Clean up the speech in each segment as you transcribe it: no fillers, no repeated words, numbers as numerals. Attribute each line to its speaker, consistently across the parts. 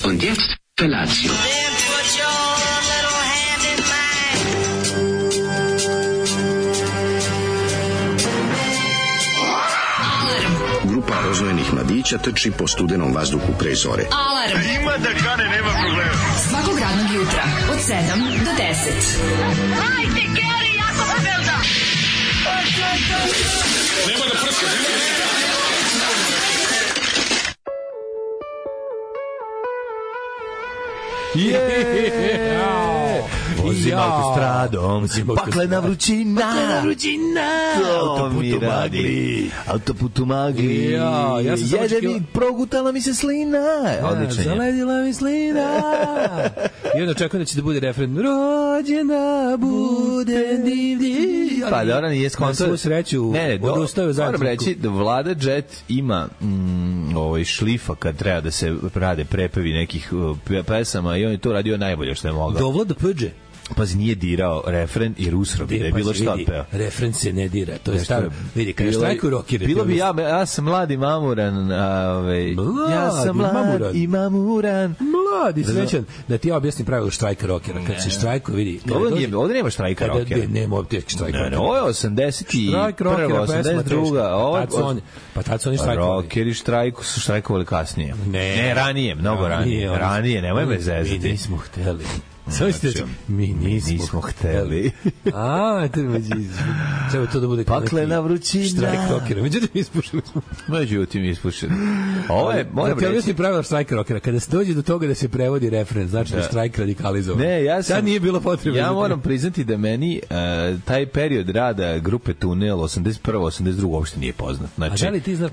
Speaker 1: Und jetzt Felatio.
Speaker 2: Grupa rozvojenih mladića trči po studenom vazduhu pre zore.
Speaker 3: Alarm!
Speaker 4: Ima da kane, nema problema.
Speaker 3: Svakog radnog jutra, od 7 do 10.
Speaker 5: Hajde, Geri, jako se velda!
Speaker 4: Nema da prska, nema da prska.
Speaker 6: Vozim autostradom, paklena vrućina, autoputu magli, jede mi, progutala mi se slina. Odlično je.
Speaker 7: Zaledila mi slina. I onda očekujem da će da bude refren rođena bude divlji.
Speaker 6: Pa da ona nije skonto.
Speaker 7: Na svu sreću odustaju zajedno.
Speaker 6: Moram reći da Vlada Jet ima šlifa kad treba da se rade prepevi nekih pesama i on je to radio najbolje što je mogao.
Speaker 7: Dovlada Pđe.
Speaker 6: Pazi, nije dirao refren i Rusro bi da je bilo šta peo.
Speaker 7: Refren se ne dira, to je staro. Vidi, kada štrajkuju rokere.
Speaker 6: Bilo bi ja sam mladi mamuran, ja sam mlad i mamuran.
Speaker 7: Mladi, srećan. Da ti ja objasnim pravilo štrajka rokera. Kad se štrajkuje, vidi.
Speaker 6: Ovdje nema štrajka rokera.
Speaker 7: Nema ovdje štrajka rokera.
Speaker 6: Ovo je 81. 82.
Speaker 7: Pa tad su oni štrajkovali.
Speaker 6: Rokeri su štrajkovali kasnije. Ne, ranije, mnogo ranije. Ranije, nemoj me zezati.
Speaker 7: Mi nismo hteli. Mi nismo hteli. Treba to da bude
Speaker 6: paklena vrućina.
Speaker 7: Štrajk rockera. Međutim, ispušili smo.
Speaker 6: Ovo je, moram reći.
Speaker 7: Ti pravila štrajk rockera. Kada se dođe do toga da se prevodi refren, znači da je štrajk radikalizovan.
Speaker 6: Ne,
Speaker 7: Sad nije bilo potrebe.
Speaker 6: Ja moram priznati da meni taj period rada grupe Tunel 81. 82. uopšte nije poznat. Znači,
Speaker 7: a da li ti znaš,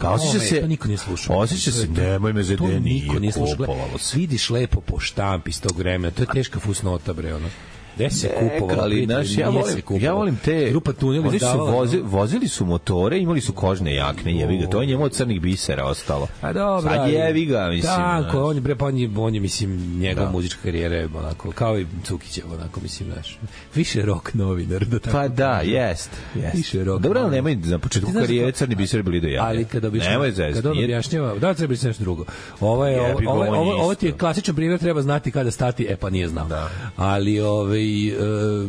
Speaker 7: to niko nije slušao.
Speaker 6: Osjeća se, nemoj me
Speaker 7: to niko nije slušao. Vidiš lepo po štampi iz tog vremena. To je teška fusnota, bre, ono. Gde se kupovalo?
Speaker 6: Ali, ja volim te...
Speaker 7: Grupa Tunel
Speaker 6: oni su vozili su motore, imali su kožne jakne, jevi ga. To je njemu od crnih bisera ostalo.
Speaker 7: A dobro.
Speaker 6: Sad jevi ga, mislim.
Speaker 7: Tako, on je, mislim, njegov muzička karijera je onako, kao i Cukićev, onako, mislim, znaš. Više rock novinar.
Speaker 6: Pa da, jest.
Speaker 7: Više rock.
Speaker 6: Dobro, ali nemoj, na početku karijere crni biser bili do jaja.
Speaker 7: Ali kada on objašnjava, da, treba biti nešto drugo. Ovo ti je klasičan primjer, treba znati kada stati, pa nije znao. Ali,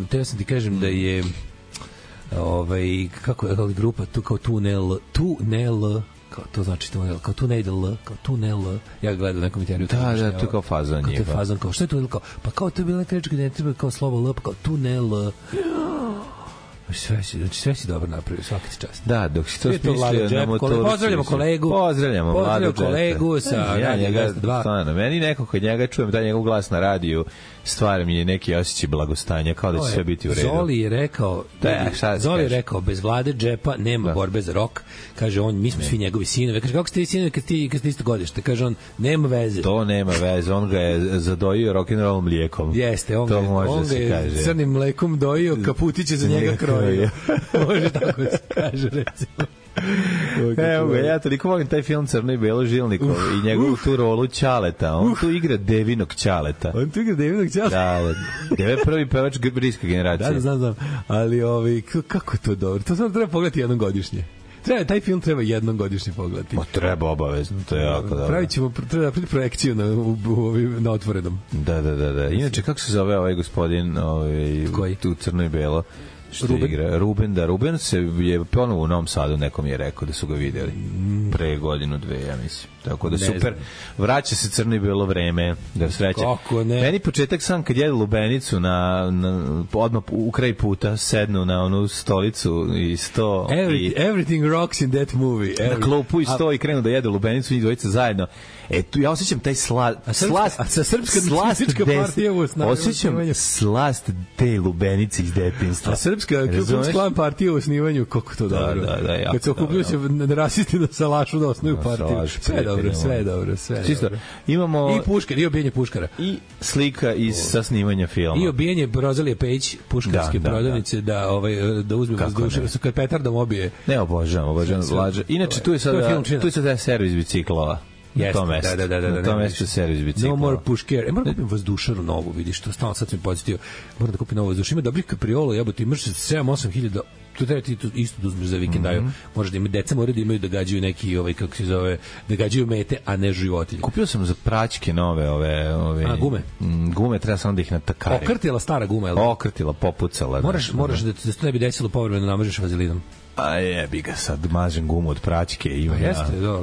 Speaker 7: treba sam ti kažem da je kako je grupa tu kao tunel kao to znači tunel, kao tunel, ja gledam na komentariju.
Speaker 6: Da, to kao fazan je.
Speaker 7: To je fazan, kao što je to, pa kao to je bila neka reč gde ne treba kao slovo L, pa kao tunel. Sve si dobro napravio, svaka ti čast.
Speaker 6: Da, dok si to smislio na motoru.
Speaker 7: Pozdravljamo kolegu sa
Speaker 6: njega 2. Meni neko kod njega čujem da njegov glas na radiju stvar mi je neki osjećaj blagostanja, kao da će sve biti u redu.
Speaker 7: Zoli je rekao, bez Vlade Džepa nema borbe za rok. Kaže on, mi smo svi njegovi sinovi. Kaže, kako ste vi sinovi kad ste isto godište? Kaže on, nema veze.
Speaker 6: To nema veze, on ga je zadojio rock'n'roll mlijekom.
Speaker 7: Jeste, on ga je crnim mlekom dojio, kaputiće za njega krojio. Može tako se kaže, recimo.
Speaker 6: Evo ga, ja toliko volim taj film Crno i Belo Žilnikov i njegovu tu rolu Ćaleta. On tu igra Devinog Ćaleta. Da, Deve prvi pevač briska generacija.
Speaker 7: Da, znam. Ali kako je to dobro? To samo treba pogledati jednom godišnje. Taj film treba jednom godišnje pogledati.
Speaker 6: Ma treba obavezno, to je jako dobro.
Speaker 7: Treba napraviti projekciju na otvorenom.
Speaker 6: Da. Inače, kako se zove ovaj gospodin tu Crno i Belo? Ruben se je ponovo u Novom Sadu, nekom je rekao da su ga videli pre godinu, dve, ja mislim. Tako da super, vraća se Crno i Belo vreme, da sreće. Meni početak sam kad jedu lubenicu odmah u kraj puta sednu na onu stolicu i sto
Speaker 7: everything rocks in that movie.
Speaker 6: Na klopu i sto i krenu da jedu lubenicu i dvojica zajedno. Tu ja osjećam taj slast osjećam slast te lubenice iz detinjstva.
Speaker 7: A srpska Klub partija u osnivanju, kako to dobro. Kad se okupljaju se rasisti na salašu da osnuju partiju. Sve dobro.
Speaker 6: Čisto, imamo
Speaker 7: i Puškar, i obijenje Puškara.
Speaker 6: I slika sa snimanja filma.
Speaker 7: I obijenje Rozalije Pejić, puškarske prodavnice, da uzme vazdušnicu kad petardom obije.
Speaker 6: Ne, obožavam Lađa. Inače, tu je sada servis biciklova. Na tom mestu servis bicikla.
Speaker 7: No more pušker. Moram da kupim vazdušaru novu, vidiš, to stalno sad sam mi podsjetio. Moram da kupim novu vazdušaru. Ima dobrih kapriola, jebote, imaš 7-8 hiljada. Tu treba ti isto da uzmeš za vikendaju. Možda ima deca moraju da imaju da gađaju neki, kako se zove, da gađaju mete, a ne životinje.
Speaker 6: Kupio sam za praćke nove
Speaker 7: gume.
Speaker 6: Gume, treba samo da ih natakarim.
Speaker 7: Okrtila stara guma, je li?
Speaker 6: Okrtila, popucala.
Speaker 7: Moraš da se to ne bi desilo povremeno namažeš vazelinom.
Speaker 6: A jebi ga, sad mažem gumu od praćke i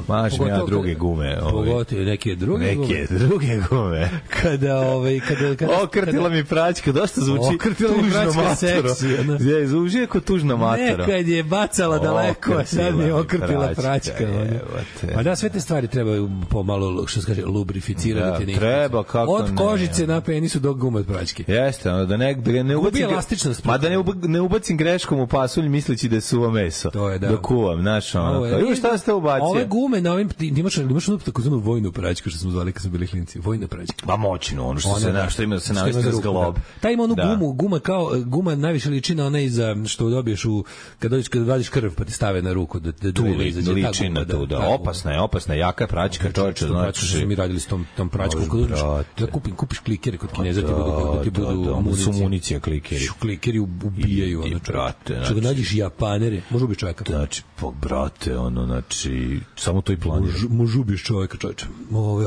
Speaker 6: mažem ja druge gume.
Speaker 7: Pogotovo neke druge
Speaker 6: gume.
Speaker 7: Kada
Speaker 6: okrtila mi praćka, dosta zvuči tužno matoro. Zvuči kao tužno matoro.
Speaker 7: Nekad je bacala daleko, a sad mi je okrtila praćka. Pa da, sve te stvari trebaju pomalo, što se kaže, lubrificirati.
Speaker 6: Treba, kako
Speaker 7: od kožice na penisu do gume od praćke.
Speaker 6: Jeste, da ne ubacim greškom u pasulj misleći da je suvo meso.
Speaker 7: To je, da.
Speaker 6: Dok kuvam, znaš, ono. Evo šta ste ubacio?
Speaker 7: Ove gume na ovim, imaš onu takozvanu vojnu praćku, što smo zvali kad smo bili klinci. Vojna praćka.
Speaker 6: Pa moćno, ono što se što ima da se navesti za zglob.
Speaker 7: Ta ima onu guma kao, guma najviše liči na onaj za što dobiješ kad vadiš krv pa ti stave na ruku da izađe.
Speaker 6: Liči na to, da. Opasna je, jaka praćka, čoveče, znači.
Speaker 7: Mi radili s tom praćkom. Da kupiš klikere kod Kineza, ti budu
Speaker 6: municija klikeri.
Speaker 7: Klikeri ubijaju, ono čovječe. Što da nađeš Japanere, može ubiš čovjeka.
Speaker 6: Znači, brate, znači, samo to i planira.
Speaker 7: Može ubiš čovjeka, čovječe.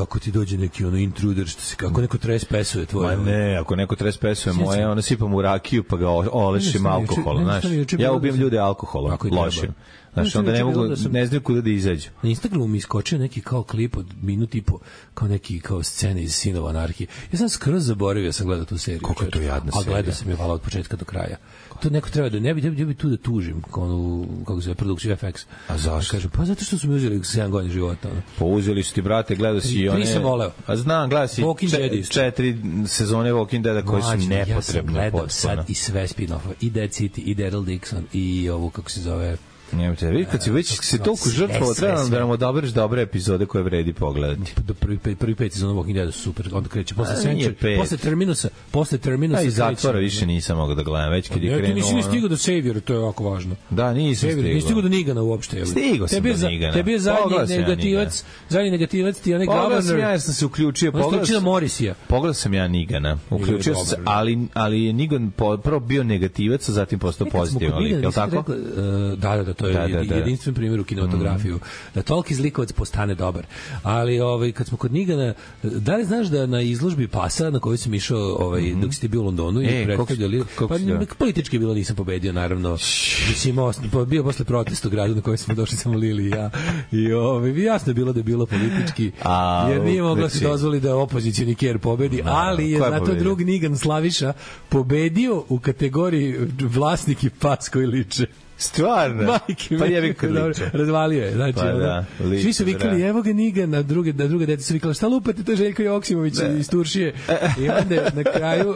Speaker 7: Ako ti dođe neki intruder, ako neko trespesuje tvoje.
Speaker 6: Ma ne, ako neko trespesuje moje, ono sipam u rakiju pa ga olešim alkoholom, znaš. Ja ubijem ljude alkoholom, lošim. Znaš, onda ne znaju kuda da izađu.
Speaker 7: Na Instagramu mi iskočio neki kao klip od minut i po, kao neki kao scene iz Sinova anarhije. Ja sam skroz zaboravio, sam gledao tu seriju.
Speaker 6: Koliko je to jadna serija.
Speaker 7: A gledao sam je vala od početka do kraja. To neko treba da ne bi tu da tužim onu, kako se zove, produkciju FX.
Speaker 6: A zašto?
Speaker 7: Kažem, pa zato što su mi uzeli 7 godina života. Ono.
Speaker 6: Pa uzeli su ti, brate, gledao si i one...
Speaker 7: Nisam voleo.
Speaker 6: A znam, gledao si 4 sezone Walking Deada koje su nepotrebne.
Speaker 7: Ja sam gledao sad i sve spin-offa, i Dead City, i Daryl Dixon, i ovu, kako se zove...
Speaker 6: Nemojte, vidi, kad si već se toliko žrtvovao, treba da nam odabereš dobre epizode koje vredi pogledati.
Speaker 7: Prvi 5 sezona Walking Deada su super, onda kreće posle Century, posle Terminusa.
Speaker 6: A i zatvora više nisam mogao da gledam, već kad je krenuo.
Speaker 7: Ti nisi ni stigao do Saviora, to je jako važno.
Speaker 6: Da, nisam stigao.
Speaker 7: Nisi stigao do Nigana uopšte.
Speaker 6: Stigao sam do Nigana.
Speaker 7: Tebi je zadnji negativac, ti onaj Governor.
Speaker 6: Pogledao sam ja jer sam se uključio. Pogledao sam ja Nigana, uključio sam se, ali je Nigan prvo bio negativac, a zatim postao pozitivan. Je li tako?
Speaker 7: Da, to je jedinstven primjer u kinematografiju. Da toliki zlikovac postane dobar. Ali kad smo kod Nigana, da li znaš da na izložbi Pasa na kojoj sam išao dok si ti bio u Londonu i predstavljali, pa politički bilo nisam pobedio, naravno. Bio posle protesta u gradu na kojoj smo došli samo Lili i ja. I jasno je bilo da je bilo politički, jer nije mogla se dozvoli da opozicijni ker pobedi, ali je zato drug Nigan Slaviša pobedio u kategoriji vlasnik i pas koji liče.
Speaker 6: Stvarno? Pa jebi kad liče.
Speaker 7: Razvalio je. Znači,
Speaker 6: pa da, liče,
Speaker 7: svi su vikali, evo ga Nigan, na druge dete su vikali, šta lupate, to je Željko Joksimović iz Turšije. I onda na kraju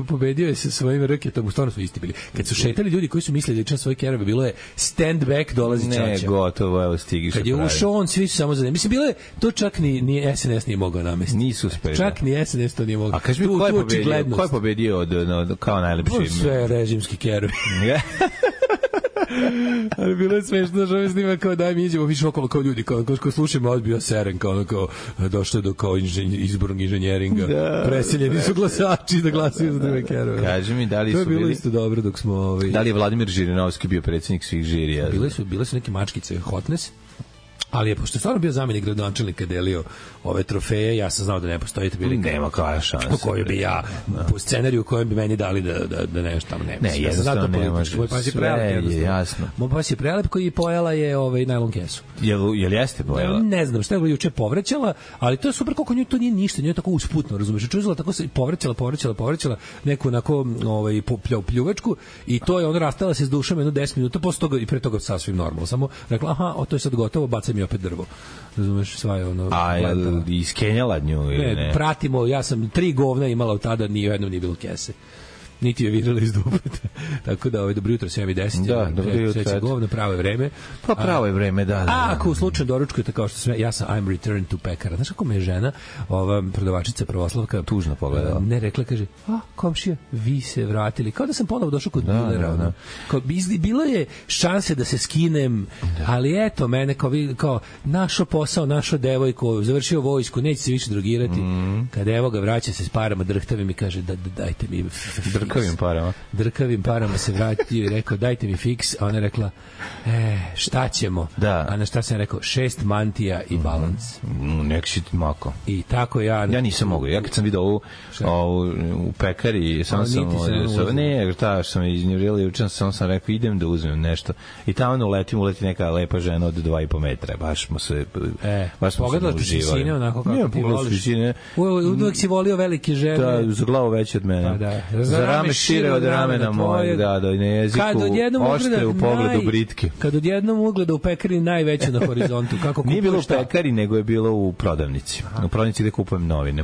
Speaker 7: pobedio je sa svojim raketom, stvarno su isti bili. Kad su šetali ljudi koji su mislili da je čas svoje kerove, bilo je stand back, dolazi Čača.
Speaker 6: Ne, gotovo, evo stigiš.
Speaker 7: Kad je ušao on, svi su samo za Mislim, bilo je, to čak ni SNS nije mogao namestiti.
Speaker 6: Nisu uspeli.
Speaker 7: Čak ni SNS to nije mogao.
Speaker 6: A kaži mi, ko je pobedio kao najlepši?
Speaker 7: Sve režimski kerovi. Ali bilo je smešno što me snima kao daj mi iđemo više okolo kao ljudi kao slušamo odbio seren kao došlo do kao izbornog inženjeringa preseljeni su glasači da glasaju za druge kerove.
Speaker 6: Kaži mi da li su bili...
Speaker 7: To je bilo isto dobro dok smo
Speaker 6: Da li je Vladimir Žirinovski bio predsjednik svih žirija?
Speaker 7: Bile su neke mačkice hotness. Ali je, pošto je stvarno bio zamjenik gradonačelnika, delio ove trofeje, ja sam znao da ne postoji prilika.
Speaker 6: Nema koja šansa.
Speaker 7: Po kojoj bi ja, po scenariju u kojem bi meni dali da nešto tamo nema.
Speaker 6: Ne, jednostavno nemaš.
Speaker 7: Moj pas je prelep.
Speaker 6: Sve je jasno.
Speaker 7: Moj pas je prelep koji pojela je najlon kesu.
Speaker 6: Jel jeste pojela?
Speaker 7: Ne znam, šta je juče povraćala, ali to je super koliko nju to nije ništa, nju je tako usputno, razumeš? Čuzela tako se povraćala neku onako pljuvačku i to je ona rastala se s dušom jedno 10 minuta, posle toga i pre toga sasvim normalno. Samo rekla, aha, to je sad gotovo, bacaj mi opet drvo. Razumeš, sva je ono...
Speaker 6: A je iskenjala nju ili ne?
Speaker 7: Pratimo, ja sam 3 govna imala od tada, ni jednom nije bilo kese. Niti je virala iz dupeta. Tako da, dobro jutro, 7:10.
Speaker 6: Da, dobro jutro.
Speaker 7: Sveće govno, pravo je vreme.
Speaker 6: Pa pravo je vreme, da.
Speaker 7: A ako u slučaju doručkujete kao što sve, ja sam I'm returned to pekara. Znaš kako me je žena, ova prodavačica Pravoslavka,
Speaker 6: tužno pogledala.
Speaker 7: Ne, rekla, kaže, komšija, vi se vratili. Kao da sam ponovo došao kod dilera.
Speaker 6: Da.
Speaker 7: Bilo je šanse da se skinem, ali eto, mene kao našo posao, našo devojku, završio vojsku, neće se više drogirati. Kad evo ga vraća se s parama drhtavim i kaže, dajte mi drkavim parama se vratio i rekao dajte mi fiks, a ona je rekla šta ćemo, a na šta sam rekao 6 mantija i balans.
Speaker 6: Nek si mako.
Speaker 7: I tako ja
Speaker 6: nisam mogao, ja kad sam vidio ovu u pekari sam iznjurili, sam rekao idem da uzmem nešto i tamo uleti neka lepa žena od 2,5 metra, baš smo se
Speaker 7: pogledala ti sine onako kako ti voliš, uvijek si volio velike žene,
Speaker 6: da, za glavu veće od mene, za rame šire od ramena mojeg, da, na jeziku oštre u pogledu britke.
Speaker 7: Kad odjednom ugleda u pekari najveće na horizontu, kako kupuješ?
Speaker 6: Nije bilo u pekari, nego je bilo u prodavnici. U prodavnici gde kupujem novine.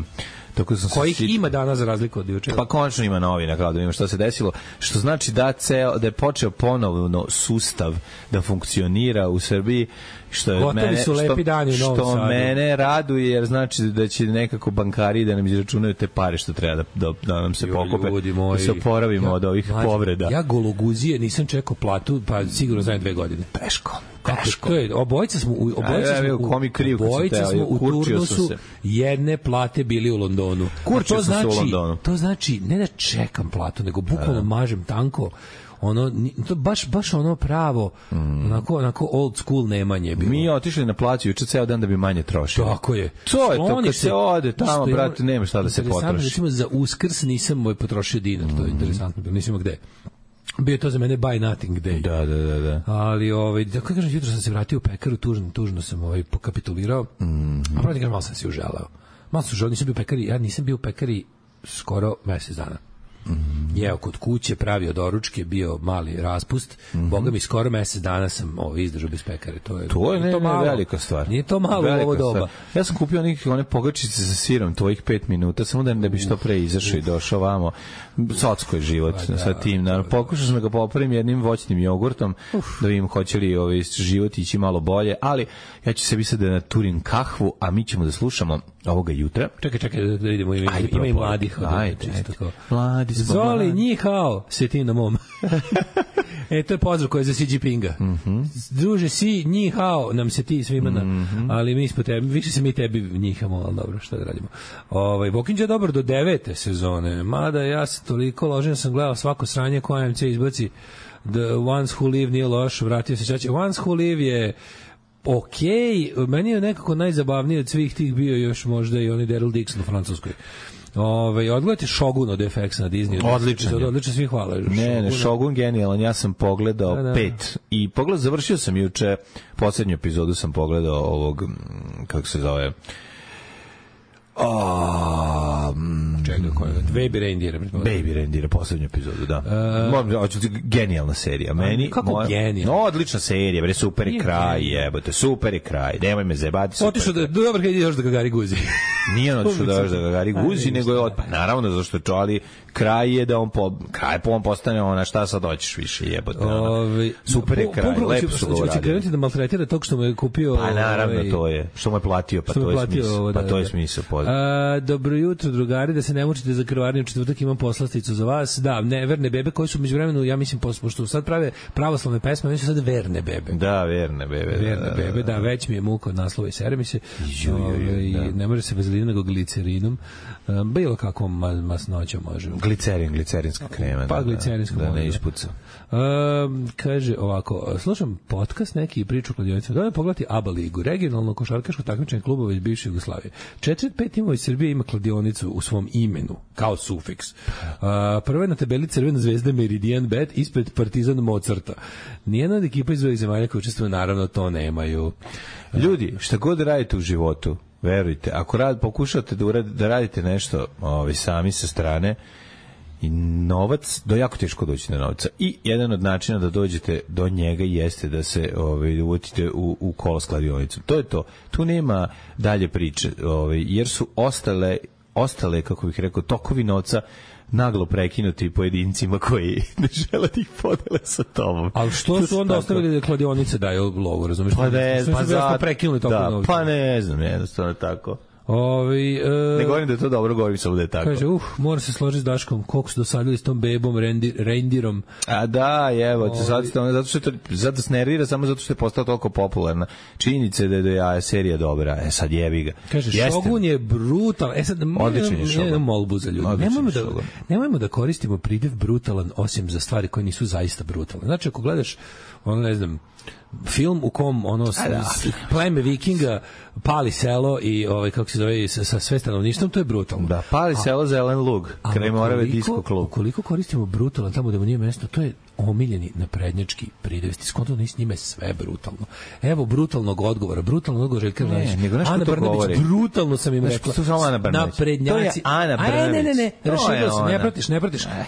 Speaker 7: Kojih ima danas za razliku od juče?
Speaker 6: Pa konačno ima novina, kao da ima šta se desilo, što znači da je počeo ponovno sustav da funkcionira u Srbiji, što mene raduje, jer znači da će nekako bankari da nam izračunaju te pare što treba da nam se pokupe, da se oporavimo od ovih povreda.
Speaker 7: Ja gologuzije nisam čekao platu, pa sigurno za 2 godine.
Speaker 6: Teško.
Speaker 7: Obojica smo u turnusu jedne plate bili u Londonu.
Speaker 6: Kurčio sam se u Londonu.
Speaker 7: To znači ne da čekam platu, nego bukvalno mažem tanko. To baš ono pravo, onako old school nemanje bilo.
Speaker 6: Mi otišli na plaću juče ceo dan da bi manje trošili.
Speaker 7: Tako je.
Speaker 6: To je to, kad se ode tamo, brate, nema šta da se potroši.
Speaker 7: Recimo, za Uskrs nisam potrošio dinar, to je interesantno, nisam imao gde. Bio je to za mene by nothing day.
Speaker 6: Da.
Speaker 7: Ali, da kako kažem, jutro sam se vratio u pekaru, tužno sam pokapitulirao. A pravo ti kažem, malo sam se uželao. Nisam bio u pekari skoro mesec dana. Jeo kod kuće, pravio doručke, bio mali raspust. Boga mi, skoro mesec dana sam izdržao bez pekare. To je
Speaker 6: velika stvar.
Speaker 7: Nije to malo u ovo doba.
Speaker 6: Ja sam kupio one pogačice sa sirom, tvojih 5 minuta, samo da bi što pre izašao i došao vamo. Socko je život sa tim. Pokušao sam da ga popravim jednim voćnim jogurtom, da vidim hoće li život ići malo bolje, ali ja ću sebi sad da naturim kahvu, a mi ćemo da slušamo ovoga jutra.
Speaker 7: Čekaj, da vidimo, ima i mladih.
Speaker 6: Mladi smo.
Speaker 7: Zoli, njihao, sjeti na mom. To je pozdrav koji je za Xi Jinpinga. Druže, si, njihao, nam se ti svima, ali mi smo tebi, više se mi tebi njihamo, ali dobro, šta da radimo. Bokinđa je dobar do 9. sezone, mada ja se toliko ložen sam gledao svako sranje koje MC izbaci. The Ones Who Live nije loš, vratio se čače. Ones Who Live je meni je nekako najzabavniji od svih tih bio još možda i oni Daryl Dixon u Francuskoj. Odgledajte Shogun od FX na Disney. Odlično, svi hvala.
Speaker 6: Ne, Shogun genijalan, ja sam pogledao 5 i završio sam juče, poslednju epizodu sam pogledao ovog, kako se zove,
Speaker 7: Baby
Speaker 6: Reindeer, poslednju epizodu, da. Genijalna serija. Meni,
Speaker 7: kako genijalna?
Speaker 6: Odlična serija, bre, super je kraj, jebote, super je kraj. Nemoj me zebati.
Speaker 7: Otišao da dobro kad ideš da ga Gari guzi.
Speaker 6: Nije on otišao da ga Gari guzi, nego je naravno zašto je čali kraj je da on postane ona šta sad hoćeš više, jebote. Super je kraj, lepo su govorili.
Speaker 7: Hoće krenuti da maltretira tog što mu je kupio.
Speaker 6: Pa naravno to je, što mu je platio, pa to je smisao.
Speaker 7: Dobro jutro, drugari, da se ne mučite za krvarniju, četvrtak imam poslasticu za vas. Da, verne bebe koji su međuvremenu, ja mislim, pošto sad prave pravoslavne pesme, oni su sad verne bebe.
Speaker 6: Da, verne bebe.
Speaker 7: Da, već mi je muka od naslova i sere mi se. Ne može se vazelina, nego glicerinom. Bilo kakvom masnoćom može.
Speaker 6: Glicerinska krema.
Speaker 7: Pa glicerinska
Speaker 6: da ne ispuca.
Speaker 7: Kaže ovako, slušam podcast neki i priču kladionica. Da pogledati ABA ligu, regionalno košarkaško takmičenje klubova iz bivše Jugoslavije. 4-5 timova iz Srbije ima kladionicu u svom imenu, kao sufiks. Prva je na tabeli Crvena zvezda Meridian Bet ispred Partizan Mozarta. Nijedna od ekipa iz ovih zemalja koji učestvuju, naravno, to nemaju.
Speaker 6: Ljudi, šta god radite u životu, verujte, ako pokušate da radite nešto sami sa strane, i novac, jako teško doći do novca. I jedan od načina da dođete do njega jeste da se uvotite u kolo s kladionicom. To je to. Tu nema dalje priče, jer su ostale, kako bih rekao, tokovi novca naglo prekinuti pojedincima koji ne žele da ih podele sa tobom.
Speaker 7: Ali što su onda ostavili da kladionice daju lovu, razumiješ?
Speaker 6: Pa ne znam, jednostavno tako. Ne govorim da je to dobro, govorim samo da je tako.
Speaker 7: Kaže, mora se složiti s Daškom, koliko su dosadili s tom bebom, reindirom.
Speaker 6: A da, evo, zato se nervira samo zato što je postao toliko popularna. Činjenica je da je serija dobra, sad jebi ga.
Speaker 7: Kaže, Shogun je brutal.
Speaker 6: Odličan je Shogun.
Speaker 7: Jednu molbu za ljudi. Nemojmo da koristimo pridjev brutalan, osim za stvari koje nisu zaista brutalne. Znači, ako gledaš, ne znam, film u kom pleme vikinga pali selo i kako se zove sa sve stanovništvom, to je brutalno.
Speaker 6: Da, pali selo Zelen lug, kraj Morave disko klub.
Speaker 7: Ukoliko koristimo brutalan tamo da mu nije mesto, to je omiljeni naprednjački pridev. Skonto s njime sve brutalno. Evo brutalnog odgovora Željka Rajić. Ana Brnabić, brutalno sam im rekla. Naprednjaci.
Speaker 6: To je Ana Brnabić.
Speaker 7: Ne, raširilo se,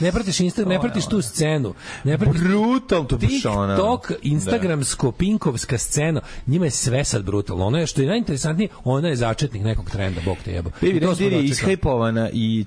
Speaker 7: ne pratiš Instagram, ne pratiš tu scenu.
Speaker 6: Brutalno to baš ona.
Speaker 7: TikTok, Instagramsko, pinkovska scena, njima je sve sad brutalno. Ono je što je najinteresantnije, ona je začetnik nekog trenda, bog te jebo.
Speaker 6: Baby Reindeer je ishajpovana i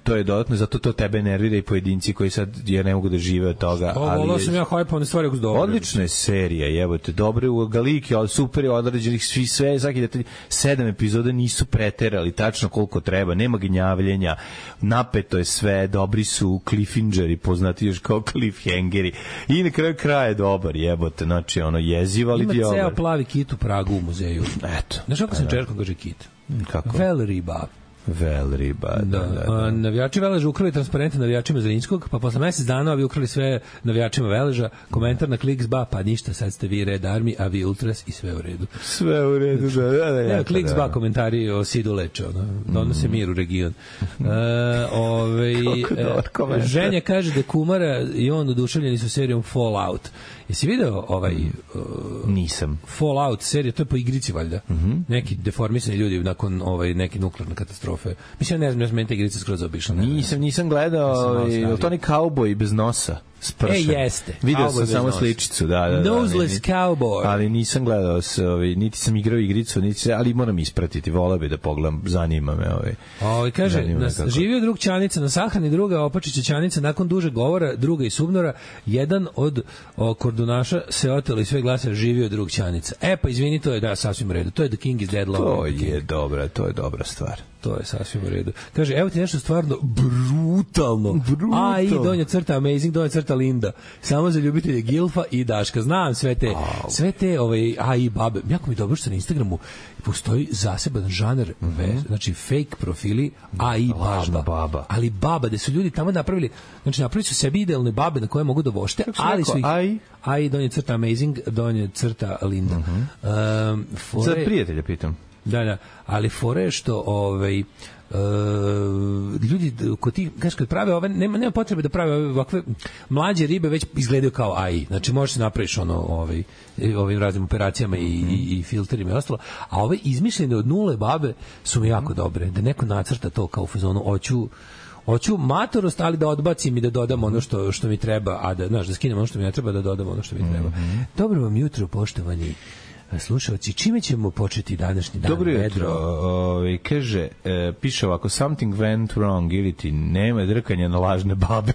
Speaker 6: to je dodatno, zato to tebe nervira i pojedinci koji sad ne mogu da žive od toga.
Speaker 7: Volao sam ja hajpovane stvari ako su dobre.
Speaker 6: Odlična je serija, jebote, dobre u Galiki, ali super je određenih sve, svaki detalj, 7 epizoda nisu preterali tačno koliko treba, nema gnjavljenja, napeto je sve, dobri su cliffhangeri, poznati još kao cliffhangeri, i na kraju kraja je dobar, jebote, znači jeziva, ali
Speaker 7: ima ceo plavi kit u Pragu u muzeju.
Speaker 6: Eto.
Speaker 7: Znaš kako sam čerkom kaže kit?
Speaker 6: Kako?
Speaker 7: Vel riba.
Speaker 6: Velriba,
Speaker 7: da. Navijači Veleža ukrali transparente navijačima Zrinjskog, pa posle mesec dana ovi ukrali sve navijačima Veleža. Komentar na Kliks.ba, pa ništa, sad ste vi Red Army, a vi Ultras i sve u redu.
Speaker 6: Sve u redu, da.
Speaker 7: Kliks.ba komentari o Sidu Leča, donose mir u region. Ženja kaže da Kumara i on oduševljeni su serijom Fallout. Jesi video
Speaker 6: nisam.
Speaker 7: Fallout serija, to je po igrici valjda. Neki deformisani ljudi nakon neke nuklearne katastrofe. Mislim, ne znam, meni ta igrica skroz zaobišla.
Speaker 6: Nisam gledao, to ni kauboj bez nosa.
Speaker 7: Jeste.
Speaker 6: Video sam samo sličicu, da.
Speaker 7: Noseless cowboy.
Speaker 6: Ali nisam gledao, niti sam igrao igricu, ali moram ispratiti, voleo bi da pogledam, zanima me.
Speaker 7: Kaže, živio drug Ćanica na sahrani, druga Opačića Ćanica, nakon dužeg govora, druga i Subnora, jedan od kordunaša se otelo i sve glasa, živio drug Ćanica. Pa izvini, to je sasvim u redu. To je The King is Dead.
Speaker 6: To je dobra stvar.
Speaker 7: To je sasvim u redu. Kaže, evo ti nešto stvarno brutalno. AI, donja crta Amazing, donja crta Linda. Samo za ljubitelje Gilfa i Daška. Znam sve te AI babe. Jako mi dobro što na Instagramu postoji zaseban žanar, znači fake profili AI baba. Ali baba, da su ljudi tamo napravili, znači napravili su sebi idealne babe na koje mogu da vošte, ali su ih AI, donja crta Amazing, donja crta Linda.
Speaker 6: Za prijatelja pitam.
Speaker 7: Da, ali fore je što ljudi kod tih, kažeš, kad prave nema potrebe da prave ovakve mlađe ribe, već izgledaju kao AI. Znači možeš se napraviš ovim raznim operacijama i filterima i ostalo, a ove izmišljene od nule babe su mi jako dobre. Da neko nacrta to kao u fazonu, hoću matorost, ali da odbacim i da dodam ono što mi treba, a da skinem ono što mi ne treba, da dodam ono što mi treba. Dobro vam jutro, poštovani slušalci, čime ćemo početi današnji dan?
Speaker 6: Dobro jutro. Kaže, piše ovako, something went wrong, ili ti nema drkanja na lažne babe.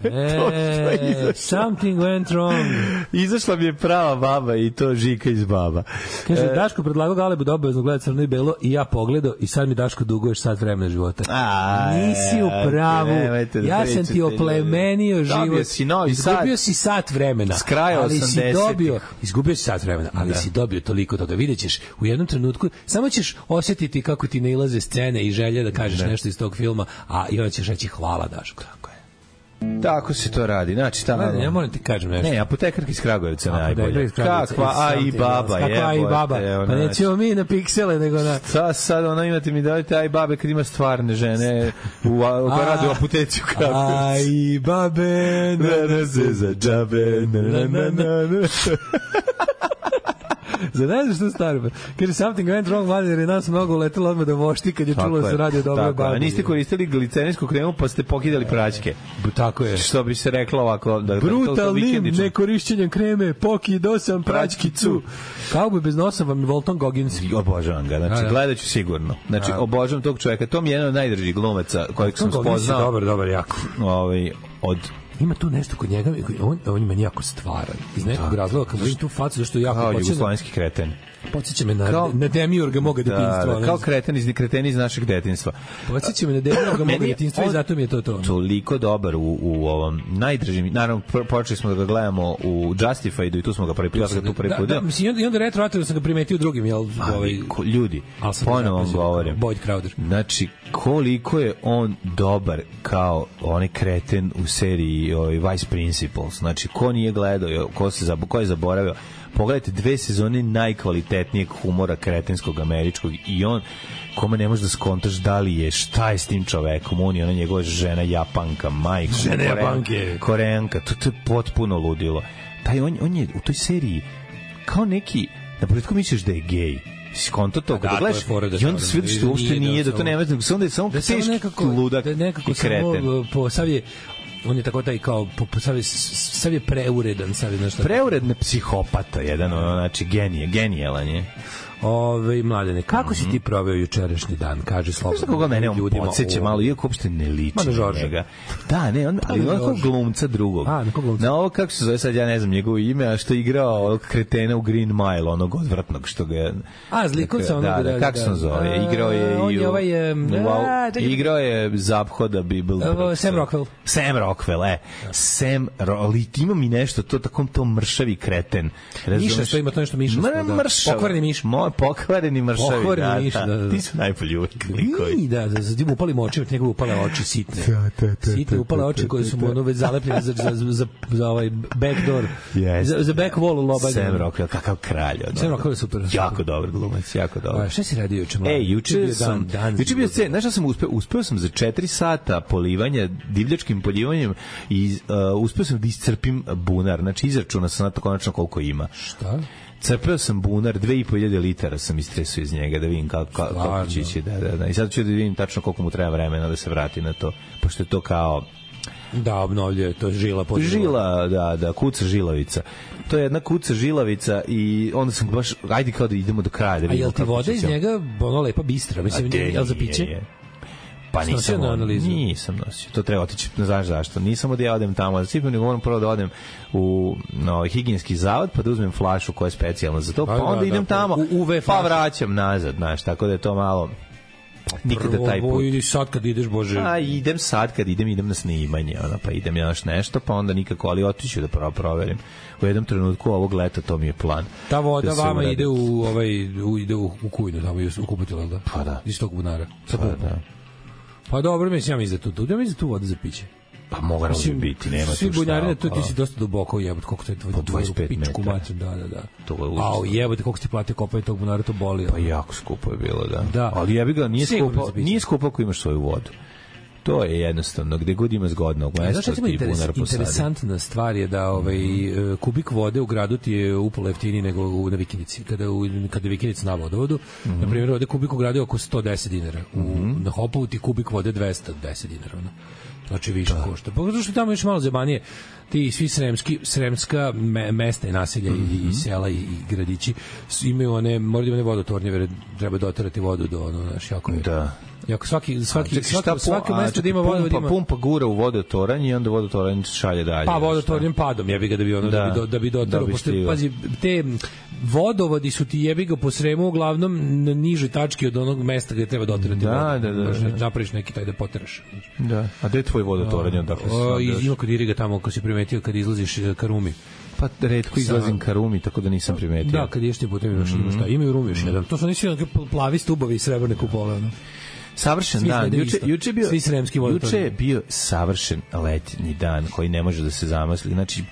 Speaker 7: Something went wrong.
Speaker 6: Izašla mi je prava baba i to Žika iz baba.
Speaker 7: Kaže, Daško predlagao Galebu da obavezno gleda Crno i Belo i ja pogledao i sad mi Daško duguješ sat vremena života. Nisi u pravu. Ja sam ti oplemenio život. Izgubio si sat vremena.
Speaker 6: S kraja 80-ih.
Speaker 7: Izgubio si sat vremena, ali si dobio toliko toga. Vidjet ćeš u jednom trenutku, samo ćeš osjetiti kako ti nailaze scene i želje da kažeš nešto iz tog filma, i onda ćeš reći hvala Daško.
Speaker 6: Tako se to radi. Znači,
Speaker 7: ja moram ti kažem nešto.
Speaker 6: Ne, apotekarka iz Kragujevca najbolje. Kakva AI baba.
Speaker 7: Kakva AI baba. Pa nećemo mi na piksele, nego na...
Speaker 6: Sad imate mi dajte AI babe kad ima stvarne žene koja radi u apoteci u Kragujevcu.
Speaker 7: AI babe,
Speaker 6: na se za džabe, na.
Speaker 7: Za ne znaš što staro. Kaže, something went wrong, mladen, jer je nas mnogo uletelo odmah da vošti kad je čulo da se radi o dobroj babi.
Speaker 6: A niste koristili glicerijsku kremu pa ste pokidali praćke.
Speaker 7: Tako je.
Speaker 6: Što bi se reklo ovako.
Speaker 7: Brutalnim nekorišćenjem kreme pokidao sam praćkicu. Kao bi bez nosa vam Volton Goggins.
Speaker 6: Obožavam ga, znači gledat ću sigurno. Znači, obožavam tog čovjeka. To mi je jedan od najdražih glumaca kojeg sam spoznao.
Speaker 7: Dobar, jako.
Speaker 6: Od
Speaker 7: ima tu nešto kod njega, on ima jako stvaran. Iz nekog razloga, kad vidim tu facu, zašto jako
Speaker 6: počinje... Kao jugoslovenski kreten.
Speaker 7: Podsjeća me na Demiurga moga detinjstva.
Speaker 6: Kao kreteni iz našeg detinjstva.
Speaker 7: Podsjeća me na Demiurga moga detinjstva i zato mi je to.
Speaker 6: Toliko dobar u ovom najdražim, naravno počeli smo da ga gledamo u Justified i tu smo ga prvi put.
Speaker 7: I onda retroaktivno sam ga primetio u drugim.
Speaker 6: Ljudi, ponovo vam govorim.
Speaker 7: Boyd Crowder.
Speaker 6: Znači, koliko je on dobar kao onaj kreten u seriji Vice Principals. Znači, ko nije gledao, ko je zaboravio, pogledajte 2 sezone najkvalitetnijeg humora kretenskog američkog i on kome ne možeš da skontaš da li je, šta je s tim čovekom, on je ona njegova žena Japanka, majka, Koreanka, to je potpuno ludilo. On je u toj seriji kao neki, na početku misliš da je gej, skonto to, kada gledaš i onda se vidiš da uopšte nije, da to nema, onda je samo teški ludak i kreten.
Speaker 7: On je tako taj kao sav je preuredan,
Speaker 6: preuredne psihopata jedan, znači genijalan je.
Speaker 7: Mladene, kako si ti proveo jučerašnji dan? Kaži slobodno.
Speaker 6: Znaš koga mene on podsjeća malo, iako uopšte ne liči na njega. Da, ne, ali on kao glumca drugog. Na ovo, kako se zove sad, ja ne znam njegovo ime, a što je igrao kretena u Green Mile, onog odvratnog što ga...
Speaker 7: Zlikovca onog.
Speaker 6: Da, kako se on zove? Igrao je i igrao je Zaphoda Bible.
Speaker 7: Sam Rockwell.
Speaker 6: Sam Rockwell, ali ima mi nešto, to mršavi kreten.
Speaker 7: Miša, što ima to nešto miša.
Speaker 6: Pokvarni
Speaker 7: miš.
Speaker 6: Pokvareni mršavi.
Speaker 7: Pokvareni ništa, da.
Speaker 6: Ti su najbolji uvijek likovi.
Speaker 7: Da, za tim upali moči, od njegove upale oči sitne. Sitne upale oči koje su mu ono već zalepljene za ovaj backdoor. Za back wall loba.
Speaker 6: Sam Rockwell, kakav kralj.
Speaker 7: Sam Rockwell je super.
Speaker 6: Jako dobar glumac, jako dobar.
Speaker 7: Šta si radio juče?
Speaker 6: Juče sam znaš šta sam uspeo sam za 4 sata polivanja, divljačkim polivanjem i uspeo sam da iscrpim bunar. Znači izračunao sam na to konačno koliko ima.
Speaker 7: Šta?
Speaker 6: Crpeo sam bunar, 2500 litara sam istresao iz njega da vidim kako će ići. Da. I sad ću da vidim tačno koliko mu treba vremena da se vrati na to, pošto je to kao...
Speaker 7: Da, obnovljuje, to je žila pod
Speaker 6: žila, da, kuca žilavica. To je jedna kuca žilavica i onda sam baš, ajde kao da idemo do kraja. Da
Speaker 7: a jel ti voda iz njega ono lepa bistra? Mislim, jel za piće?
Speaker 6: Pa nisam nosio. To treba otići, ne znaš zašto. Nisam od ja odem tamo da sipim, nego moram prvo da odem u higijenski zavod, pa da uzmem flašu koja je specijalna za to, pa onda idem tamo, pa vraćam nazad, znaš, tako da je to malo... Nikada taj put.
Speaker 7: Ili sad kad ideš, Bože.
Speaker 6: Idem sad kad idem na snimanje, pa idem ja nešto, pa onda nikako, ali otiću da prvo proverim. U jednom trenutku ovog leta to mi je plan.
Speaker 7: Ta voda vama ide u kujnu, tamo je u kupatilu, da?
Speaker 6: Pa da.
Speaker 7: Iz tog bunara. Pa dobro, mislim, ja mislim da tu voda za piće.
Speaker 6: Pa mogu biti, nema tu šta.
Speaker 7: Svi bunjari, ti si dosta duboko, jebote, koliko to je tvoj
Speaker 6: po 25 metara.
Speaker 7: Da.
Speaker 6: To je užasno.
Speaker 7: Jebote, koliko si platio kopanje tog bunara, to boli.
Speaker 6: Pa jako skupo je bilo, da. Ali jebi ga, nije skupo ako imaš svoju vodu. To je jednostavno, gde god ima zgodnog mesta ti bunar posadi.
Speaker 7: Interesantna stvar je da kubik vode u gradu ti je upola jeftiniji nego na Vikinici. Kada je Vikinica na vodovodu, na primjer, ovde kubik u gradu je oko 110 dinara. Na Hopovu ti kubik vode 210 dinara. Znači više košta. Pa zato što tamo još malo zebanije, ti svi sremska mesta i naselja i sela i gradići imaju moraju imati vodotornje, treba doterati vodu do jako je.
Speaker 6: Da.
Speaker 7: Jako svaki mesto da ima vodovod ima.
Speaker 6: Pumpa gura u vodotoranje i onda vodotoranje šalje dalje.
Speaker 7: Pa vodotornjem padom, jebi ga da bi doterao, pošto pazi, te vodovodi su ti jebi ga po Sremu uglavnom na nižoj tački od onog mesta gde treba doterati vodu. Da. Napraviš neki taj da poteraš.
Speaker 6: Da. A gde je tvoj vodotoranje?
Speaker 7: Ima kod Iriga tamo, ko si primetio kad izlaziš ka Rumi.
Speaker 6: Pa retko izlazim ka Rumi, tako da nisam primetio.
Speaker 7: Da, kad ješ ti putem imaš šta. Imaju Rumi još jedan. To su nisi plavi stubovi i srebrne kupole.
Speaker 6: Savršen dan. Juče je bio savršen letnji dan koji ne može da se zamisli. Znači,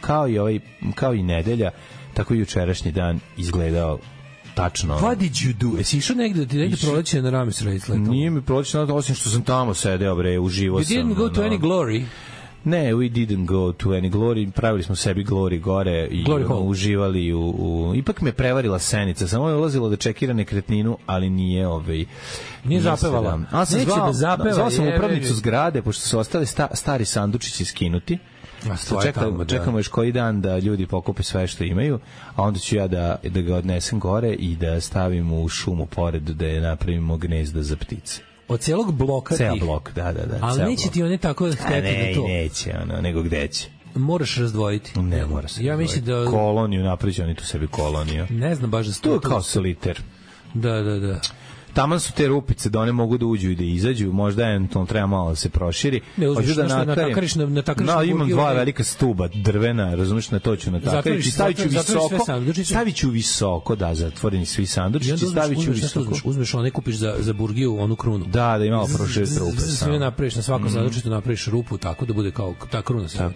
Speaker 6: kao i nedelja, tako i jučerašnji dan izgledao tačno.
Speaker 7: What did you do? Jesi išao negde proleće na Ramis Race?
Speaker 6: Nije mi proleće, osim što sam tamo sedeo, uživo sam.
Speaker 7: You didn't go to any glory?
Speaker 6: Ne, we didn't go to any glory. Pravili smo sebi glory gore i uživali ipak me prevarila Senica. Samo je ulazila da čekira nekretninu, ali nije
Speaker 7: nije zapevala.
Speaker 6: Neće da zapeva. Zvao sam upravnicu zgrade, pošto su ostali stari sandučići skinuti. Čekamo još koji dan da ljudi pokupe sve što imaju, a onda ću ja da ga odnesem gore i da stavim u šumu pored, da je napravimo gnezda za ptice.
Speaker 7: Od celog bloka
Speaker 6: ceo blok, da.
Speaker 7: Ali neće ti one tako hteti da to...
Speaker 6: Neće, nego gde će?
Speaker 7: Moraš razdvojiti.
Speaker 6: Ne mora se razdvojiti. Koloniju, napravići oni tu sebi koloniju.
Speaker 7: Ne znam baš da
Speaker 6: to je kao soliter.
Speaker 7: Da.
Speaker 6: Taman su te rupice da one mogu da uđu i da izađu, možda eventualno treba malo da se proširi.
Speaker 7: Hoću da natakariš
Speaker 6: imam dva velika stuba drvena, razumiješ, na to ću natakariti. Stavit ću visoko, da, zatvoreni svi sandučići, stavit ću visoko.
Speaker 7: Uzmeš one, kupiš za burgiju onu krunu.
Speaker 6: Da ima proširiti rupe.
Speaker 7: Sve napraviš na svakom sandučiću, napraviš rupu tako da bude kao ta kruna sve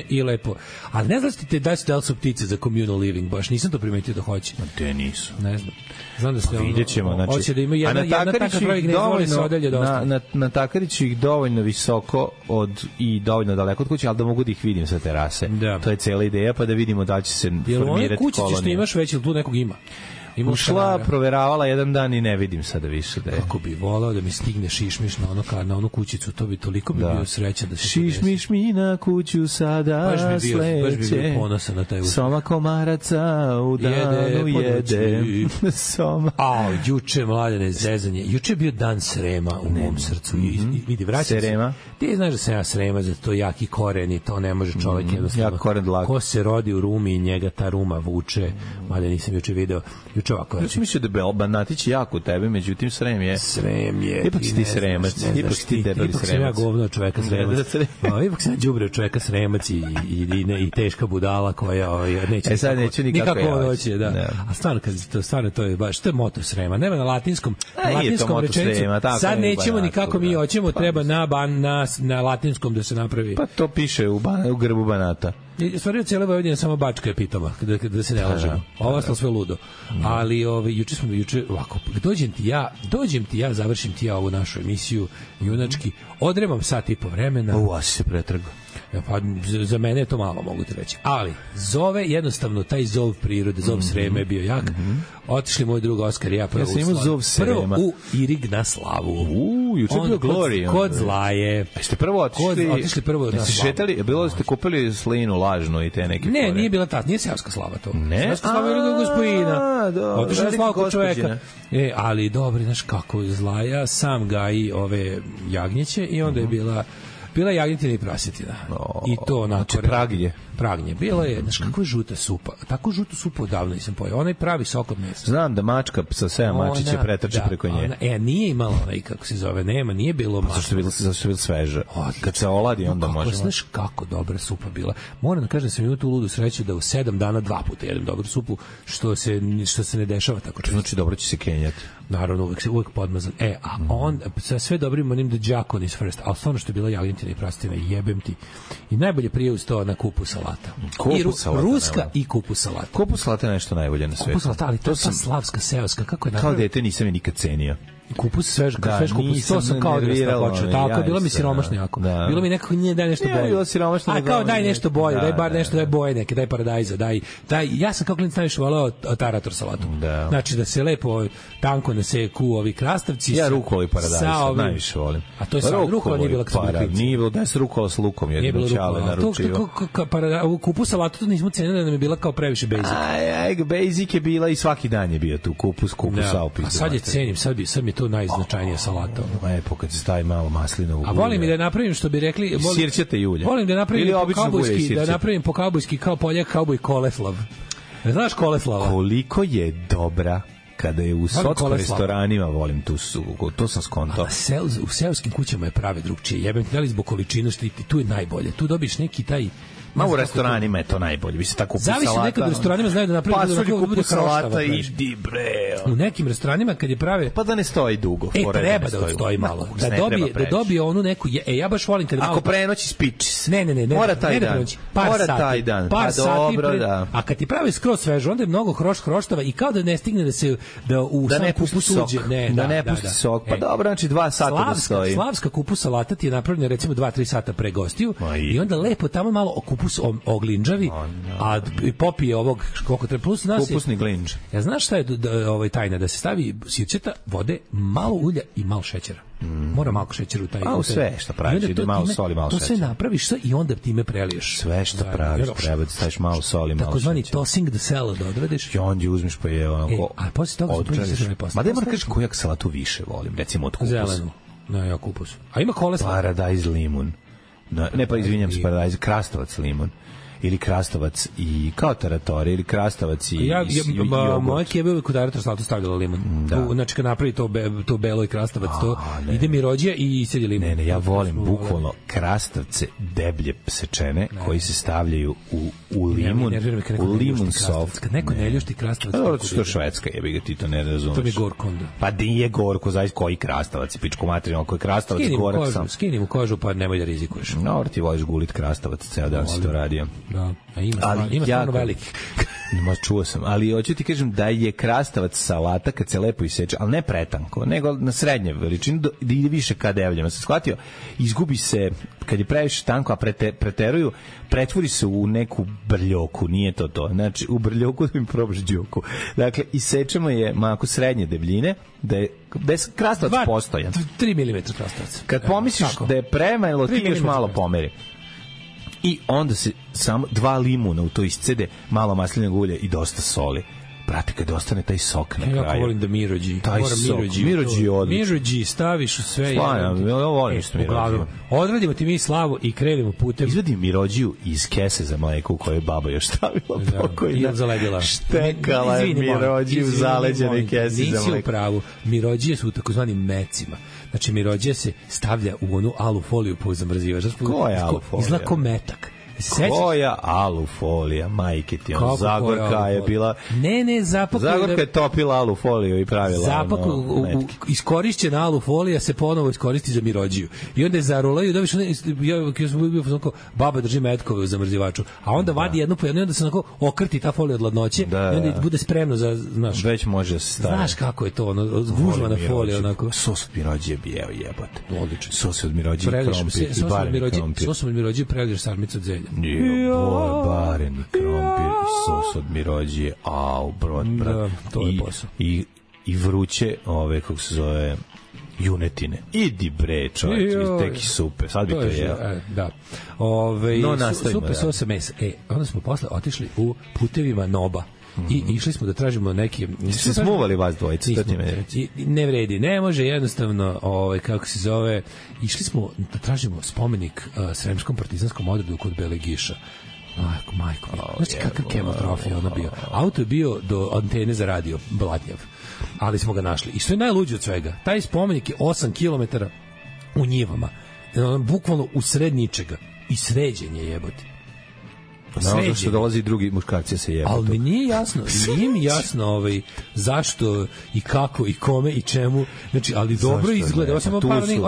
Speaker 7: i lepo. Ali ne znaš ti da li su ptice za communal living, baš nisam to primetio da hoće.
Speaker 6: Te nisu.
Speaker 7: Ne znam. Znam da se
Speaker 6: hoće
Speaker 7: da ima
Speaker 6: na Takariću ih dovoljno visoko i dovoljno daleko od kuće, ali da mogu da ih vidim sa terase. To je cela ideja, pa da vidimo da će se formirati kolonija. Jer
Speaker 7: kuće što imaš već, ili tu nekog ima?
Speaker 6: Ušla, proveravala jedan dan i ne vidim sada više da je.
Speaker 7: Kako bi volao da mi stigne šišmiš na onu kućicu, to bi toliko bi bio srećan da se
Speaker 6: šišmiš mi na kuću sada sleće.
Speaker 7: Baš bi bio ponosan na taj uspeh.
Speaker 6: Soma komaraca u danu jede. Soma.
Speaker 7: Juče, Mladene, zezanje. Juče je bio dan Srema u mom srcu. Vidi, vraćam se.
Speaker 6: Srema?
Speaker 7: Ti znaš da sam ja Srema, za to jaki koren i to ne može čovjek jednostavno.
Speaker 6: Jak koren dlak.
Speaker 7: Ko se rodi u Rumi i njega ta Ruma vuče. Mada nisam juče video. juče ovako.
Speaker 6: Ja sam mislio da je Banatić jako u tebe, međutim Srem je... Ipak si ti Sremac, ipak si ti debeli Sremac.
Speaker 7: Ipak sam ja govno čoveka Sremac. Ipak sam ja đubre čoveka Sremac i teška budala koja neće...
Speaker 6: sad neću nikako
Speaker 7: doći. Da. A stvarno to je baš, to je moto Srema. Nema na latinskom rečenicu. Sad nećemo nikako mi hoćemo, treba na latinskom da se napravi.
Speaker 6: Pa to piše u grbu Banata.
Speaker 7: Stvario cijela Vojvodina samo Bačka je pitoma, da se ne lažemo. Ovo je sve ludo. Ali juče ovako, dođem ti ja, završim ti ja ovu našu emisiju junački, odremam sat i po vremena.
Speaker 6: Asi se pretrgo.
Speaker 7: Pa za mene je to malo, mogu ti reći. Ali zove jednostavno taj zov prirode, zov Srema je bio jak. Otišli moj drug Oskar i ja prvo u Irig na slavu.
Speaker 6: Juče bio Glory.
Speaker 7: Kod Zlaje.
Speaker 6: Ste prvo otišli prvo na slavu. Šetali, bilo ste kupili slinu lažnu i te neke
Speaker 7: fore. Ne, nije bila ta, nije seoska slava to. Seoska slava je ili gospodina. Otišli na slavu kod čoveka. Ali dobri, znaš kako, Zlaja sam gaji ove jagnjeće i onda je bila jagnjetina i prasetina. I to onako... Pragnje. Bilo je, znaš, kako je žuta supa. Tako žutu supu odavno nisam pojao. Onaj pravi sok od mesa.
Speaker 6: Znam da mačka sa 7 mačiće pretrče preko nje.
Speaker 7: Nije imala onaj, kako se zove, nije bilo mačka.
Speaker 6: Zašto je bilo sveže? Kad se oladi, onda možemo.
Speaker 7: Znaš kako dobra supa bila. Moram da kažem da sam imao tu ludu sreću da u 7 dana 2 puta jedem dobru supu, što se ne dešava tako često.
Speaker 6: Znači, dobro će se kenjati.
Speaker 7: Naravno, uvek podmazan. A on, sa sve dobrim onim da Đakon is first, ali stvarno što je bila jagnjetina i prasetina, jebem ti. I najbolje prije uz to na kupu salata. Ruska i kupus salata.
Speaker 6: Kupus salata je nešto najbolje na svetu.
Speaker 7: Kupus salata, ali to je slavska, seoska, kako je napravljeno?
Speaker 6: Kao dete nisam je nikad cenio.
Speaker 7: Kupus svež kupus, to sam kao odrastao počeo. Tako, bilo mi siromašno jako. Bilo mi nekako nije daj nešto bolje. A kao daj nešto bolje, daj bar nešto, daj boje neke, daj paradajza, daj. Ja sam kao klinac najviše voleo tarator salatu. Znači da se lepo tanko naseku ovi krastavci.
Speaker 6: Ja rukoli paradajza najviše volim.
Speaker 7: A to je sad rukola nije bila kad
Speaker 6: nije bilo da se rukola s lukom, jer je čale naručio.
Speaker 7: Kupus salatu to nismo cenili da nam je bila kao previše basic.
Speaker 6: Basic je bila i svaki dan je bio tu kupus saupis.
Speaker 7: A sad je cenim, sad mi to najznačajnija salata.
Speaker 6: Lepo kad se stavi malo maslinovu.
Speaker 7: A volim i da napravim što bi rekli,
Speaker 6: sirćate julje.
Speaker 7: Volim da napravim po kaubojski kao Poljak kauboj koleslav. Znaš koleslava?
Speaker 6: Koliko je dobra kada je u socko restoranima, volim to sam skonto.
Speaker 7: U seoskim kućama je prave drugčije. Jebem ti, da li zbog količine što tu je najbolje. Tu dobiš neki taj
Speaker 6: u restoranima je to najbolje. Vi se tako kupus salata.
Speaker 7: Zavisi, nekad u restoranima znaju da napravi
Speaker 6: da bude salata i bre.
Speaker 7: U nekim restoranima kad je prave
Speaker 6: pa da ne stoji dugo,
Speaker 7: treba da stoji malo. Da dobije onu neku ja baš volim kad
Speaker 6: ako prenoći spiči se.
Speaker 7: Ne.
Speaker 6: Mora taj dan.
Speaker 7: Par sati. A kad ti pravi skroz sveže, onda je mnogo hroštava i kao da ne stigne da u sam kupus uđe.
Speaker 6: Da ne pusti sok. Pa dobro, znači 2 sata da stoji.
Speaker 7: Slavska kupus salata ti je napravljena recimo 2-3 sata pre gostiju i onda lepo tamo malo kupus oglinđavi, a popije ovog koliko treba plus nas.
Speaker 6: Kupusni glinđ.
Speaker 7: Ja znaš šta je tajna, da se stavi sirćeta, vode, malo ulja i malo šećera. Mora malo šećera u taj.
Speaker 6: Sve što praviš, ide malo soli, malo šećera.
Speaker 7: To sve napraviš i onda time preliješ.
Speaker 6: Sve što praviš, treba da staviš malo soli, malo šećera.
Speaker 7: Takozvani tossing the salad odradiš.
Speaker 6: I onda uzmeš pa je onako.
Speaker 7: A posle toga
Speaker 6: ma da moram kažeš koju salatu više volim, recimo od kupusa.
Speaker 7: Zelenu. Ja kupus. A ima koleslav.
Speaker 6: Paradajz limun. Ne, pa izvinjam se, paradajz, krastavac limun. Ili krastavac i kao taratori, ili krastavac i
Speaker 7: moje kebe uvijek u tarator salatu stavljala limun. Znači kad napravi to belo i krastavac, to ide mi rođija i sedi limun.
Speaker 6: Ne, ja volim bukvalno krastavce deblje sečene koji se stavljaju u limun, u limun soft.
Speaker 7: Kad neko ne ljušti krastavac...
Speaker 6: Što je Švedska, jebi ga, ti to ne razumeš.
Speaker 7: To mi je gorko onda.
Speaker 6: Pa nije gorko, zaista koji krastavac, pičko materijalno, koji krastavac gorak sam.
Speaker 7: Skini mu kožu, pa nemoj da rizikuješ.
Speaker 6: No, ti voliš gulit krastavac, ceo dan si to radio.
Speaker 7: Da, a ima stvarno veliki.
Speaker 6: Čuo sam, ali hoću ti kažem da je krastavac salata kad se lepo iseče, ali ne pretanko, nego na srednje veličini da ide više ka devljama. Sam shvatio, izgubi se, kad je previše tanko, a preteruju, pretvori se u neku brljoku, nije to. Znači, u brljoku da mi probaš đuku. Dakle, isečemo je mako srednje debljine, da je krastavac postojan.
Speaker 7: 3 mm krastavac.
Speaker 6: Kad pomisliš da je premalo, ti još malo pomeri. I onda se samo 2 limuna u to iscede, malo maslinovog ulja i dosta soli. Brate, kad ostane taj sok na kraju.
Speaker 7: Ja volim da Mirođi.
Speaker 6: Taj sok. Mirođi je odlično.
Speaker 7: Mirođi staviš u sve.
Speaker 6: Stvarno, ja volim što Mirođi.
Speaker 7: Odradimo ti mi slavu i krenemo putem.
Speaker 6: Izvadi Mirođiju iz kese za mleko u kojoj je baba još stavila pokojna.
Speaker 7: I zaledila.
Speaker 6: Štekala je Mirođiju zaleđene kese za mleko.
Speaker 7: Nisi u pravu. Mirođije su u takozvanim mecima. Znači, Mirođija se stavlja u onu alu foliju po zamrzivač.
Speaker 6: Ko je alu folija?
Speaker 7: Izgleda ko metak.
Speaker 6: Koja alufolija, majke ti, ono, Zagorka je bila...
Speaker 7: Ne,
Speaker 6: Zagorka je topila alufoliju i pravila...
Speaker 7: Iskorišćena alufolija se ponovo iskoristi za Mirođiju. I onda je zarolaju, da viš, ja sam bio onako, baba drži metkove u zamrzivaču, a onda vadi jednu po jednu i onda se onako okrti ta folija od ladnoće i onda bude spremno za, znaš...
Speaker 6: Već može se staviti.
Speaker 7: Znaš kako je to, ono, gužvana folija, onako...
Speaker 6: Sos od Mirođije bi jebote.
Speaker 7: Odlično.
Speaker 6: Sos od Mirođije i krompir.
Speaker 7: Sos od Mirođije prelješ sarmicu od zelja.
Speaker 6: Bareni krompir i sos od Mirođije, brat.
Speaker 7: To je posao.
Speaker 6: I vruće, kako se zove, junetine. Idi bre, čovječ, teki supe. Sad bi to jeo.
Speaker 7: Da. Supe sosa mesa. Onda smo posle otišli u putevima Noba. I išli smo da tražimo neke...
Speaker 6: Se smuvali vas dvojice?
Speaker 7: Ne vredi, ne može jednostavno, kako se zove, išli smo da tražimo spomenik Sremskom partizanskom odredu kod Belegiša. Majko. Znači kakav kemotrof je ono bio. Auto je bio do antene za radio, blatnjav. Ali smo ga našli. I što je najluđe od svega, taj spomenik je 8 kilometara u njivama. Bukvalno u sred ničega. I sređen je jebote.
Speaker 6: Znamo što dolazi drugi muškarci se jebati.
Speaker 7: Ali mi nije mi jasno zašto i kako i kome i čemu. Znači, ali dobro izgleda.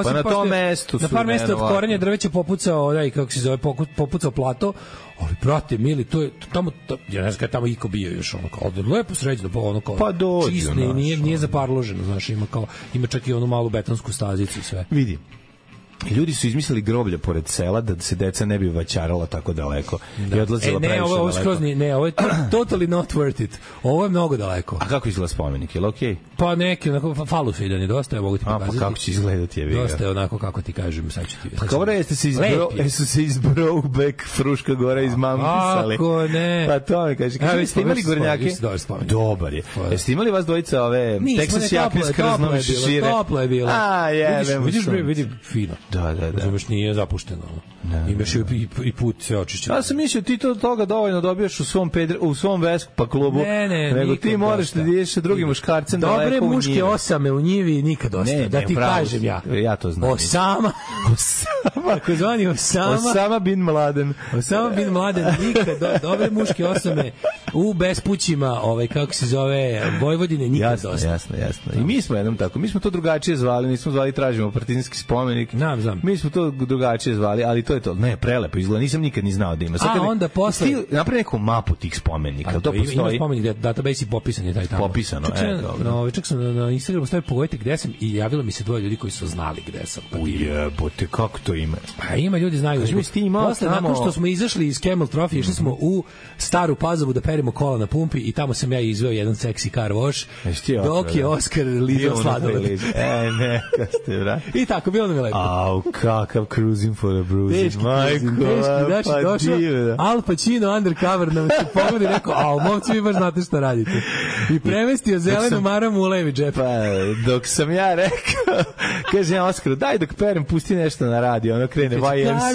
Speaker 6: Pa na tom mestu
Speaker 7: na par mesta od korenja drveća popucao, kako se zove, popucao plato. Ali, brate, mili, to je tamo, ja ne znam kada tamo iko bio još, lepo sređeno,
Speaker 6: pa dođu,
Speaker 7: čisto, nije zaparloženo, znaš, ima čak i onu malu betonsku stazicu i sve.
Speaker 6: Vidi. Ljudi su izmislili groblja pored sela da se deca ne bi vaćarala tako daleko i odlazila previše daleko.
Speaker 7: Ovo je totally not worth it. Ovo je mnogo daleko.
Speaker 6: A kako izgleda spomenik? Je li okej?
Speaker 7: Pa neki, onako, falusidan je dosta, ja mogu ti pokazati.
Speaker 6: Pa kako će izgledati je viga?
Speaker 7: Dosta je onako, kako ti kažem, sad ću ti...
Speaker 6: Pa kao jeste se iz Brokeback Fruška Gora izmampisali?
Speaker 7: Ako ne...
Speaker 6: Pa to mi kaže. Jeste imali gornjake? Dobar je. Jeste imali vas dvojica ove Texas jakne s krznom šire?
Speaker 7: Toplo je bilo.
Speaker 6: A, jebem.
Speaker 7: Vidiš, fino.
Speaker 6: Da.
Speaker 7: Razumeš, nije zapušteno. Imaš i put sve očišćeno.
Speaker 6: Ja sam mislio ti toga dovoljno dobijaš u svom Vespa klubu. Nego ti moraš da ideš sa drugim muškarcem daleko u njivi.
Speaker 7: Dobre muške osame u njivi nikad dosta. Da ti kažem ja.
Speaker 6: Ja to znam.
Speaker 7: Osama. Tako zvani
Speaker 6: Osama bin Mladen.
Speaker 7: Osama bin Mladen nikad. Dobre muške osame u bespućima, kako se zove, Vojvodine nikad dosta.
Speaker 6: Jasno. I mi smo jednom tako. Mi smo to drugačije zvali. Nismo zvali tražimo partizanski spomenik.
Speaker 7: Znam.
Speaker 6: Mi smo to drugačije zvali, ali to je to. Ne, prelepo izgleda. Nisam nikad ni znao da ima.
Speaker 7: Onda posle
Speaker 6: napravi neku mapu tih spomenika. To postoji.
Speaker 7: Ima spomenik, database i popisan je taj tamo.
Speaker 6: Popisano,
Speaker 7: čak sam na Instagramu stavio pogledajte gde sam i javilo mi se dvoje ljudi koji su znali gde sam.
Speaker 6: Ujebote, kako to ima?
Speaker 7: Pa ima, ljudi znaju. Posle, nakon što smo izašli iz Camel Trophy, išli smo u Staru Pazovu da perimo kola na pumpi i tamo sam ja izveo jedan seksi car wash, dok je Oskar lizao sladoled.
Speaker 6: Neka ste, brat.
Speaker 7: I tako, bilo nam je lepo.
Speaker 6: Au, kakav cruising for a bruising. Majko,
Speaker 7: pa došao Al Pacino undercover nam se pogleda i rekao, momci, vi baš znate šta radite. I premestio zelenu maramu u levi džep.
Speaker 6: Pa, dok sam ja rekao, kaže ja Oskaru, daj dok perem, pusti nešto na radio, ono krene YMCA.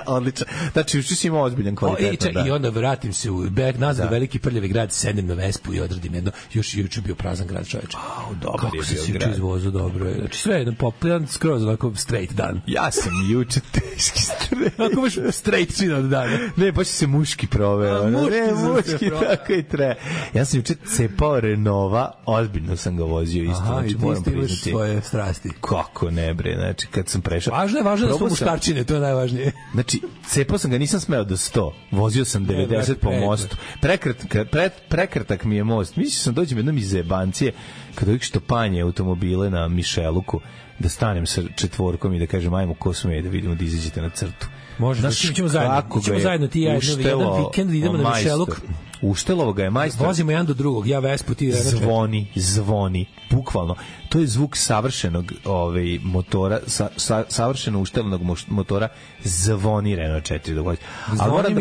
Speaker 6: Odlično. Znači, uči si imao ozbiljan kvalitetan.
Speaker 7: I onda vratim se nazad u veliki prljavi grad, sedem na Vespu i odradim jedno, još juče bio prazan grad, čoveče.
Speaker 6: Dobar je bio grad.
Speaker 7: Kako se juče izvozu, dobro je. Znači, sve jedan popljan, skroz onako straight dan.
Speaker 6: Ja sam juče teški straight.
Speaker 7: Ako baš straight svi od dana.
Speaker 6: Ne, baš se muški proveo. Muški, tako i tre. Ja sam juče cepao Renova, ozbiljno sam ga vozio isto.
Speaker 7: Aha, i ti imaš svoje strasti.
Speaker 6: Kako ne, bre, znači, kad sam prešao...
Speaker 7: Važno je da su muškarčine, to je najvažnije.
Speaker 6: Znači, cepao sam ga, nisam smeo do 100. Vozio sam 90 po mostu. Prekratak mi je most. Mislio sam dođem jednom iz Zebancije, kada uvijek što panje automobile na Mišeluku, da stanem sa četvorkom i da kažem, ajmo ko sme, da vidimo da izađete na crtu.
Speaker 7: Može, ćemo zajedno ti jedan vikend, idemo na Mišeluk.
Speaker 6: Uštelovo ga je majstor.
Speaker 7: Vozimo jedan do drugog, ja Vespu, ti
Speaker 6: zvoni, bukvalno. To je zvuk savršenog motora, savršeno uštelnog motora, zvoni Renault 4 dok vozi.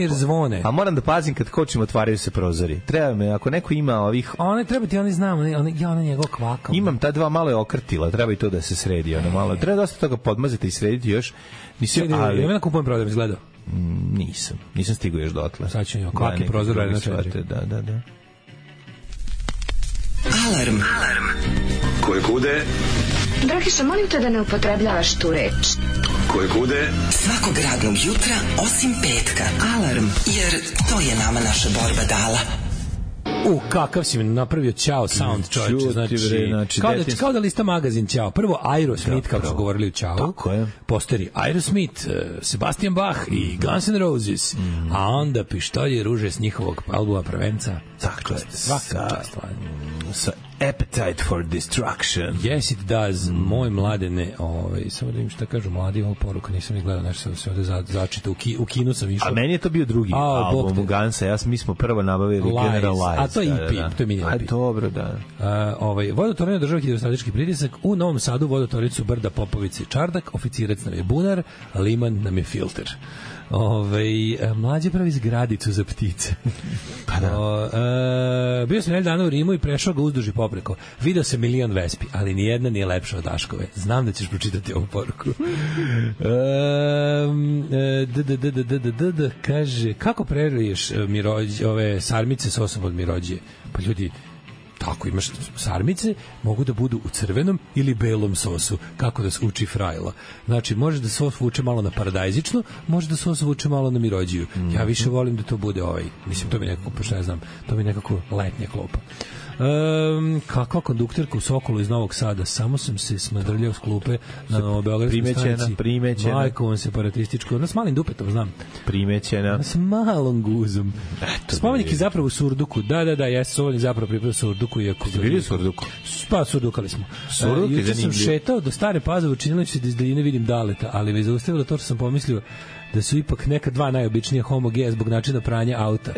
Speaker 7: Zvone.
Speaker 6: A moram da pazim kad kočim, otvaraju se prozori. Treba me, ako neko ima ovih...
Speaker 7: One treba ti, oni znam, ona njegov kvakao.
Speaker 6: Imam ta dva malo je okrtila, treba i to da se sredi. Ono treba dosta toga podmazati i srediti još.
Speaker 7: Ali... Ja kupujem prodaj, izgledao.
Speaker 6: Nisam stigao još dotle.
Speaker 7: Sad ću kvaki prozor na 4.
Speaker 6: Da.
Speaker 3: Alarm.
Speaker 1: Koje kude?
Speaker 8: Dragiša, molim te da ne upotrebljavaš tu reč.
Speaker 1: Koje kude?
Speaker 3: Svakog radnog jutra, osim petka. Alarm, jer to je nama naša borba dala.
Speaker 7: Kakav si mi napravio Ćao sound, čovječe, znači kao da lista magazin Ćao. Prvo Aerosmith, kako su govorili u Ćao, posteri Aerosmith, Sebastian Bach i Guns N' Roses, a onda Pištolje ruže s njihovog albuma Prvenca.
Speaker 6: Tako je, sa Appetite for Destruction.
Speaker 7: Yes, it does. Moj Mladene, samo da vidim šta kažu mladi, ovo poruka, nisam ni gledao, nešto se ovde začita, u kinu sam išao.
Speaker 6: A meni je to bio drugi album u Gansa, mi smo prvo nabavili General Lies.
Speaker 7: A to je EP, to je mini EP.
Speaker 6: A dobro, da.
Speaker 7: Vodotornje država hidrostatički pritisak, u Novom Sadu vodotornicu Brda Popovici Čardak, oficirac nam je bunar, Liman nam je filter. Mlađe pravi zgradicu za ptice.
Speaker 6: Pa da.
Speaker 7: Bio sam dana u Rimu i prešao ga uzduž i popreko. Video sam milion vespi, ali nijedna nije lepša od Daškove. Znam da ćeš pročitati ovu poruku. Kaže, kako preruješ ove sarmice sosom od mirođije? Pa ljudi, tako, imaš sarmice, mogu da budu u crvenom ili belom sosu, kako da se uči Frajla. Znači, može da sos vuče malo na paradajzičnu, može da sos vuče malo na mirođiju. Ja više volim da to bude mislim, to mi nekako, što ja znam, to mi nekako letnja klopa. Kakva kondukterka u Sokolu iz Novog Sada, samo sam se smadrljao s klupe na Novobeogradskoj stanici.
Speaker 6: Primećena.
Speaker 7: Majkovom separatističko, ona s malim dupetom, znam.
Speaker 6: Primećena.
Speaker 7: S malom guzom. Spomenik je zapravo u Surduku. Da, jesu spomenik zapravo pripravo u Surduku.
Speaker 6: Ste bili u Surduku?
Speaker 7: Pa, Surdukali smo.
Speaker 6: Juče
Speaker 7: sam šetao do Stare Pazove, učinilo se da iz daljine vidim Daleta, ali me zaustavilo to što sam pomislio da su ipak neka dva najobičnija homogeja zbog načina pranja auta.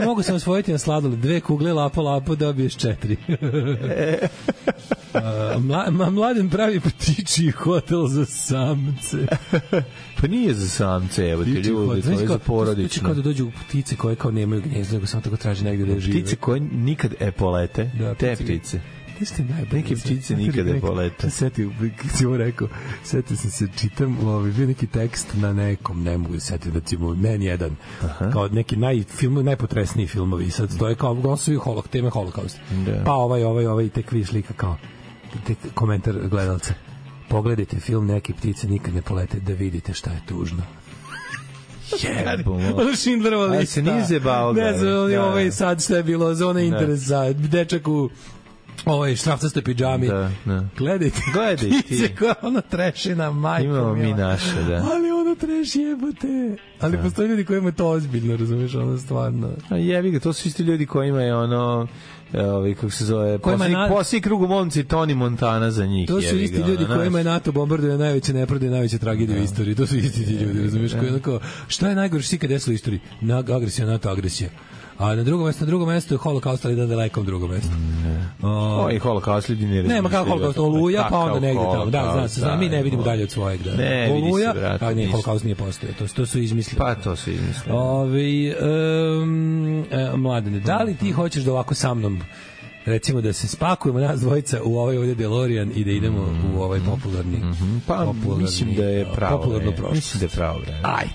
Speaker 7: Mogu sam osvojiti na sladoled 2 kugle, lapo, dobiješ 4. Mladen pravi ptičji hotel za samce.
Speaker 6: Pa nije za samce, evo ti ljudi, to je za porodično.
Speaker 7: Kao da dođu ptice koje kao nemaju gnjezdo, nego samo tako traži negdje da žive.
Speaker 6: Ptice koje nikad polete, te ptice. Neke ptice nikada polete.
Speaker 7: Setio, kad si ovo rekao, setio sam se, čitam, bio neki tekst na nekom, ne mogu setiti, recimo, Men 1, kao neki najpotresniji filmovi, sad stoje kao, glosuju teme holokaust. Pa ovaj tek vi slika kao, komentar gledalca. Pogledajte film Neke ptice nikad ne polete, da vidite šta je tužno. Ono Schindlerova lista.
Speaker 6: A se nije zebao ga.
Speaker 7: Ne znam, sad šta je bilo, zona interesa, dečak u štrafcastoj pidžami. Gledajte ti. Koja ono trešina, majko.
Speaker 6: Imamo mi naše, da.
Speaker 7: Ali ono treš jebote. Ali postoji ljudi koji imaju to ozbiljno, razumiješ, ono stvarno.
Speaker 6: A jebi ga, to su isti ljudi koji imaju kako se zove, poslije krugu momci Tony Montana za njih.
Speaker 7: To su isti ljudi koji imaju NATO bombarduje najveće nepravde i najveće tragedije u istoriji. To su isti ti ljudi, razumiješ, koji onako, šta je najgore što ikad desilo u istoriji? Agresija, NATO agresija. A na drugom mestu je holokaust, ali na dalekom drugom mestu.
Speaker 6: I holokaust ljudi ne razmišljaju.
Speaker 7: Nema kako holokaust, Oluja, pa onda negdje tamo. Da, znam, mi ne vidimo dalje od svojeg. Oluja, a ne, holokaust nije postoje. To su izmislili.
Speaker 6: Pa to su izmislili.
Speaker 7: Mladene, da li ti hoćeš da ovako sa mnom, recimo da se spakujemo nas dvojica u ovaj ovdje DeLorean i da idemo u ovaj popularni...
Speaker 6: Pa mislim da je pravo.
Speaker 7: Popularno prošlost.
Speaker 6: Mislim da je pravo.
Speaker 7: Ajde.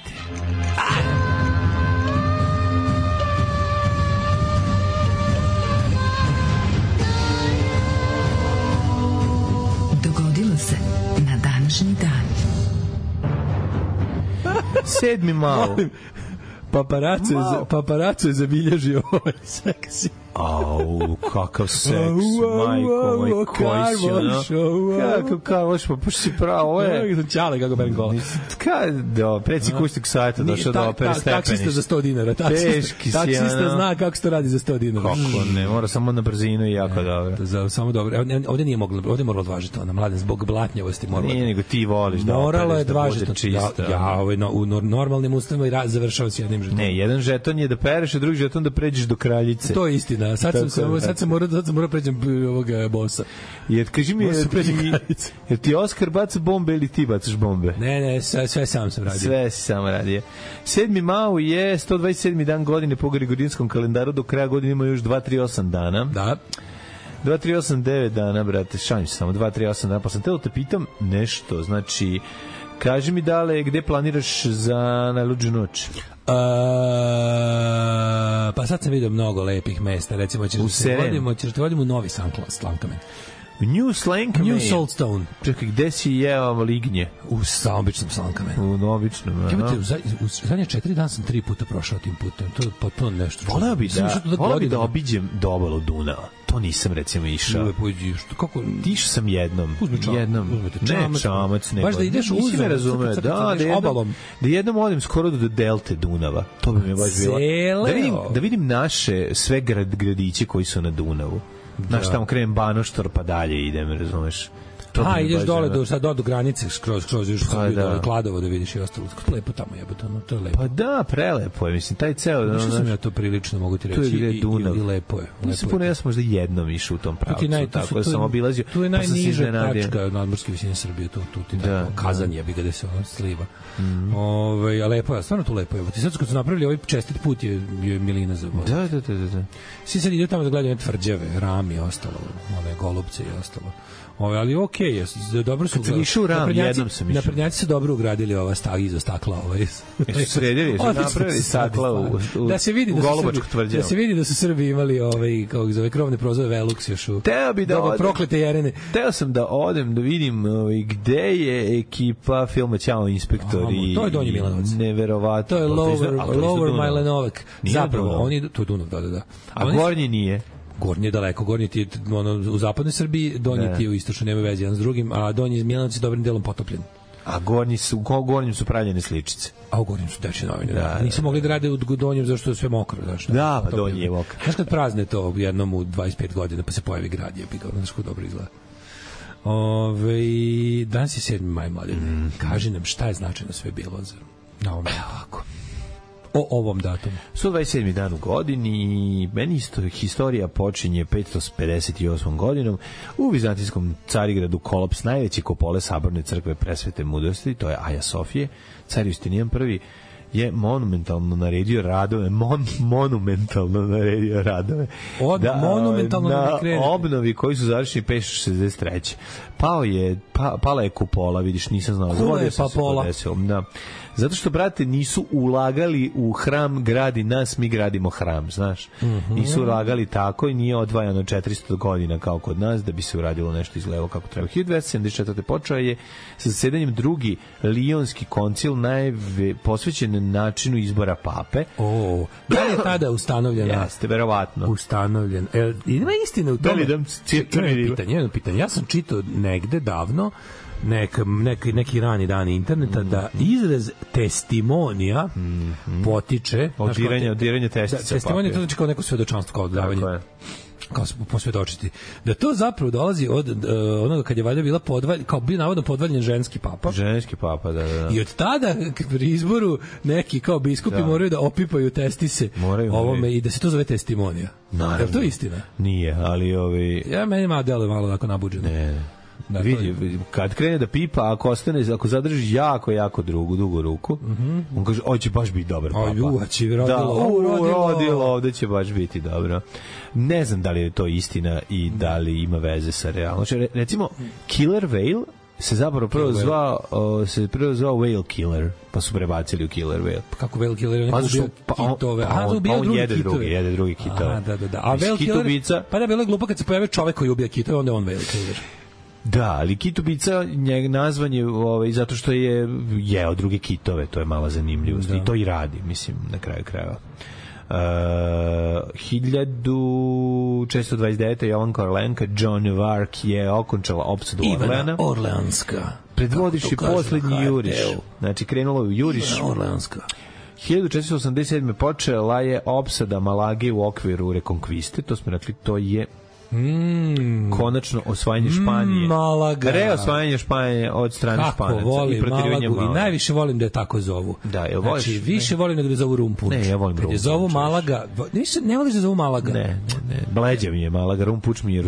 Speaker 3: Se na današnji dan.
Speaker 6: 7. maj.
Speaker 7: Paparaco je zabilježio ovaj seksi.
Speaker 6: Au, kakav seks, majko moj, koji si ono, kakav karvoš, pa puš si pravo, ovo je...
Speaker 7: Čale kako ben gola.
Speaker 6: Predsjednik kućnog sajta došao da opere stepeniš.
Speaker 7: Taksista za 100 dinara.
Speaker 6: Teški si, ono.
Speaker 7: Taksista zna kako se to radi za 100 dinara.
Speaker 6: Kako ne, mora samo na brzinu i jako dobro.
Speaker 7: Samo dobro. Ovdje nije moglo, ovdje moralo odvažiti ona, mladen, zbog blatnjavosti moralo.
Speaker 6: Nije, nego ti voliš da
Speaker 7: moralo je
Speaker 6: opereš, da bude čista.
Speaker 7: Ja, u normalnim ustavima završava s jednim žetonom.
Speaker 6: Ne, jedan žeton je da pereš, a drugi žeton da pređeš do kraljice.
Speaker 7: To je istina. Sad sam morao pređem ovoga bossa.
Speaker 6: Jer kaži mi, jer ti Oskar baca bombe ili ti bacaš bombe?
Speaker 7: Ne, sve sam radio.
Speaker 6: Sve si sam radio. 7. maj je 127. dan godine po Gregorijanskom kalendaru, do kraja godine ima još 238 dana.
Speaker 7: Da.
Speaker 6: 238 dana, brate, šalim se samo 238 dana, pa sam telo te pitam nešto, znači, kaži mi dale, gde planiraš za najluđu noć?
Speaker 7: Pa sad sam vidio mnogo lepih mesta, recimo ćeš da te vodimo u Novi Slankamen.
Speaker 6: New Slankamen.
Speaker 7: New Saltstone.
Speaker 6: Čekaj, gde si jeo lignje?
Speaker 7: U običnom Slankamenu.
Speaker 6: U običnom,
Speaker 7: u zadnje 4 dana sam 3 puta prošao tim putem. To je potpuno nešto.
Speaker 6: Voleo bi da obiđem do obalu Dunava. To nisam recimo išao.
Speaker 7: Kako?
Speaker 6: Išao sam jednom.
Speaker 7: Ne,
Speaker 6: čamac, nego.
Speaker 7: Baš da ideš
Speaker 6: uzem. Ne razumeo. Da jednom odem skoro do delte Dunava. To bi mi baš bilo. Da vidim naše sve gradiće koji su na Dunavu. Znaš, tamo krenem Banoštor, pa dalje idem, razumeš?
Speaker 7: Ideš dole do granice, skroz još dole Kladovo da vidiš i ostalo. Kako lepo tamo jebote, to je lepo.
Speaker 6: Pa da, prelepo je, mislim, taj ceo...
Speaker 7: Mislim sam ja to prilično, mogu ti reći, i lepo je.
Speaker 6: Nisam puno, ja sam možda jednom išao u tom pravcu, tako da sam obilazio.
Speaker 7: Tu je najniža tačka nadmorske visine Srbije, tu ti tako, Kazan je, gde se ono sliva. A lepo je, stvarno tu lepo je. Sad kad su napravili ovaj čestit put je milina za vodu.
Speaker 6: Da.
Speaker 7: Svi sad idu tamo da gledaju tvrđave, Ram i ostalo, one golubce i ostalo. Ali okej, dobro su.
Speaker 6: Kad sam išao u Ram, jednom sam išao.
Speaker 7: Naprednjaci su dobro ugradili ova iza stakla.
Speaker 6: Su sredili, su napravili stakla u Golubačku tvrđavu.
Speaker 7: Da se vidi da su Srbi imali kako zove, krovne prozove Velux još u proklete Jerene.
Speaker 6: Teo sam da odem da vidim gde je ekipa filma Ćao inspektori.
Speaker 7: To je Donji Milanovac.
Speaker 6: Neverovatno.
Speaker 7: To je Lower Majlenovak. Zapravo, to je Dunav, da.
Speaker 6: A Gornji nije.
Speaker 7: Gornji je daleko, Gornji ti je u zapadnoj Srbiji, Donji ti je u istočnoj, nema veze jedan s drugim, a Donji Milanovac je dobrim delom potopljen.
Speaker 6: A Gornjim su pravljene sličice.
Speaker 7: A u Gornjim su teči novine, da. Nisu mogli da rade u Donjem zašto je sve mokro.
Speaker 6: Da, pa Donji je mokro.
Speaker 7: Znaš kad prazne to jednom u 25 godina, pa se pojavi grad, je bi ga, znaš kako dobro izgleda. Danas je 7. maj, mladen. Kaži nam šta je značajno sve bilo na ovom ovako. O ovom datumu.
Speaker 6: 127. dan u godini, meni historija počinje 558. godinom u vizantijskom Carigradu kolaps najveće kopole saborne crkve presvete mudrosti, to je Aja Sofije. Car Justinijan I je monumentalno naredio radove na obnovi koji su završeni 563. Pala je kupola, vidiš, nisam znao.
Speaker 7: Kula je papola.
Speaker 6: Da. Zato što, brate, nisu ulagali u hram gradi nas, mi gradimo hram, znaš. Nisu ulagali tako i nije odvajano 400 godina kao kod nas da bi se uradilo nešto izgledalo kako treba. 1274. počeo je sa zasedanjem drugi Lionski koncil posvećen načinu izbora pape.
Speaker 7: Da li je tada ustanovljena?
Speaker 6: Jeste, verovatno.
Speaker 7: Ustanovljen. Ima istine u tome? Jedno pitanje. Ja sam čitao negde davno neki rani dani interneta da izraz testimonija potiče
Speaker 6: od diranja testica.
Speaker 7: Testimonija to znači kao neko svedočanstvo, kao davanje. Kao posvjedočiti. Da to zapravo dolazi od onoga kad je valjda bila kao bio navodno podvaljen ženski papa.
Speaker 6: Ženski papa, da.
Speaker 7: I od tada pri izboru neki kao biskupi moraju da opipaju testise ovome i da se to zove testimonija.
Speaker 6: Naravno.
Speaker 7: Je to istina?
Speaker 6: Nije, ali
Speaker 7: meni deluje malo onako nabuđeno.
Speaker 6: Ne. Vidi, kad krene da pipa, ako zadrži jako dugu ruku, on kaže, ovo će baš biti dobar papa. Rodilo, ovde će baš biti dobro. Ne znam da li je to istina i da li ima veze sa realnošću. Recimo, Killer Whale se zapravo prvo zvao Whale Killer, pa su prebacili u Killer Whale.
Speaker 7: Kako Whale Killer? On ubio kitove.
Speaker 6: On jede drugi kitove.
Speaker 7: Da. A Whale Killer, pa da bilo je glupo kad se pojave čovek koji ubija kitove, onda je on Whale Killer.
Speaker 6: Da, ali kitubica nazvan je zato što je jeo druge kitove, to je mala zanimljivost i to i radi, mislim, na kraju krajeva. 1429. Jovanka Orleanka Joan of Arc je okončala opsadu Orleana.
Speaker 7: Orleanska.
Speaker 6: Predvodiš poslednji juriš. Znači, krenulo je u juriš.
Speaker 7: Ivana Orleanska.
Speaker 6: 1487. počela je opsada Malage u okviru rekonkviste. To smo rekli, to je konačno osvajanje Španije.
Speaker 7: Malaga.
Speaker 6: Reosvajanje Španije od strane Španaca.
Speaker 7: Kako volim Malagu i najviše volim da je tako zovu.
Speaker 6: Da, jel voliš?
Speaker 7: Znači, više volim nego da je zovu Rumpunč.
Speaker 6: Ne, ja volim Rumpunč.
Speaker 7: Je zovu Malaga. Ne voliš da zovu Malaga?
Speaker 6: Ne. Bleđa mi je Malaga, Rumpunč mi je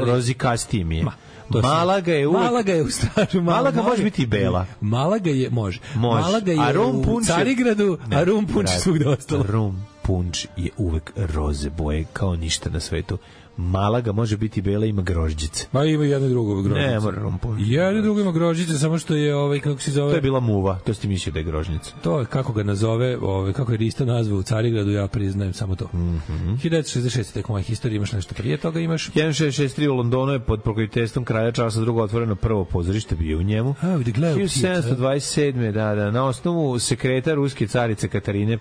Speaker 6: rozikastiji mi je. Malaga je uvek...
Speaker 7: Malaga je u staru...
Speaker 6: Malaga može biti i bela.
Speaker 7: Malaga je, može. Malaga je u Carigradu, a Rumpunč svugde ostalo.
Speaker 6: Rumpunč je uvek roze boje, kao ništa na svetu. Malaga može biti bela, ima grožđice.
Speaker 7: Ma ima jedno drugo grožđice.
Speaker 6: Ne, mora Rumpunč.
Speaker 7: Jedno drugo ima grožđice, samo što je, kako se zove...
Speaker 6: To je bila muva, to si mislio da je grožđica.
Speaker 7: To je, kako ga nazove, kako je Rista nazvao u Carigradu, ja priznajem samo to. 1966. tek moja historija, imaš nešto prije toga, imaš...
Speaker 6: 1663 u Londonu je pod pokroviteljstvom kralja Charlesa II otvoreno prvo pozorište, bio u njemu. 1727. Da, na osnovu sekreta ruske carice Katarine I,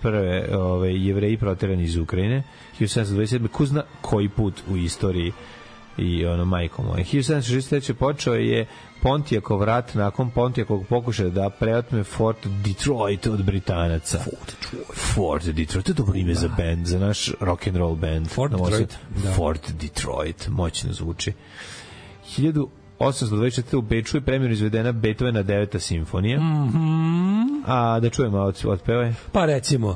Speaker 6: Jevreji proterani iz Ukrajine. 1727. ko zna koji put u istoriji i majko moje. 1763. počeo je Pontijakov rat nakon Pontijakovog pokušaja da preotme Fort Detroit od Britanaca. Fort Detroit, to je dobro ime za band, za naš rock and roll band. Fort Detroit, moćno zvuči. 1824. u Beču je premijerno izvedena Beethovena 9. simfonija. A da čujemo otpevaj?
Speaker 7: Pa recimo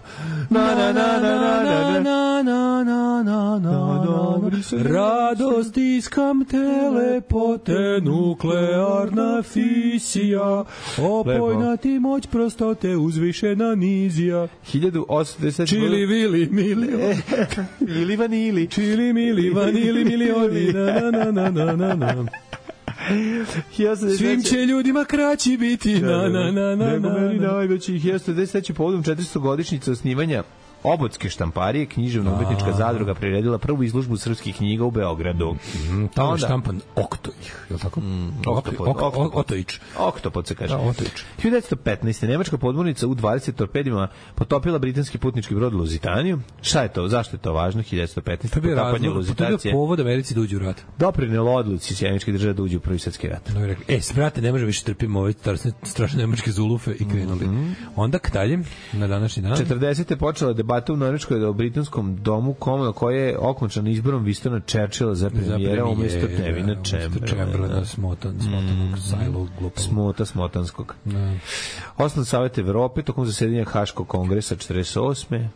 Speaker 7: radost iskam telepote nuklearna fisija opojna ti moć prostote uzvišena nizija
Speaker 6: 1810
Speaker 7: čili vili mili
Speaker 6: ili vanili
Speaker 7: čili mili vanili milioni na svim će ljudima kraći biti
Speaker 6: nego meni najveći 1910 povodom 400 godišnjice osnivanja Obodske štamparije, književno-umetnička zadruga priredila prvu izložbu srpskih knjiga u Beogradu.
Speaker 7: Tamo je štampan Oktojić, je li tako? Oktojić.
Speaker 6: Oktopod se kaže. 1915. Nemačka podmornica U-20 torpedima potopila britanski putnički brod Luzitaniju. Šta je to? Zašto je to važno? 1915.
Speaker 7: Potapanje Luzitacije. To je povod Americi da uđe u rat.
Speaker 6: Doprinelo odluci Sjemeničke države da uđe u Prvi svetski rat.
Speaker 7: Brate, ne može više trpimo ove strašne nemačke zulufe i krenuli. Onda dalje, na današnji dan.
Speaker 6: 40. počela debata u Norveškoj o britanskom domu koja je okončana izborom Winstona Churchilla za premijera umjesto Nevina Chamberlaina. Smotanskog. Osnovan Savet Evrope tokom zasedanja Haškog kongresa 48.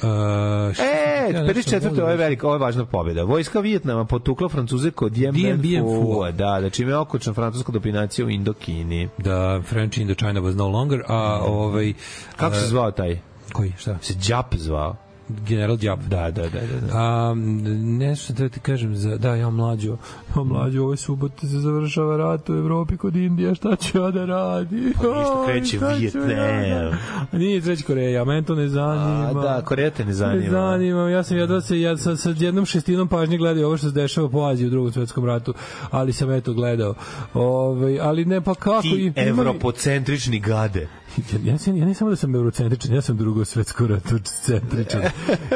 Speaker 6: 54. ovo je velika, ovo je važna pobjeda. Vojska Vijetnama potukla Francuze kod Dien Bien Phu. Da, čime je okončana francuska dominacija u Indokini.
Speaker 7: Da, French Indochina was no longer,
Speaker 6: kako se zvao taj?
Speaker 7: Koji, šta?
Speaker 6: Se Đap zvao.
Speaker 7: General Đap.
Speaker 6: Da.
Speaker 7: Nešto da ti kažem, ja mlađo, ove subote se završava rat u Evropi kod Indije, šta će ja da radi?
Speaker 6: Pa ništa kreće Vijetnam.
Speaker 7: Nije treći Koreja, meni to ne zanima.
Speaker 6: Da, Koreja te ne zanima.
Speaker 7: Ne zanima, ja sam sa jednom šestinom pažnje gledao ovo što se dešava po Aziji u Drugom svetskom ratu, ali sam gledao. Ali ne, pa kako...
Speaker 6: Ti evropocentrični gade.
Speaker 7: Ja ne samo da sam eurocentričan, ja sam Drugog svetskog rata centričan.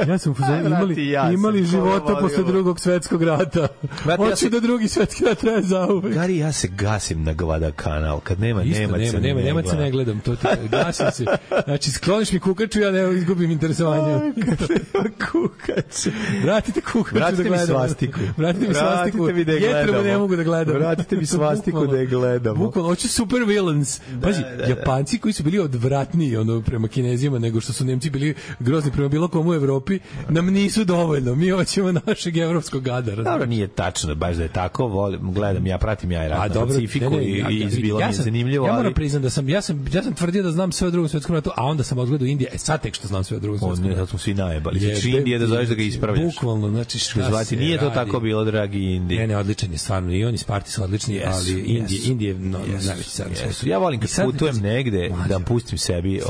Speaker 7: Ja sam imali života posle Drugog svetskog rata. Hoću da Drugi svetski rat traje zauvek.
Speaker 6: Gari, ja se gasim na Guadalcanal. Kad nema
Speaker 7: Nemaca ne gledam. Gasim se. Znači, skloniš mi kukaču, ja ne izgubim interesovanje.
Speaker 6: Kukaču.
Speaker 7: Vratite kukaču da gledam. Vratite mi svastiku. Jetrebo ne mogu da gledam.
Speaker 6: Vratite mi svastiku da je gledamo.
Speaker 7: Bukvalno, hoću super villains. Pazi, Japanci koji su bili odvratniji prema Kinezima nego što su Nemci bili grozni prema bilo komu u Evropi, nam nisu dovoljno. Mi hoćemo našeg evropskog gada.
Speaker 6: Dobro, nije tačno, baš da je tako. Gledam, pratim ja i rat na Pacifiku i izbilo mi je zanimljivo.
Speaker 7: Ja moram priznam da sam tvrdio da znam sve o Drugom svetskom ratu, a onda sam odgledao Indije. Sad tek što znam sve o Drugom svetskom ratu.
Speaker 6: Sad smo svi najebali. Znači Indije da zoveš da ga ispravljaš.
Speaker 7: Bukvalno, znači
Speaker 6: šta se nije to tako bilo, dragi Indije.
Speaker 7: Ne, odličan je stvarno. I oni Sparti su odlični, ali Indije najveći car.
Speaker 6: Ja volim kad putujem negde da da pustim sebi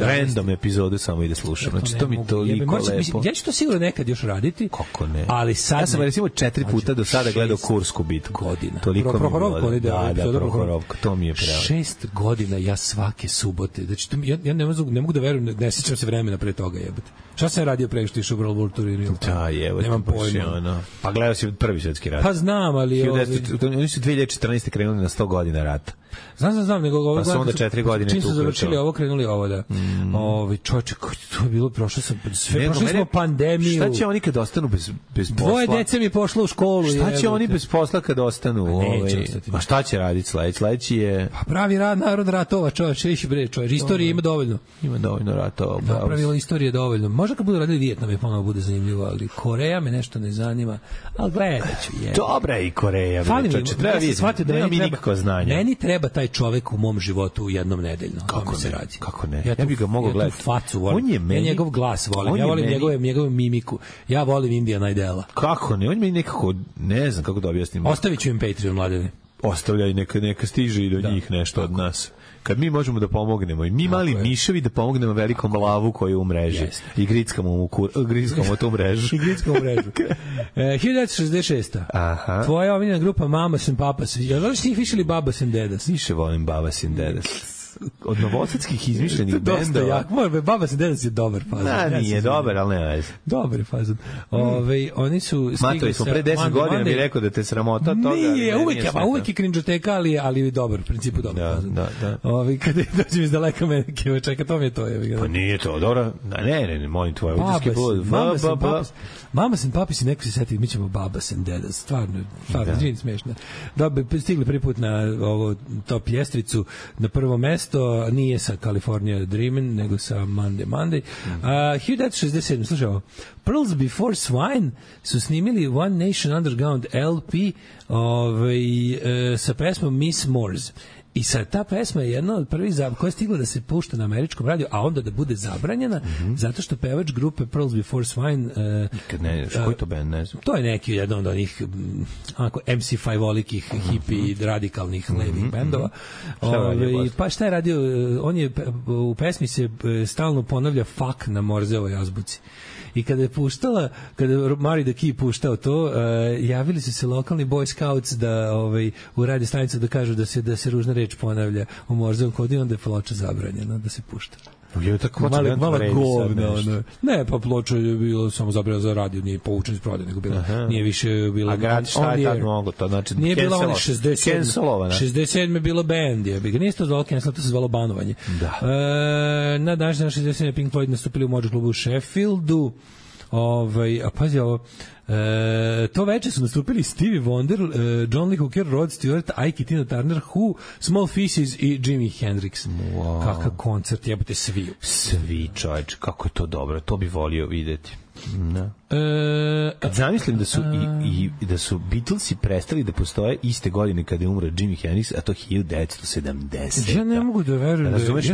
Speaker 6: random epizodu samo i da slušam. Znači, to mi toliko lepo.
Speaker 7: Ja ću to sigurno nekad još raditi.
Speaker 6: Kako ne?
Speaker 7: Ali sad
Speaker 6: ja sam recimo 4 puta do sada gledao Kursku bitku.
Speaker 7: Godina.
Speaker 6: Toliko mi je bilo. Da, Prohorovka, to mi je pravo.
Speaker 7: 6 godina ja svake subote. Znači, ja ne mogu da verujem, ne sjećam se vremena pre toga, jebote. Šta sam radio pre što išao u World War turnir?
Speaker 6: Da, jebote.
Speaker 7: Nemam pojma.
Speaker 6: Pa gledao si Prvi svjetski rat.
Speaker 7: Pa znam, ali...
Speaker 6: Oni su 2014. krenuli na 100 godina rata.
Speaker 7: Znam, nego
Speaker 6: pa su onda 4 godine
Speaker 7: čim su završili ovo, krenuli ovo, da. Čovječe, to je bilo, prošli smo pandemiju.
Speaker 6: Šta će oni kad ostanu bez posla?
Speaker 7: Dvoje dece mi je pošlo u školu.
Speaker 6: Šta će oni bez posla kad ostanu? A šta će raditi sledeći je...
Speaker 7: Pa pravi narod ratova, čovječe, istorije ima dovoljno.
Speaker 6: Ima dovoljno ratova.
Speaker 7: Napravilo istorije dovoljno. Možda kad budu radili Vijetnam je ponovo bude zanimljivo, ali Koreja me nešto ne zanima. Ali gledat ću.
Speaker 6: Dobra je i Koreja. Treba vidjeti, nema mi nikakvo znanje.
Speaker 7: Meni treba taj čovek u mom životu jednom nedeljno.
Speaker 6: Kako
Speaker 7: se radi?
Speaker 6: Kako ne? Ja bih ga mogao gledati.
Speaker 7: Ja facu volim. Ja njegov glas volim. Ja volim njegovu mimiku. Ja volim Indiana Idela.
Speaker 6: Kako ne? On mi nekako, ne znam kako da objasnim.
Speaker 7: Ostavit ću im Patreon, mladene.
Speaker 6: Ostavljaj, neka stiže i do njih nešto od nas. Kad mi možemo da pomognemo i mi mali miševi da pomognemo velikom lavu koji je u mreži i grickamo tu mrežu.
Speaker 7: I grickamo mrežu. 1966.
Speaker 6: Aha.
Speaker 7: Tvoja omiljena grupa Mamas and Papas. Ja znaš ti ih višili Babas and Dedas?
Speaker 6: Više volim Babas and Dedas. Od novosadskih izmišljenih bendova.
Speaker 7: Babas and Dedas je dobar fazon.
Speaker 6: Nije dobar, ali ne veze.
Speaker 7: Dobar je fazon. Oni su
Speaker 6: stigli smo pre 10 godina mi rekao da te sramota toga.
Speaker 7: Nije, uvek je cringe-teka, ali dobar, u principu dobar fazon.
Speaker 6: Da.
Speaker 7: Kada dođem iz daleka mene, čeka, to mi je to.
Speaker 6: Pa nije to, dobro. Ne, molim tvoje uđeski blud.
Speaker 7: Mamas and Papas i neko se seti, mi ćemo Babas and Dedas. Stvarno, žin smiješno. Stigli prvi put na top ljestvicu, na prvo mesto, nije sa California Dreamin', nego sa Monday. 1967, slušaj ovo. Pearls Before Swine su snimili One Nation Underground LP sa pesmom Miss Moores. I sad, ta pesma je jedna od prvih koja je stigla da se pušta na američkom radiju, a onda da bude zabranjena, zato što pevač grupe Pearls Before Swine...
Speaker 6: Nikad ne znaš, koji to band, ne znam?
Speaker 7: To je neki jedan od onih MC5-olikih, hippie, radikalnih, levih bendova. Pa šta je radio? On je, u pesmi se stalno ponavlja fuck na Morzeovoj azbuci. I kada je puštala, kada je Mari the Key puštao to, javili su se lokalni Boy Scouts da u radio stanicu da kažu da se ružna reč ponavlja u Morzeovom kodu i onda je ploča zabranjena da se pušta.
Speaker 6: Je tako
Speaker 7: malo govna. Ne, pa ploča je bilo samo zabranjena za radio, nije povučen iz prodaje, nego bilo, nije više bilo.
Speaker 6: A grad šta je tad mogo to? Znači,
Speaker 7: nije bilo onih 67 je bilo band, je. Nije se to zvalo cancel, to se zvalo banovanje.
Speaker 6: Da.
Speaker 7: Na današnji 67 Pink Floyd nastupili u Mođu klubu u Sheffieldu. A pazi ovo, to veče su nastupili Stevie Wonder, John Lee Hooker, Rod Stewart, Ike, Tina Turner, Who, Small Faces i Jimi Hendrix.
Speaker 6: Wow.
Speaker 7: Kakav koncert, jebote,
Speaker 6: svi čovječ, kako je to dobro, to bi volio videti. No. Kad zamislim da su Beatlesi prestali da postoje iste godine kada je umro Jimi Hendrix, a to 1970.
Speaker 7: Ja ne mogu da verujem.
Speaker 6: Razumeš,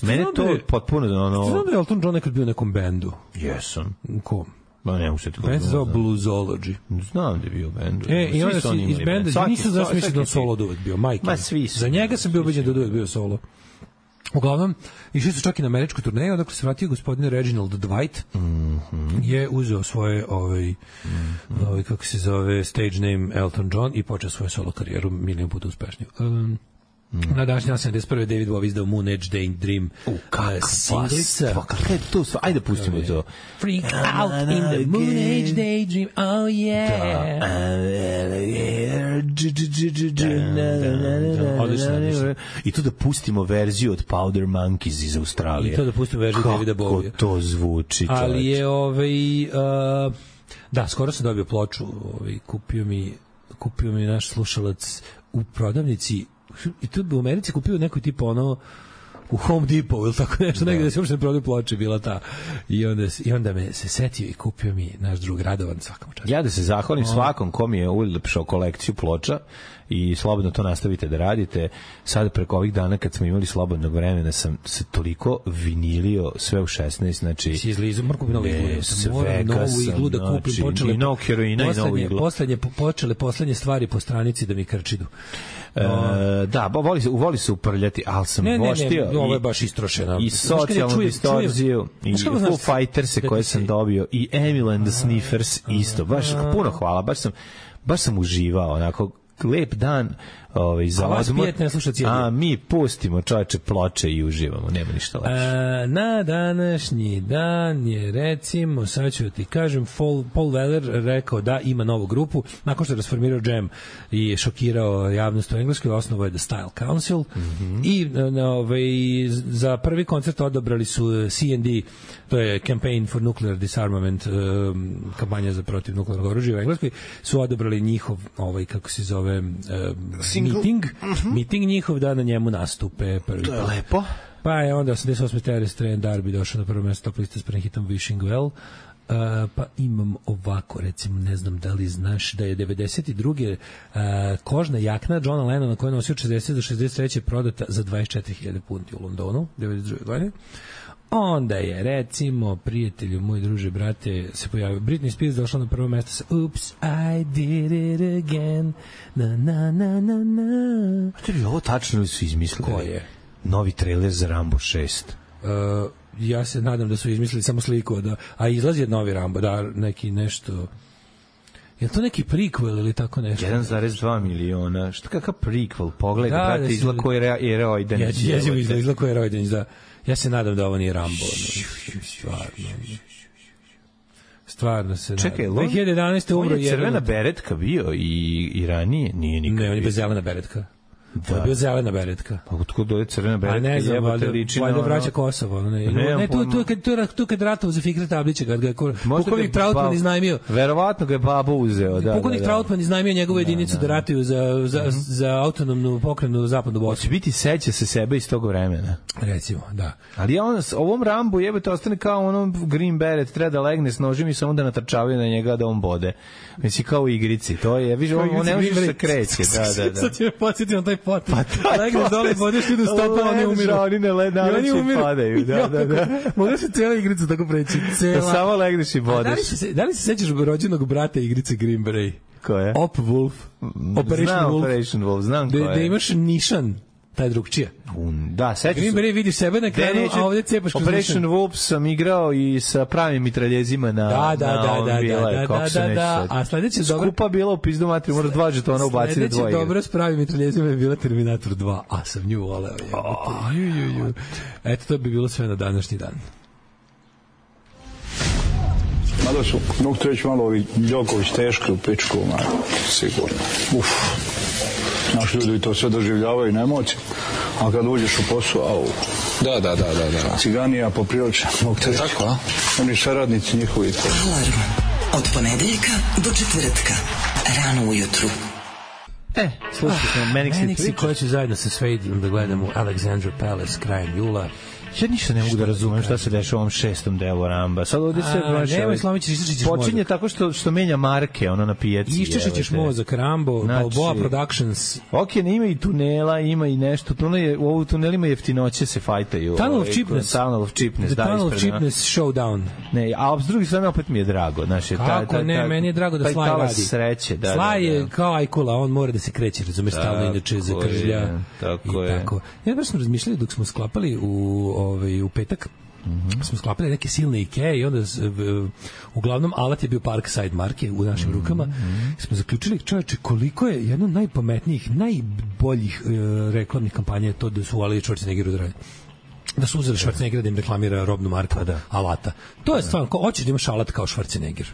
Speaker 6: mene to potpuno...
Speaker 7: Znam da je Elton John nekad bio u nekom bendu.
Speaker 6: Jesam.
Speaker 7: Kom?
Speaker 6: Ma ne usjeti kako.
Speaker 7: Band se zove Bluesology.
Speaker 6: Znam da je bio band.
Speaker 7: I onda si iz benda, nisu da sam mislio da on solo da uvek bio.
Speaker 6: Ma svi su.
Speaker 7: Za njega sam bio ubeđen da uvek bio solo. Uglavnom, išli su čak i na američku turneju, odakle se vratio gospodin Reginald Dwight, je uzeo svoje kako se zove, stage name Elton John i počeo svoju solo karijeru milion puta uspešniju. Na današnji 71. David Bowie izdao Moon Age Daydream singlica.
Speaker 6: Kako je to? Ajde pustimo to.
Speaker 7: Freak out in the Moon Age Daydream, oh yeah.
Speaker 6: I to da pustimo verziju od Powder Monkeys iz Australije.
Speaker 7: I to da pustimo verziju Davida Bowie.
Speaker 6: Kako to zvuči.
Speaker 7: Ali je da, skoro sam dobio ploču, kupio mi naš slušalac u prodavnici, i tu u Americi kupio neko tipa u Home Depot ili tako nešto, negdje da se uopšte ne prodaju ploče, bila ta. I onda me se setio i kupio mi naš drug Radovan, svakom času.
Speaker 6: Ja da se zahvalim svakom kom je ulepšao kolekciju ploča i slobodno to nastavite da radite. Sad preko ovih dana kad smo imali slobodnog vremena sam se toliko vinilio sve u 16, znači
Speaker 7: si izlizao Marko novu iglu,
Speaker 6: sve
Speaker 7: novu iglu da kupim, počele
Speaker 6: i novog heroina i novu iglu.
Speaker 7: Poslednje stvari po stranici da mi krčidu.
Speaker 6: Da, voli se uprljati, ali sam voštio.
Speaker 7: Ne, ovo je baš istrošeno.
Speaker 6: I socijalnu distorziju, i Foo Fighters koje sam dobio, i Emil and the Sniffers isto. Baš puno hvala, baš sam uživao, onako lep dan za odmor. A mi pustimo čoveče ploče i uživamo, nema ništa lepše.
Speaker 7: Na današnji dan je, recimo, sad ću ti kažem, Paul Weller rekao da ima novu grupu, nakon što je rasformirao Jam i šokirao javnost u Engleskoj, osnovao je The Style Council i za prvi koncert odabrali su C&D, to je Campaign for Nuclear Disarmament, kampanja za protiv nuklearnog oružja u Engleskoj, su odabrali njihov, kako se zove, meeting njihov, da na njemu nastupe prvi.
Speaker 6: To je lepo.
Speaker 7: Pa je onda 88. Terence Trent D'Arby došao na prvo mesto top liste s prehitom Wishing Well. Pa imam ovako, recimo, ne znam da li znaš da je 92. Kožna jakna Johna Lennona koja je nosio 60 do 63. prodata za 24.000 funti u Londonu 92. godine. Onda je, recimo, prijatelju, moj druže, brate, se pojavio. Britney Spears došla na prvo mesto sa Oops, I did it again. Na, na, na, na, na.
Speaker 6: Što bi ovo tačno li su izmislili?
Speaker 7: Ko je?
Speaker 6: Novi trailer za Rambo 6.
Speaker 7: Ja se nadam da su izmislili samo sliku, a izlazi novi Rambo, da, neki nešto... Je to neki prequel ili tako nešto?
Speaker 6: 1,2 miliona. Što kakav prequel? Pogledaj, brate, izgleda koji je Rojdanić.
Speaker 7: Jezivo izgleda koji je Rojdanić, da. Ja se nadam da ovo nije Rambo. Stvarno se nadam.
Speaker 6: Čekaj,
Speaker 7: 2011. umro
Speaker 6: je crvena beretka bio i ranije? Nije nikad.
Speaker 7: Ne, on je bez zelena beretka. To je bio zelena beretka.
Speaker 6: Pa otkud dođe crvena beretka?
Speaker 7: A ne znam, valjda vraća Kosovo. Ne, tu kad ratovao za Fikret Tablića, kad ga je pukovnik Trautman iznajmio.
Speaker 6: Verovatno ga je babo uzeo, da.
Speaker 7: Pukovnik Trautman iznajmio njegovu jedinicu da ratuju za autonomnu pokrenu zapadnu Bosnu.
Speaker 6: Hoće biti seća se sebe iz tog vremena.
Speaker 7: Recimo, da.
Speaker 6: Ali on ovom Rambu jebate ostane kao onom Green Beret, treba da legne s nožem i samo da natrčavaju na njega da on bode. Misli kao u igrici. To je, viš, on ne može da se kreće. Da.
Speaker 7: Sad će me podsjetiti na taj pot. Legneš dole, bodeš ti do stopa, oni umiru.
Speaker 6: Oni ne ledareći padaju. Da.
Speaker 7: Može se cijela igrica tako preći.
Speaker 6: Da samo legneš i bodeš.
Speaker 7: Da li se sećaš rođenog brata igrice Green Beret?
Speaker 6: Ko je?
Speaker 7: Op Wolf.
Speaker 6: Operation Wolf, znam ko je.
Speaker 7: Da imaš nišan, taj drugčija.
Speaker 6: Da, sećaš se.
Speaker 7: Green Beret vidiš sebe na kraju, a ovdje cepaš kroz
Speaker 6: Operation Wolf sam igrao i sa pravim mitraljezima na
Speaker 7: Da. A sledeće dobro...
Speaker 6: Skupa bila u pizdu matri, moraš 2 žetona ubaciti na 2 igre.
Speaker 7: Sledeće dobro s pravim mitraljezima je bila Terminator 2, a sam nju voleo. Eto, to bi bilo sve na današnji dan.
Speaker 9: Mada su, mogu to reći malo ovi Đoković teški u pičku, sigurno. Naši ljudi to sve doživljavaju na emocije, a kad uđeš u posao, au.
Speaker 10: Da.
Speaker 9: Ciganija poprilično, mogu te reći.
Speaker 10: Tako, a?
Speaker 9: Oni saradnici njihovi.
Speaker 3: Alarm od ponedeljka do četvrtka, rano ujutru.
Speaker 6: Slušajte smo Manicsy
Speaker 7: koja će zajedno sa Svejdom da gledamo Alexandra Palace krajem jula.
Speaker 6: Ja ništa ne mogu da razumem šta se dešava u ovom 6. delu Ramba. Sad ovdje se počinje tako što menja marke na pijaci.
Speaker 7: Iščešićeš mozak, Rambo, Balboa Productions.
Speaker 6: Ok, ima i tunela, ima i nešto. U tunelima jeftinoće se fajtaju.
Speaker 7: Tunnel of Cheapness. The Tunnel of Cheapness Showdown.
Speaker 6: Ne, a s druge strane opet mi je drago.
Speaker 7: Kako ne, meni je drago da Sly radi.
Speaker 6: Sreće, da.
Speaker 7: Sly je kao Ajkula, on mora da se kreće, razumeš, stalno inače zakržlja.
Speaker 6: Tako je.
Speaker 7: Ja baš smo razmišljali dok smo sklapali u petak, smo sklapali neke silne Ikea i onda uglavnom alat je bio Parkside marke u našim rukama. Smo zaključili, čoveče, koliko je jedno od najpametnijih, najboljih reklamnih kampanja to da su uvali Schwarzeneggeru da radi. Da su uzeli Schwarzeneggera da im reklamira robnu marku alata. To je stvarno, hoćeš da imaš alat kao Schwarzenegger.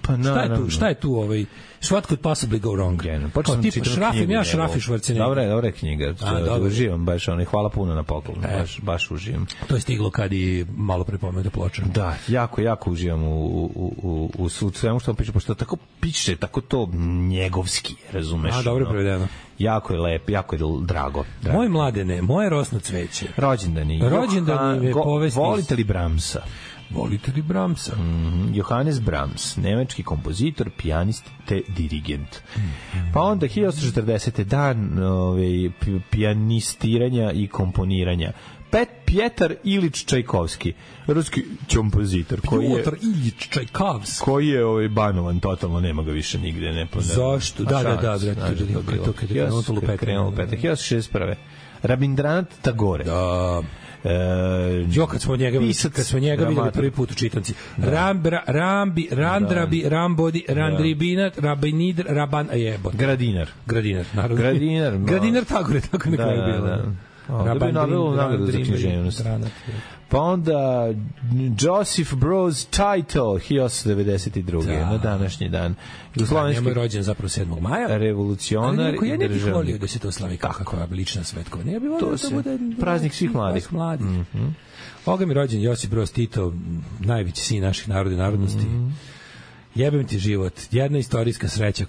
Speaker 7: Šta je tu what could possibly go wrong?
Speaker 6: Počeo sam čitati knjigu.
Speaker 7: Ja šrafi Schwarzenegger.
Speaker 6: Dobra je knjiga. Uživam baš, hvala puno na poklonu. Baš uživam.
Speaker 7: To je stiglo kad i malo prepomenuta ploča.
Speaker 6: Da, jako uživam u svemu što on piše, pošto tako piše, tako to njegovski, razumeš?
Speaker 7: Dobro je prevedeno.
Speaker 6: Jako je lep, jako je drago.
Speaker 7: Moje mladene, moje rosno cveće.
Speaker 6: Rođendani je povesti. Volite li Bramsa?
Speaker 7: Volite li Brahmsa?
Speaker 6: Johannes Brahms, nemački kompozitor, pijanist te dirigent. Pa onda 1840. dan pijanistiranja i komponiranja. Pjetar Ilić Čajkovski, ruski kompozitor
Speaker 7: Pjotar Ilić Čajkovski
Speaker 6: koji je banovan totalno, nema ga više nigde, ne poznaje.
Speaker 7: Zašto? Da, to kad je krenulo
Speaker 6: 1961. Rabindranath Tagore.
Speaker 7: Da. Kad smo njega videli prvi put u čitanci. Randrabi, Rambodi, Randribinat, Rabinidr, Raban, jebot.
Speaker 6: Gradinar,
Speaker 7: Tagore, tako nekako je bilo.
Speaker 6: Dobio Nobelovu nagradu za književnost. Pa onda Joseph Broz Tito 1892. Na današnji dan.
Speaker 7: Njemu je rođen zapravo 7. maja.
Speaker 6: Revolucionar i
Speaker 7: državnik. Ja ne bih volio da se to slavi kako lična svetkovina. Ja bih volio da bude
Speaker 6: praznik svih mladih.
Speaker 7: Ovoga mi rođen Josip Broz Tito, najveći sin naših naroda i narodnosti. Jebem ti život. Jedna istorijska sreća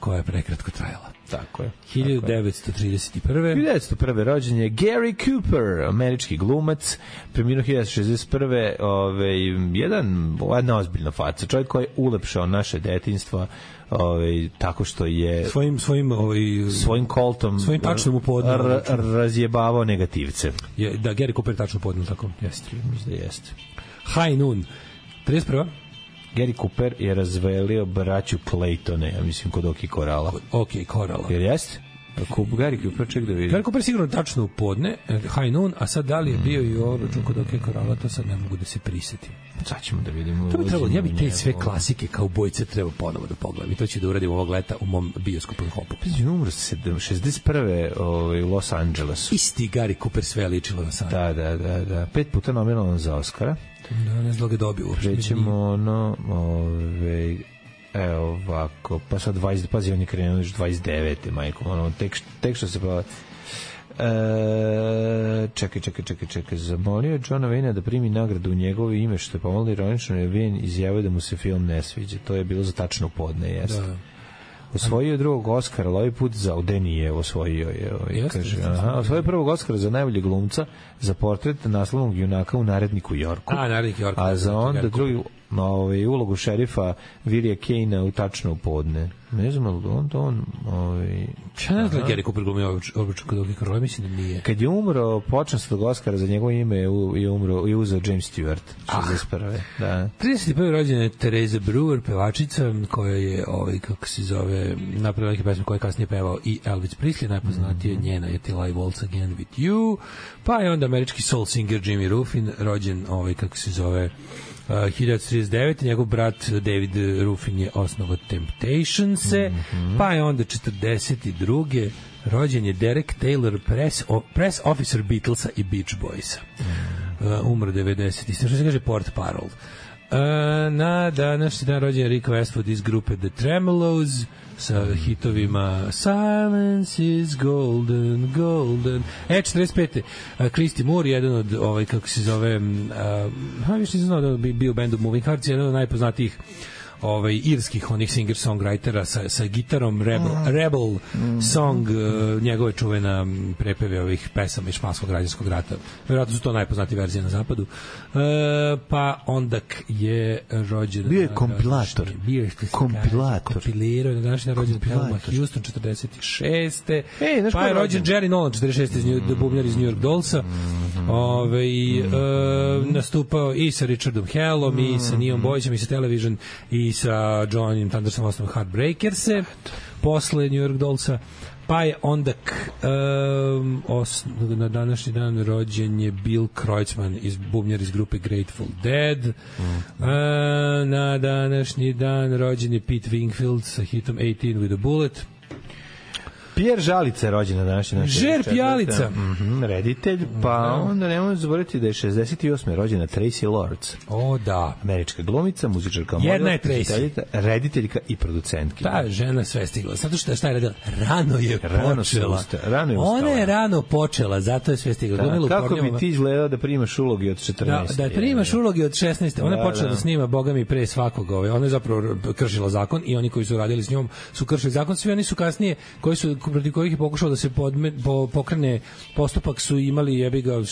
Speaker 7: koja je prekratko trajala.
Speaker 6: Tako je.
Speaker 7: 1931.
Speaker 6: rođen je Gary Cooper, američki glumac, preminuo 1961. Jedna ozbiljna faca, čovjek koji je ulepšao naše detinjstvo tako što je svojim koltom,
Speaker 7: svojim tačnom upodnom
Speaker 6: razjebavao negativce.
Speaker 7: Da, Gary Cooper tačno upodnom, tako jeste.
Speaker 6: Mislim da jeste.
Speaker 7: High Noon, 31.
Speaker 6: Gary Cooper je razvelio braću Claytone, ja mislim, kod Oki Korala.
Speaker 7: Korala.
Speaker 6: Jer jeste? Gary Cooper, ček da vidim.
Speaker 7: Gary Cooper sigurno tačno u podne, High Noon, a sad da li je bio i obračun kod Oki Korala, to sad ne mogu da se prisetim.
Speaker 6: Sad ćemo da vidimo.
Speaker 7: To bi trebalo, ja bi te sve klasike kao bojce treba ponovo da pogledam i to ću da uradim ovog leta u mom bioskopu hopu.
Speaker 6: Umro 61. u Los Angelesu.
Speaker 7: Isti Gary Cooper, sve ličilo na sad.
Speaker 6: Da. 5 puta nominovan za Oscara.
Speaker 7: Da, ne znam ga dobio uopšte.
Speaker 6: Prećemo evo ovako, pa sad 20, pazi, on je krenuo još 29. majko, tek što se pa... Čekaj, zamolio je Johna Wayne da primi nagradu u njegovo ime, što je pomalo ironično, je Wayne izjavio da mu se film ne sviđa. To je bilo za tačno podne, jeste. Da. Osvojio je drugog Oscara, ali ovaj put za Odenije osvojio je. Osvojio prvog Oscara za najboljeg glumca za portret naslovnog junaka u Naredniku Jorku. A za onda drugi ulogu šerifa Virija Kejna u Tačno u podne. Ne znam, ali on
Speaker 7: ja ne znam da Gary Cooper glumio obračun kod Oki Korala, mislim da nije.
Speaker 6: Kad je umro počasnog Oscara za njegovo ime je uzeo James Stewart 61. Da.
Speaker 7: 31. rođena je Teresa Brewer, pevačica koja je kako se zove, napravila neke pesme koje je kasnije pevao i Elvis Presley, najpoznatije njena je Till I Waltz Again With You, pa je onda američki soul singer Jimmy Ruffin, rođen kako se zove 1939. njegov brat David Ruffin je osnovao Temptationse, pa je onda 42. rođen je Derek Taylor, press officer Beatlesa i Beach Boysa. Umro 90. Što se kaže Port Parole. Na današnji dan rođen je Rick Westwood iz grupe The Tremolos sa hitovima Silence is golden, golden. 45. Christy Moore, jedan od kako se zove više nisam znao da bi bio band of Moving Hearts, jedan od najpoznatijih irskih onih singer-songwritera sa gitarom, Rebel Song, njegove čuvena prepeve ovih pesama iz španskog građanskog rata. Vjerojatno su to najpoznatije verzije na zapadu. Pa onda je rođen...
Speaker 6: Bio je kompilator.
Speaker 7: Kompilirao je na današnji rođen Thelma Houston 46. Pa je rođen Jerry Nolan 46. bubnjar iz New York Dollsa. Nastupao i sa Richardom Hellom, i sa Neon Boysom, i sa Television, i sa Johnom Thundersom osnovom Heartbreakers-e posle New York Dollsa. Pa je onda na današnji dan rođen je Bill Kreutzmann, bubnjar iz grupe Grateful Dead. Na današnji dan rođen je Pete Wingfield sa hitom 18 with a Bullet.
Speaker 6: Pierre Žalica je rođen na današnji dan.
Speaker 7: Žer Pjalica.
Speaker 6: Reditelj, pa onda nemojmo zaboraviti da je 68. rođena Tracy Lords.
Speaker 7: O, da.
Speaker 6: Američka glumica, muzičarka,
Speaker 7: jedna je Tracy,
Speaker 6: rediteljka i producentkinja.
Speaker 7: Ta žena sve stigla. Zato što šta je radila? Rano je počela. Ona je rano počela, zato je sve stigla.
Speaker 6: Kako bi ti izgledao da primaš ulogi od 14?
Speaker 7: Da primaš ulogi od 16. Ona je počela da snima, boga mi, pre svakog. Ona je zapravo kršila zakon i oni koji su radili s njom su kršili zakon. Svi oni su kasnije, koji su protiv kojih je pokušao da se pokrene postupak su imali jebiga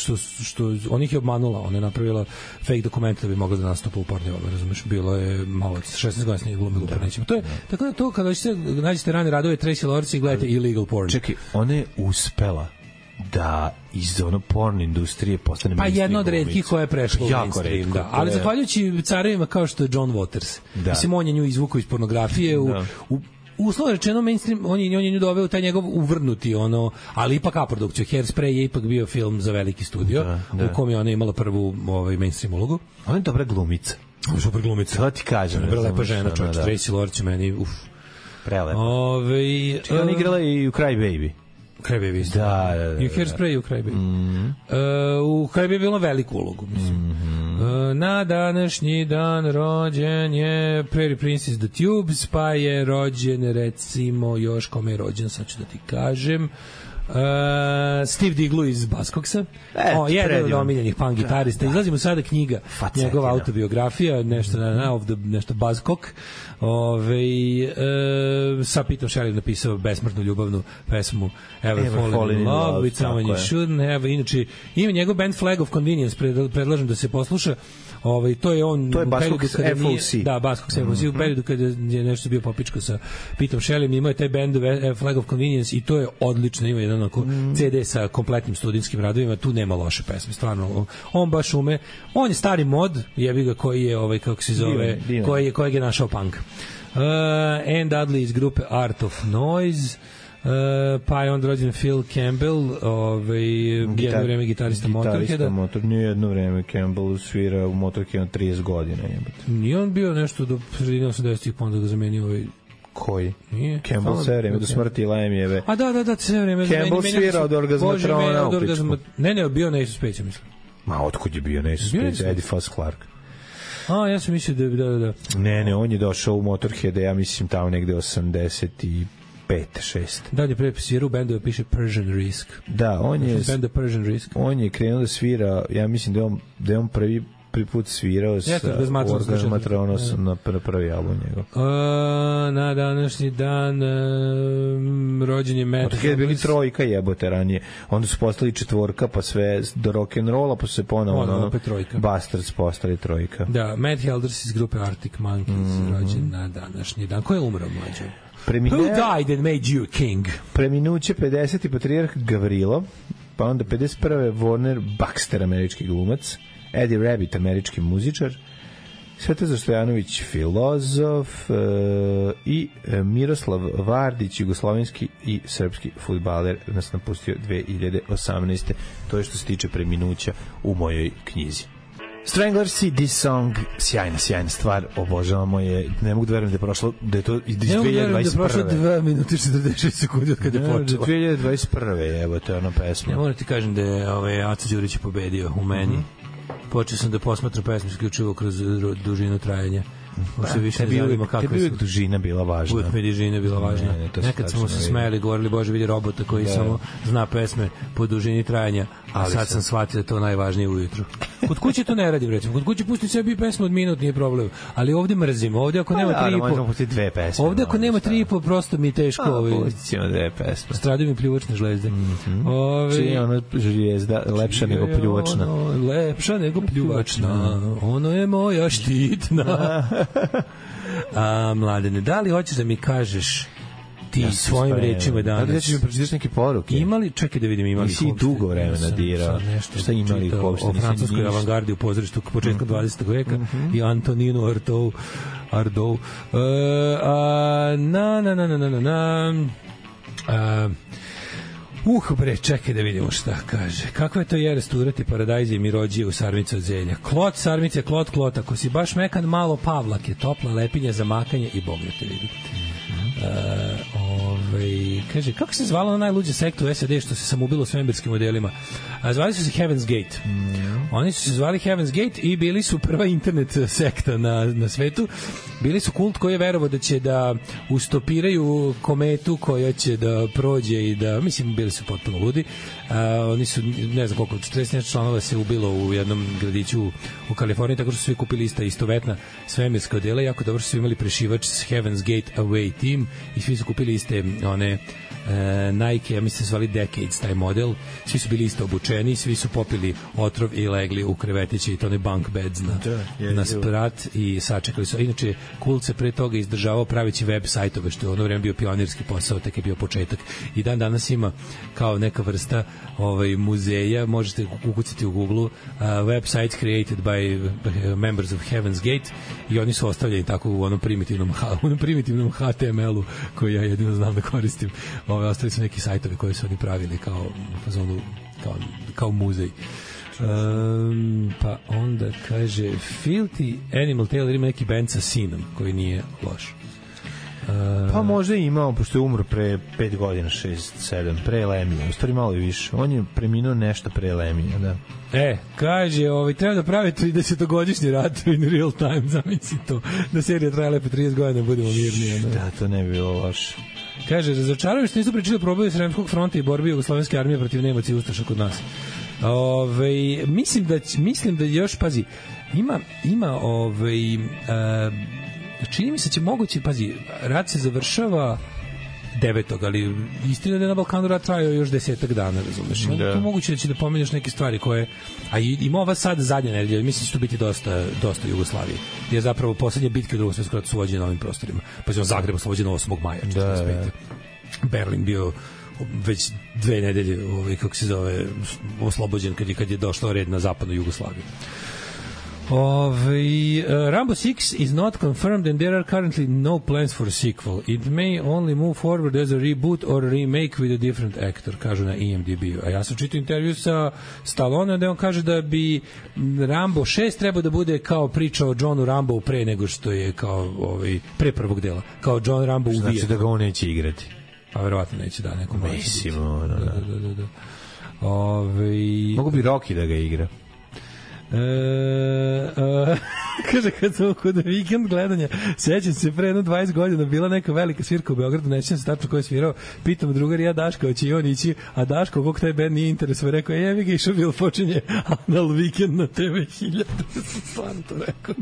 Speaker 7: što on ih je obmanula, ona je napravila fake dokument da bi mogla da nastupa u Pornhub, razumeš, bilo je malo 16 godina glumila u nećemo. To je tako da to kada nađete rane radove Tracy Lords i gledate illegal porn.
Speaker 6: Čekaj, ona je uspela da iz ono porn industrije postane
Speaker 7: pa jedna od retkih koja je prešla u mainstream, da. Ali zahvaljujući carevima kao što je John Waters. Da. Mislim, on je nju izvukao iz pornografije u uslovno rečeno mainstream, on je nju doveo taj njegov uvrnuti ono, ali ipak A-produkciju. Hairspray je ipak bio film za veliki studio, u kom je ona imala prvu mainstream ulogu.
Speaker 6: Ona je dobra glumica.
Speaker 7: Ona je super glumica.
Speaker 6: To ti kažem.
Speaker 7: Vrlo lepa žena, čovječ. Tracy Lords je meni,
Speaker 6: prelepa. Ona igrala i u Cry Baby.
Speaker 7: Crybaby.
Speaker 6: Da.
Speaker 7: I u Hairspray i u Crybaby. U Crybaby je bilo veliku ulogu, mislim. Na današnji dan rođen je Prairie Princess The Tubes, pa je rođen, recimo, još kome je rođen, sad ću da ti kažem, Steve Diglu iz Buzzcocksa. Jedan od omiljenih punk gitarista. Izlazimo sada knjiga, njegova autobiografija, nešto Buzzcock. Sa Petom Shelley napisao besmrtnu ljubavnu pesmu Ever Fallen in Love with Someone You Shouldn't Have. Inače, ima njegov band Flag of Convenience, predlažem da se posluša. To je
Speaker 6: Buzzcocks FOC.
Speaker 7: Da, Buzzcocks FOC. U periodu kada je nešto bio popičko sa Petom Shelley, imao je taj band Flag of Convenience i to je odlično. Ima jedan CD sa kompletnim studijskim radovima, tu nema loše pesme, stvarno. On baš ume. On je stari mod, jebi ga, koji je, kako se zove, kojeg je našao punk. Anne Dudley iz grupe Art of Noise, pa je on rođen Phil Campbell, jedno vreme gitarista Motorheada.
Speaker 6: Nije jedno vreme, Campbell svira u Motorheadu 30 godina.
Speaker 7: Nije on bio nešto do sredine 80-ih, pa onda ga zamenio
Speaker 6: koji? Nije. Campbell sve vreme do smrti Lajem jebe.
Speaker 7: A da, sve vreme.
Speaker 6: Campbell svira od orgazmatrona u pičku.
Speaker 7: Ne, bio Ace of Spades, mislim.
Speaker 6: Ma, otkud je bio Ace of Spades? Eddie Foss Clark.
Speaker 7: Ja sam mislio da.
Speaker 6: Ne, on je došao u Motorhead, ja mislim tamo negde 85, 6.
Speaker 7: Da, on je prepasirao u bendu da piše Persian Risk.
Speaker 6: Da, on je
Speaker 7: benda Persian Risk.
Speaker 6: On je krenuo da svira, ja mislim da je on prvi put svirao sa Orgazmatronos na prvi album njegov.
Speaker 7: Na današnji dan rođen je Matt
Speaker 6: Heldersi. Bili trojka jebote ranije. Onda su postali četvorka, pa sve do rock'n'rolla, pa su se ponovo Bastards postali trojka.
Speaker 7: Da, Matt Heldersi iz grupe Arctic Monkeys rođen na današnji dan. Ko je umro mlađe? Who died and made you king?
Speaker 6: Preminuće 50. patrijarh Gavrilo, pa onda 51. Warner Baxter, američki glumac, Eddie Rabbit, američki muzičar, Svetozar Stojanović, filozof, i Miroslav Vardić, jugoslovenski i srpski fudbaler, nas napustio 2018. To je što se tiče preminuća u mojoj knjizi. Stranglers i This Song, sjajna stvar, obožavamo je, ne mogu da verujem da je prošlo, da je to iz 2021. Ne mogu da verujem da je prošlo
Speaker 7: 2 minuta i 46 sekundi od kada je počelo.
Speaker 6: 2021. evo, to je ona pesma.
Speaker 7: Ja moram ti kažem da je Aca Đurić pobedio u meni. Počeo sam da posmatram pesmu isključivo kroz dužinu trajanja. Možda više ne zanima kako je.
Speaker 6: Tebi uvijek dužina bila važna.
Speaker 7: Uvijek mi dužina bila važna. Nekad smo se smejali, govorili, Bože, vidi robota koji samo zna pesme po dužini trajanja, a sad sam shvatio da to najvažnije ujutru. Kod kuće to ne radim, recimo. Kod kuće pusti sebi pesmu od minut, nije problem. Ali ovde mrzim. Ovde ako nema
Speaker 6: 3,5...
Speaker 7: Ovde ako nema 3,5, prosto mi je teško.
Speaker 6: Pustit ćemo 2 pesme.
Speaker 7: Stradaju mi pljuvačne žlezde.
Speaker 6: Čiji je ono žlijezda lepša nego pljuvačna?
Speaker 7: Lepša nego pljuvačna. Ono je moja štitna. Mladene, da li hoćeš da mi kažeš ti svojim rečima danas?
Speaker 6: Da li ćeš mi pročitaš neke poruke?
Speaker 7: Imali, čekaj da vidim, imali
Speaker 6: nisi dugo vremena dirao. Šta imali uopšte?
Speaker 7: O francuskoj avangardi u pozorištu početka 20. veka i Antoninu Ardou. Bre, čekaj da vidimo šta kaže. Kakva je to je resturati paradajze i mirođije u sarmice od zelja? Klot, sarmice, klot, ako si baš mekan, malo pavlak je topla lepinja za makanje i Bog da te vidi. Kaže, kako se zvala na najluđa sekta u SAD što se samoubilo svemirskim modelima? Zvali su se Heaven's Gate. Oni su se zvali Heaven's Gate i bili su prva internet sekta na svetu. Bili su kult koji je verovao da će da ustopiraju kometu koja će da prođe i da, mislim, bili su potpuno ludi. Oni su, ne znam koliko, 40 članova se ubilo u jednom gradiću u Kaliforniji, tako što su svi kupili ista istovetna svemirska odela. Jako dobro su imali prešivač s Heaven's Gate Away Team i svi su kupili iste one Nike, ja mislim zvali Decades taj model, svi su bili isto obučeni, svi su popili otrov i legli u krevetiće i to ne bunk beds na sprat i sačekali su. Inače, Kult se pre toga izdržavao pravići web sajtove, što je ono vreme bio pionirski posao, tek je bio početak. I dan danas ima kao neka vrsta muzeja, možete ukucati u Google websites created by members of Heaven's Gate i oni su ostavljeni tako u onom primitivnom HTML-u koji ja jedino znam da koristim. Ostali su neki sajtovi koji su oni pravili kao muzej. Pa onda kaže Filthy Animal Tailor ima neki band sa sinom koji nije loš.
Speaker 6: Pa možda je imao, pošto je umro pre 5 godina, 6, 7, pre Lemija, u stvari malo i više. On je preminuo nešto pre Lemija, da.
Speaker 7: Kaže, treba da pravi 30-godišnji rat in real time, zamisli to, da serija traje lepo 30 godina, budemo mirnije.
Speaker 6: Da, to ne bi bilo loše.
Speaker 7: Kaže, razočaraju što nisu pričali o problemu Sremskog fronta i borbi jugoslovenske armije protiv Nemaca i Ustaša kod nas. Mislim da još, pazi, ima čini mi se će moguće, pazi, rat se završava 9. ali istina da je na Balkanu rat trajao još 10 dana, razumeš? Da. To moguće da će da pomenjaš neke stvari koje, a ima ova sad zadnja nedelja, mislim da će to biti dosta Jugoslavije, jer zapravo poslednje bitke u Drugom svetskom ratu su vođene na ovim prostorima. Pa je Zagreb oslobođen 8. maja 45. Berlin bio već 2 nedelje oslobođen kad je došlo red na zapadnu Jugoslaviju. Rambo 6 is not confirmed and there are currently no plans for a sequel. It may only move forward as a reboot or a remake with a different actor, kažu na IMDb-u. A ja sam čitao intervju sa Stallone da on kaže da bi Rambo 6 trebao da bude kao priča o Johnu Rambo pre nego što je kao pre prvog dela. Kao John Rambo u Vijetnamu.
Speaker 6: Znači da ga on neće igrati.
Speaker 7: Pa verovatno neće, da, neko može.
Speaker 6: Mislim, da. Mogu bi Rocky da ga igra.
Speaker 7: Kaže, kad sam kod vikend gledanja, sećam se pre 20 godina bila neka velika svirka u Beogradu, ne sećam se tačno ko je svirao, pitam drugar ja Daška, hoće i on ići, a Daško, kog taj band nije interesovao, rekao, jevi ga, išao bilo počinje Anal Weekend na TV 1000, stvarno to rekao.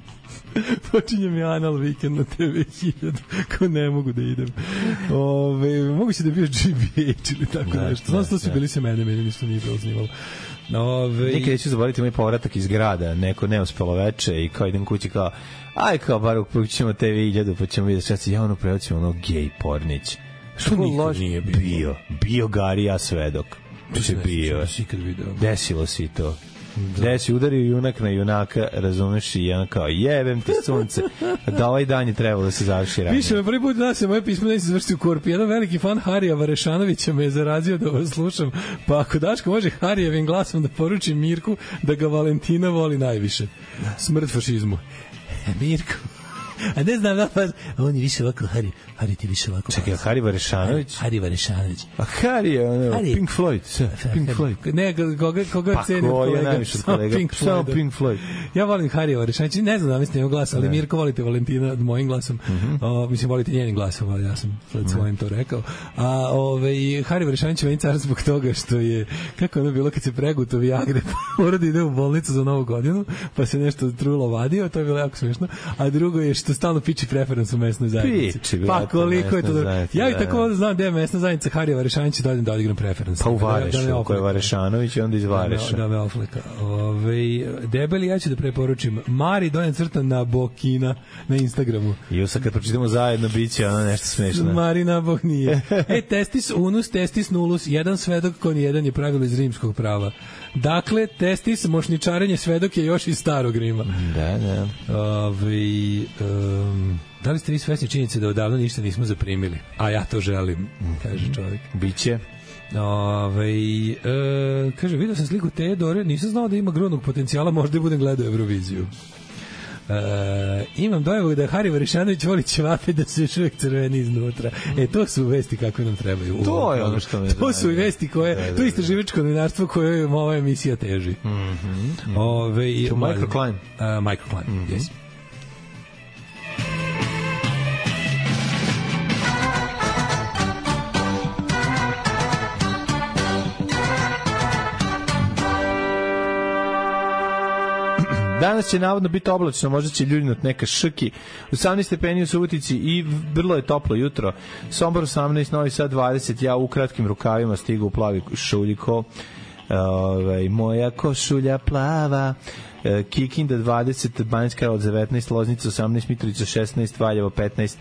Speaker 7: Počinje mi Anal Weekend na TV 1000, ko ne mogu da idem. Moguće da je bio GBH ili tako nešto. Znam se to su bili se meni ništa nije bilo zanimalo.
Speaker 6: Nikad neću zaboraviti moj povratak iz grada, neko neuspelo veče i kao idem kući kao, kao bar ćemo TV 1000 pa ćemo vidjeti šta se javno prevacimo gej pornić.
Speaker 7: Što nikad nije
Speaker 6: bio Garija svedok. To se bio. Desilo si to. Gde si udario junak na junaka, razumeš, i jedan kao, jebem ti sunce, da ovaj dan je trebalo da se završi ranije.
Speaker 7: Piše me prvi put da se moje pismo neće završiti u korpi. Jedan veliki fan Harija Varešanovića me je zarazio da vas slušam, pa ako Daško može Harijevim glasom da poruči Mirku da ga Valentina voli najviše. Smrt fašizmu. Mirko. A ne znam da pa on je više ovako Hari ti više ovako.
Speaker 6: Čekaj, Hari Varešanović. A Hari je Pink Floyd.
Speaker 7: Ne, koga ceni kolega.
Speaker 6: Samo Pink Floyd.
Speaker 7: Ja volim Hari Varešanović. Ne znam da mislim njegov glas, ali Mirko volite Valentina mojim glasom. Mislim volite njenim glasom, ali ja sam sad svojim to rekao. A Hari Varešanović meni car zbog toga što je kako ono bilo kad se preguto Viagre, mora da ide u bolnicu za Novu godinu, pa se nešto trulo vadio, to je bilo jako smešno. A drugo je što stalno piči preferans u mesnoj zajednici. Pa koliko je to dobro. Ja i tako znam gde je mesna zajednica Harija Varešanović, dođem da odigram preferans.
Speaker 6: Pa u Varešu, ako je Varešanović, onda iz Vareša.
Speaker 7: Da me ofleka. Debeli, ja ću da preporučim Mari Donja crta na Bokina na Instagramu.
Speaker 6: I sad kad pročitamo zajedno, bit će ono nešto smešno.
Speaker 7: Marina Bok nije. Testis unus, testis nullus, jedan svedok kon jedan je pravilo iz rimskog prava. Dakle, testis, mošničarenje svedok je još iz starog Rima.
Speaker 6: Da.
Speaker 7: Da li ste vi svesni činjenice da odavno ništa nismo zaprimili? A ja to želim, kaže čovjek.
Speaker 6: Biće.
Speaker 7: Kaže, vidio sam sliku Teodore, nisam znao da ima grudnog potencijala, možda budem gledao Euroviziju. Imam dojavu da Hari Varešanović voli ćevape da su još uvijek crveni iznutra. To su vesti kakve nam trebaju.
Speaker 6: To je ono što me
Speaker 7: to su i vesti koje, to je istraživačko novinarstvo koje ova emisija teži.
Speaker 6: To Microclimb.
Speaker 7: Microclimb, yes.
Speaker 6: Danas će navodno biti oblačno, možda će ljuljnut neka šrki. 18 stepeni u Subotici i vrlo je toplo jutro. Sombor 18, Novi Sad 20, ja u kratkim rukavima stigu u plavi šuljiko. Moja košulja plava. Kikinda 20, Banjska Karlovac 19, Loznica 18, Mitrovica 16, Valjevo 15,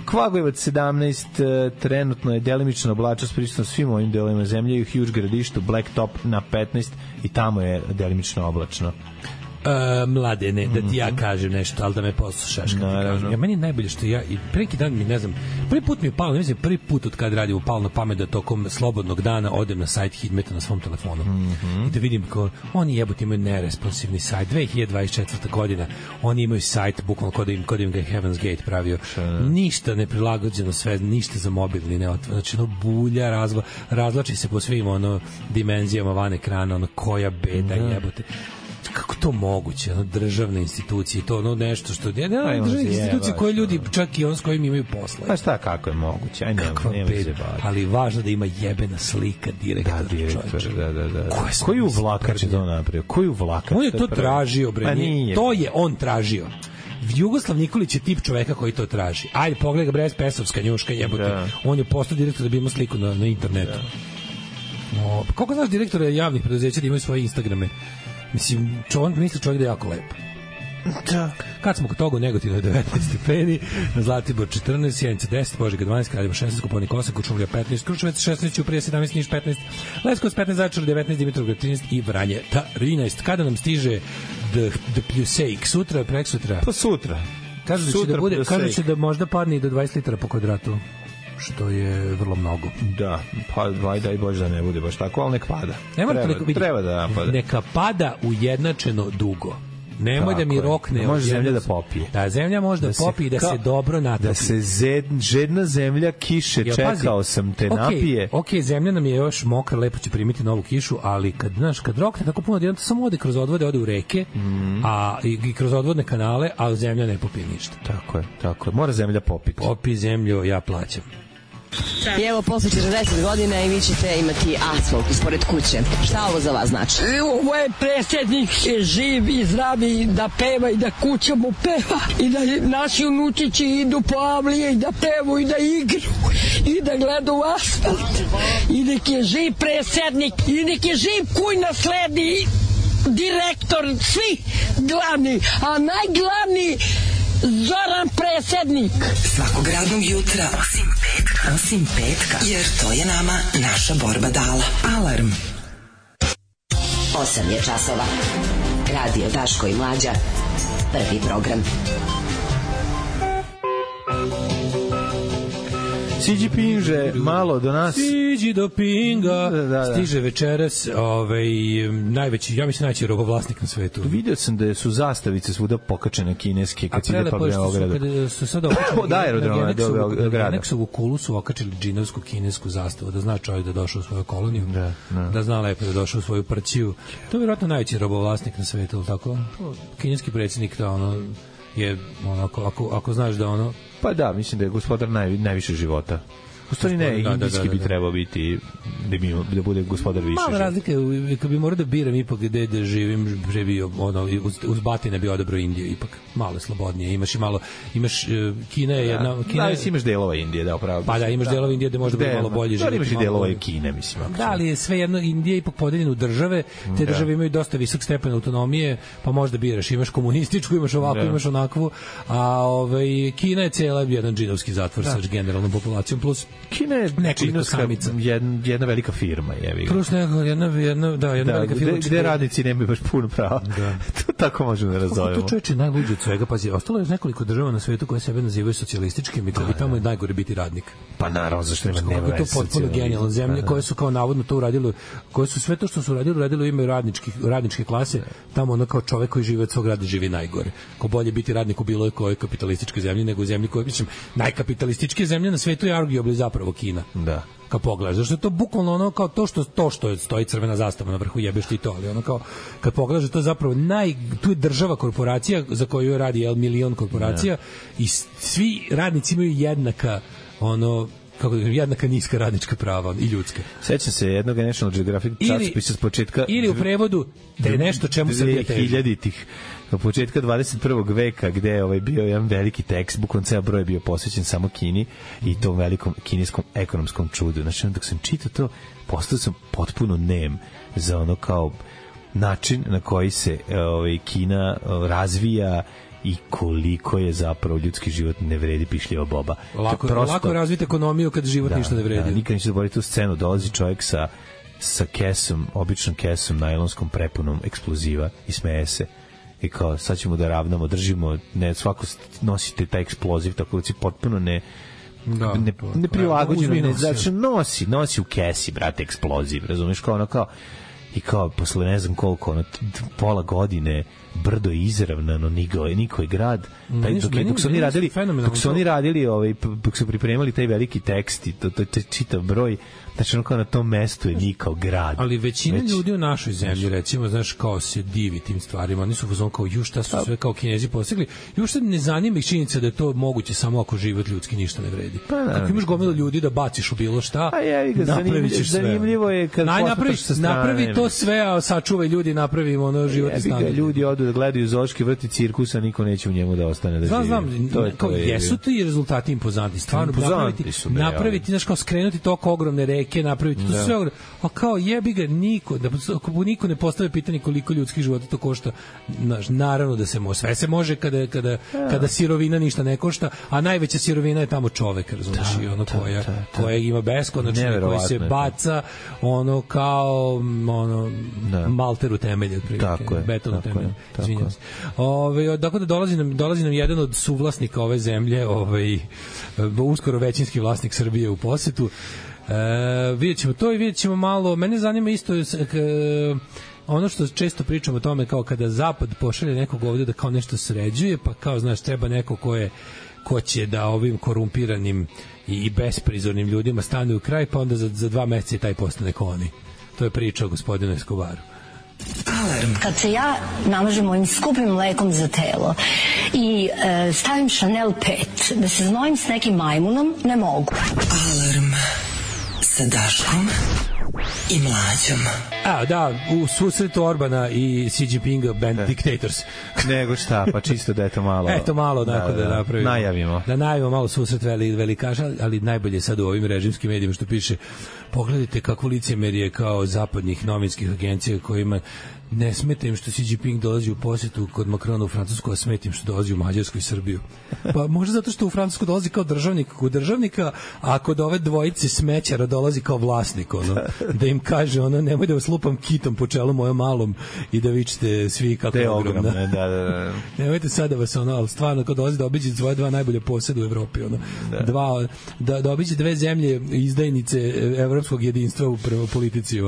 Speaker 6: Kvagojevac 17, trenutno je delimično oblačnost prisutno svim ovim delovima zemlje i u Huge Gradištu, Blacktop na 15 i tamo je delimično oblačno.
Speaker 7: Mladene, da ti ja kažem nešto, ali da me poslušaš kad ti kažem. Ja, meni je najbolje što ja, i preki dan mi, ne znam, prvi put mi je palo, ne mislim, prvi put od kad radim palo na pamet da tokom slobodnog dana odem na sajt Hidmeta na svom telefonu i da vidim kao, oni jebote imaju neresponsivni sajt, 2024. godina, oni imaju sajt, bukvalno kod im ga je Heaven's Gate pravio, ništa ne prilagođeno sve, ništa za mobilni, ne otvore, znači ono bulja, razlači se po svim ono dimenzijama van ekrana, ono koja beda jebote. Kako to moguće, ono, državne institucije, to ono nešto što državne institucije koje ljudi čak i on s kojim imaju posla.
Speaker 6: Pa šta, kako je moguće? Aj, nema se baviti.
Speaker 7: Ali važno da ima jebena slika direktora.
Speaker 6: Da, direktor, da. Koji uvlakač je to napravio? Koji uvlakač?
Speaker 7: On je to tražio, bre. To je on tražio. Jugoslav Nikolić je tip čoveka koji to traži. Ajde, pogledaj ga, bre, Pesovska njuška, jebote. On je postao direktor da bi imao sliku na internetu. Koliko znaš direktora javnih preduzeća da imaju svoje Instagrame? Mislim, misli čovjek da je jako lep. Da. Kad smo kod toga u Negotinu je 19 stepeni, na Zlatibor 14, Sjenica 10, Požega 12, Kraljeva 16, Koponik 8, Kuršumlija 15, Kruševac 16, Ćuprija 17, Niš 15, Leskovac 15, Zaječar 19, Dimitrovgrad 13 i Vranje 13. Kada nam stiže The Pljusejk? Sutra, preksutra?
Speaker 6: Pa sutra.
Speaker 7: Kažu će da možda padne i do 20 litara po kvadratu, što je vrlo mnogo.
Speaker 6: Da, pa daj Bože da ne bude baš tako, ali nek pada. Treba da pada.
Speaker 7: Neka pada ujednačeno dugo. Nemoj da mi rokne.
Speaker 6: Može zemlja da popije.
Speaker 7: Da, zemlja može da popije i da se dobro natopi.
Speaker 6: Da se žedna zemlja kiše, čekao sam te napije.
Speaker 7: Ok, zemlja nam je još mokra, lepo će primiti novu kišu, ali kad rokne tako puno, jedan samo ode kroz odvode, ode u reke, a i kroz odvodne kanale, a zemlja ne popije ništa.
Speaker 6: Tako je. Mora zemlja popiti.
Speaker 7: Popi zemlju, ja plaćam.
Speaker 10: I evo, posle 40 godina i vi ćete imati asfalt ispored kuće. Šta ovo za vas znači?
Speaker 11: Ovo je predsjednik živ i zdravi, da peva i da kuća mu peva i da naši unučići idu po avlije i da pevu i da igru i da gleda u asfalt. I nek je živ predsjednik i nek je živ kuj nasledi direktor, svi glavni, a najglavniji Zoran predsjednik.
Speaker 3: Svakog radnog jutra osim petka, jer to je nama naša borba dala. Alarm.
Speaker 10: 8 je časova. Radio Daško i Mlađa. Prvi program.
Speaker 6: Siđi Pinže, malo do nas.
Speaker 7: Siđi do Pinga. Stiže večeras najveći, ja mislim najveći robovlasnik na svetu.
Speaker 6: Vidio sam da su zastavice svuda pokačene kineske kad ide pa Beogradu.
Speaker 7: Kada su sada okačili
Speaker 6: od aerodroma do Beograda.
Speaker 7: Neksovu kulu su okačili džinovsku kinesku zastavu, da zna čovjek da došao u svoju koloniju, da zna lepo da došao u svoju prćiju. To je vjerojatno najveći robovlasnik na svetu, tako? Kineski predsjednik to je ako znaš da
Speaker 6: pa da, mislim da je gospodar najviše života. U stvari ne, indijski bi trebao biti da bude gospodar više.
Speaker 7: Mala razlika je, kad bi morao da biram ipak gde da živim, uz Batine bi odabrao Indiju, ipak malo slobodnije. Imaš Kina je jedna...
Speaker 6: Imaš delova Indije, da, upravo.
Speaker 7: Pa da, imaš delova Indije gde možda bude malo bolje živjeti.
Speaker 6: Da, imaš i delova Kine, mislim.
Speaker 7: Da, ali je sve jedno, Indija je ipak podeljena u države, te države imaju dosta visok stepen autonomije, pa možda biraš, imaš komunističku, imaš ovakvu, imaš onakvu, a Kina je cijela jedan džinovski zatvor sa generalnom populacijom, plus
Speaker 6: Kina je jedna velika firma, jevi.
Speaker 7: Plus jedna velika firma.
Speaker 6: Gde radnici nemaju baš puno prava. To tako možemo da razumemo.
Speaker 7: To čoveče najluđe od svega, pazi, ostalo je nekoliko država na svetu koje sebe nazivaju socijalističkim i tamo je najgore biti radnik.
Speaker 6: Pa naravno, zašto nema
Speaker 7: veze. To je potpuno genijalno. Zemlje koje su kao navodno to uradile, koje su sve to što su uradilo u ime radničke klase, tamo kao čovek koji živi od svog rada živi najgore. Ko bolje biti radnik u bilo kojoj kapitalističkoj zemlji nego u zemlji koja, mislim, najkapitalističkija zemlja na svetu je arguably zapravo Kina.
Speaker 6: Da.
Speaker 7: Kad pogledaš, zašto je to bukvalno kao to što stoji crvena zastava na vrhu, jebeš ti to, ali kao kad pogledaš, to je zapravo tu je država korporacija za koju radi milion korporacija i svi radnici imaju jednaka kako da jednaka niska radnička prava i ljudska.
Speaker 6: Sećam se jednog National Geographic časopisa s početka
Speaker 7: ili u prevodu da je nešto čemu Srbija teži.
Speaker 6: 2000-ih, početka 21. veka, gde je bio jedan veliki tekst, bukvalno ceo broj je bio posvećen samo Kini i tom velikom kineskom ekonomskom čudu. Znači, dok sam čitao to, postao sam potpuno nem za ono kao način na koji se Kina razvija i koliko je zapravo ljudski život ne vredi pišljiva boba.
Speaker 7: Lako razviti ekonomiju kad život ništa ne vredi.
Speaker 6: Nikad neće zaboraviti tu scenu, dolazi čovjek sa kesom, običnom kesom, najlonskom prepunom eksploziva i smeje se. I kao, sad ćemo da ravnamo, držimo, ne, svako nosite taj eksploziv, tako da si potpuno ne prilagođeno, znači nosi u kesi, brate, eksploziv, razumiješ, kao ono kao, i kao posle ne znam koliko, ono, pola godine brdo je izravnano, niko je grad, dok su oni radili dok su pripremali taj veliki tekst i to čitav broj, znači ono kao na tom mestu je nikao grad.
Speaker 7: Ali većina ljudi u našoj zemlji, recimo, znaš, kao se divi tim stvarima, oni su fazon kao, šta su sve kao Kinezi postigli, šta ne zanima ih činjenica da je to moguće samo ako život ljudski ništa ne vredi. Ako imaš gomilu ljudi da baciš u bilo šta, napravit ćeš sve.
Speaker 6: Zanimljivo je kad
Speaker 7: napravi to sve, a sačuvaj ljudi, napravi ono životni standard.
Speaker 6: Ljudi odu da gledaju zoološki vrt i cirkus, a niko neće u njemu da ostane da živi.
Speaker 7: Znam, kao jesu ti rezultati impozantni, stvarno napraviti, znaš, kao skrenuti toko ogromne reke, napraviti to sve, a kao jebi ga niko ne postave pitanje koliko ljudskih života to košta. Naravno da se može, sve se može kada sirovina ništa ne košta, a najveća sirovina je tamo čovek, razumiješ, i ono koja ima beskonačno, koji se baca ono kao malter u temelje, beton u temelje. Izvinjam se. Dakle, da dolazi nam jedan od suvlasnika ove zemlje, uskoro većinski vlasnik Srbije u posetu. Vidjet ćemo to i vidjet ćemo malo, mene zanima isto ono što često pričamo o tome, kao kada Zapad pošalje nekog ovdje da kao nešto sređuje, pa kao, znaš, treba neko ko će da ovim korumpiranim i besprizornim ljudima stane u kraj, pa onda za 2 meseca i taj postane ko oni. To je priča o gospodinu Escobaru.
Speaker 12: Alarm. Kad se ja namažem ovim skupim mlekom za telo i stavim Chanel 5, da se znojim s nekim majmunom, ne mogu.
Speaker 3: Alarm sa Daškom i Mlađom.
Speaker 7: U susretu Orbana i Xi Jinpinga, band Dictators.
Speaker 6: Nego šta, pa čisto da je to malo.
Speaker 7: Eto malo, da napravimo.
Speaker 6: Najavimo.
Speaker 7: Da najavimo malo susret velikaša, ali najbolje sad u ovim režimskim medijima što piše, pogledajte kako licemerje kao zapadnih novinskih agencija kojima ne smeta im što Xi Jinping dolazi u posjetu kod Macrona u Francusku, a smeta im što dolazi u Mađarsku i Srbiju. Pa možda zato što u Francusku dolazi kao državnik kod državnika, a kod ove dvojice smećara dolazi kao vlasnik, da im kaže, nemoj da vas lupam kitom po čelu mojom malom i da vičete svi kako je ogromna.
Speaker 6: Da.
Speaker 7: Nemojte sad da vas ali stvarno kao dolazi da obiđe svoje 2 najbolje posjede u Evropi, da obiđe 2 zemlje izdajnice evropskog jedinstva u politici,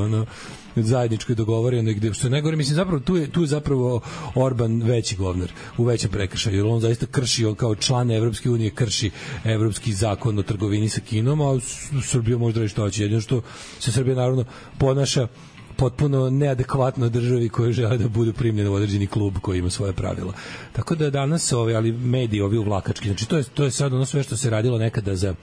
Speaker 7: zajedničko je dogovoreno, gde što je najgore, mislim, zapravo tu je zapravo Orban veći govnar, u većem prekršaju, jer on zaista krši, on kao član Evropske unije krši evropski zakon o trgovini sa Kinom, a Srbija može da reći što hoće, jedino što se Srbija naravno ponaša potpuno neadekvatno državi koje žele da budu primljene u određeni klub koji ima svoje pravila. Tako da danas ali mediji ovi uvlakački, znači to je sad ono sve što se radilo nekada za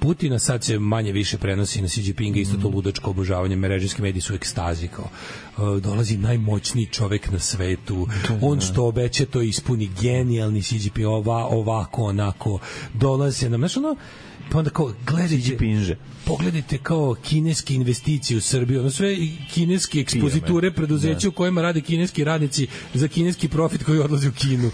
Speaker 7: Putina, sad se manje više prenosi na Xi Jinpinga, isto to ludačko obožavanje, režimski mediji su u ekstazi, kao dolazi najmoćniji čovek na svetu, on što obeća to ispuni, genijalni Xi Jinping, ovako, onako, dolaze nam, znači pa onda kao, pogledajte kao kineske investicije u Srbiju, sve kineske ekspoziture preduzeća u kojima rade kineski radnici za kineski profit koji odlazi u Kinu,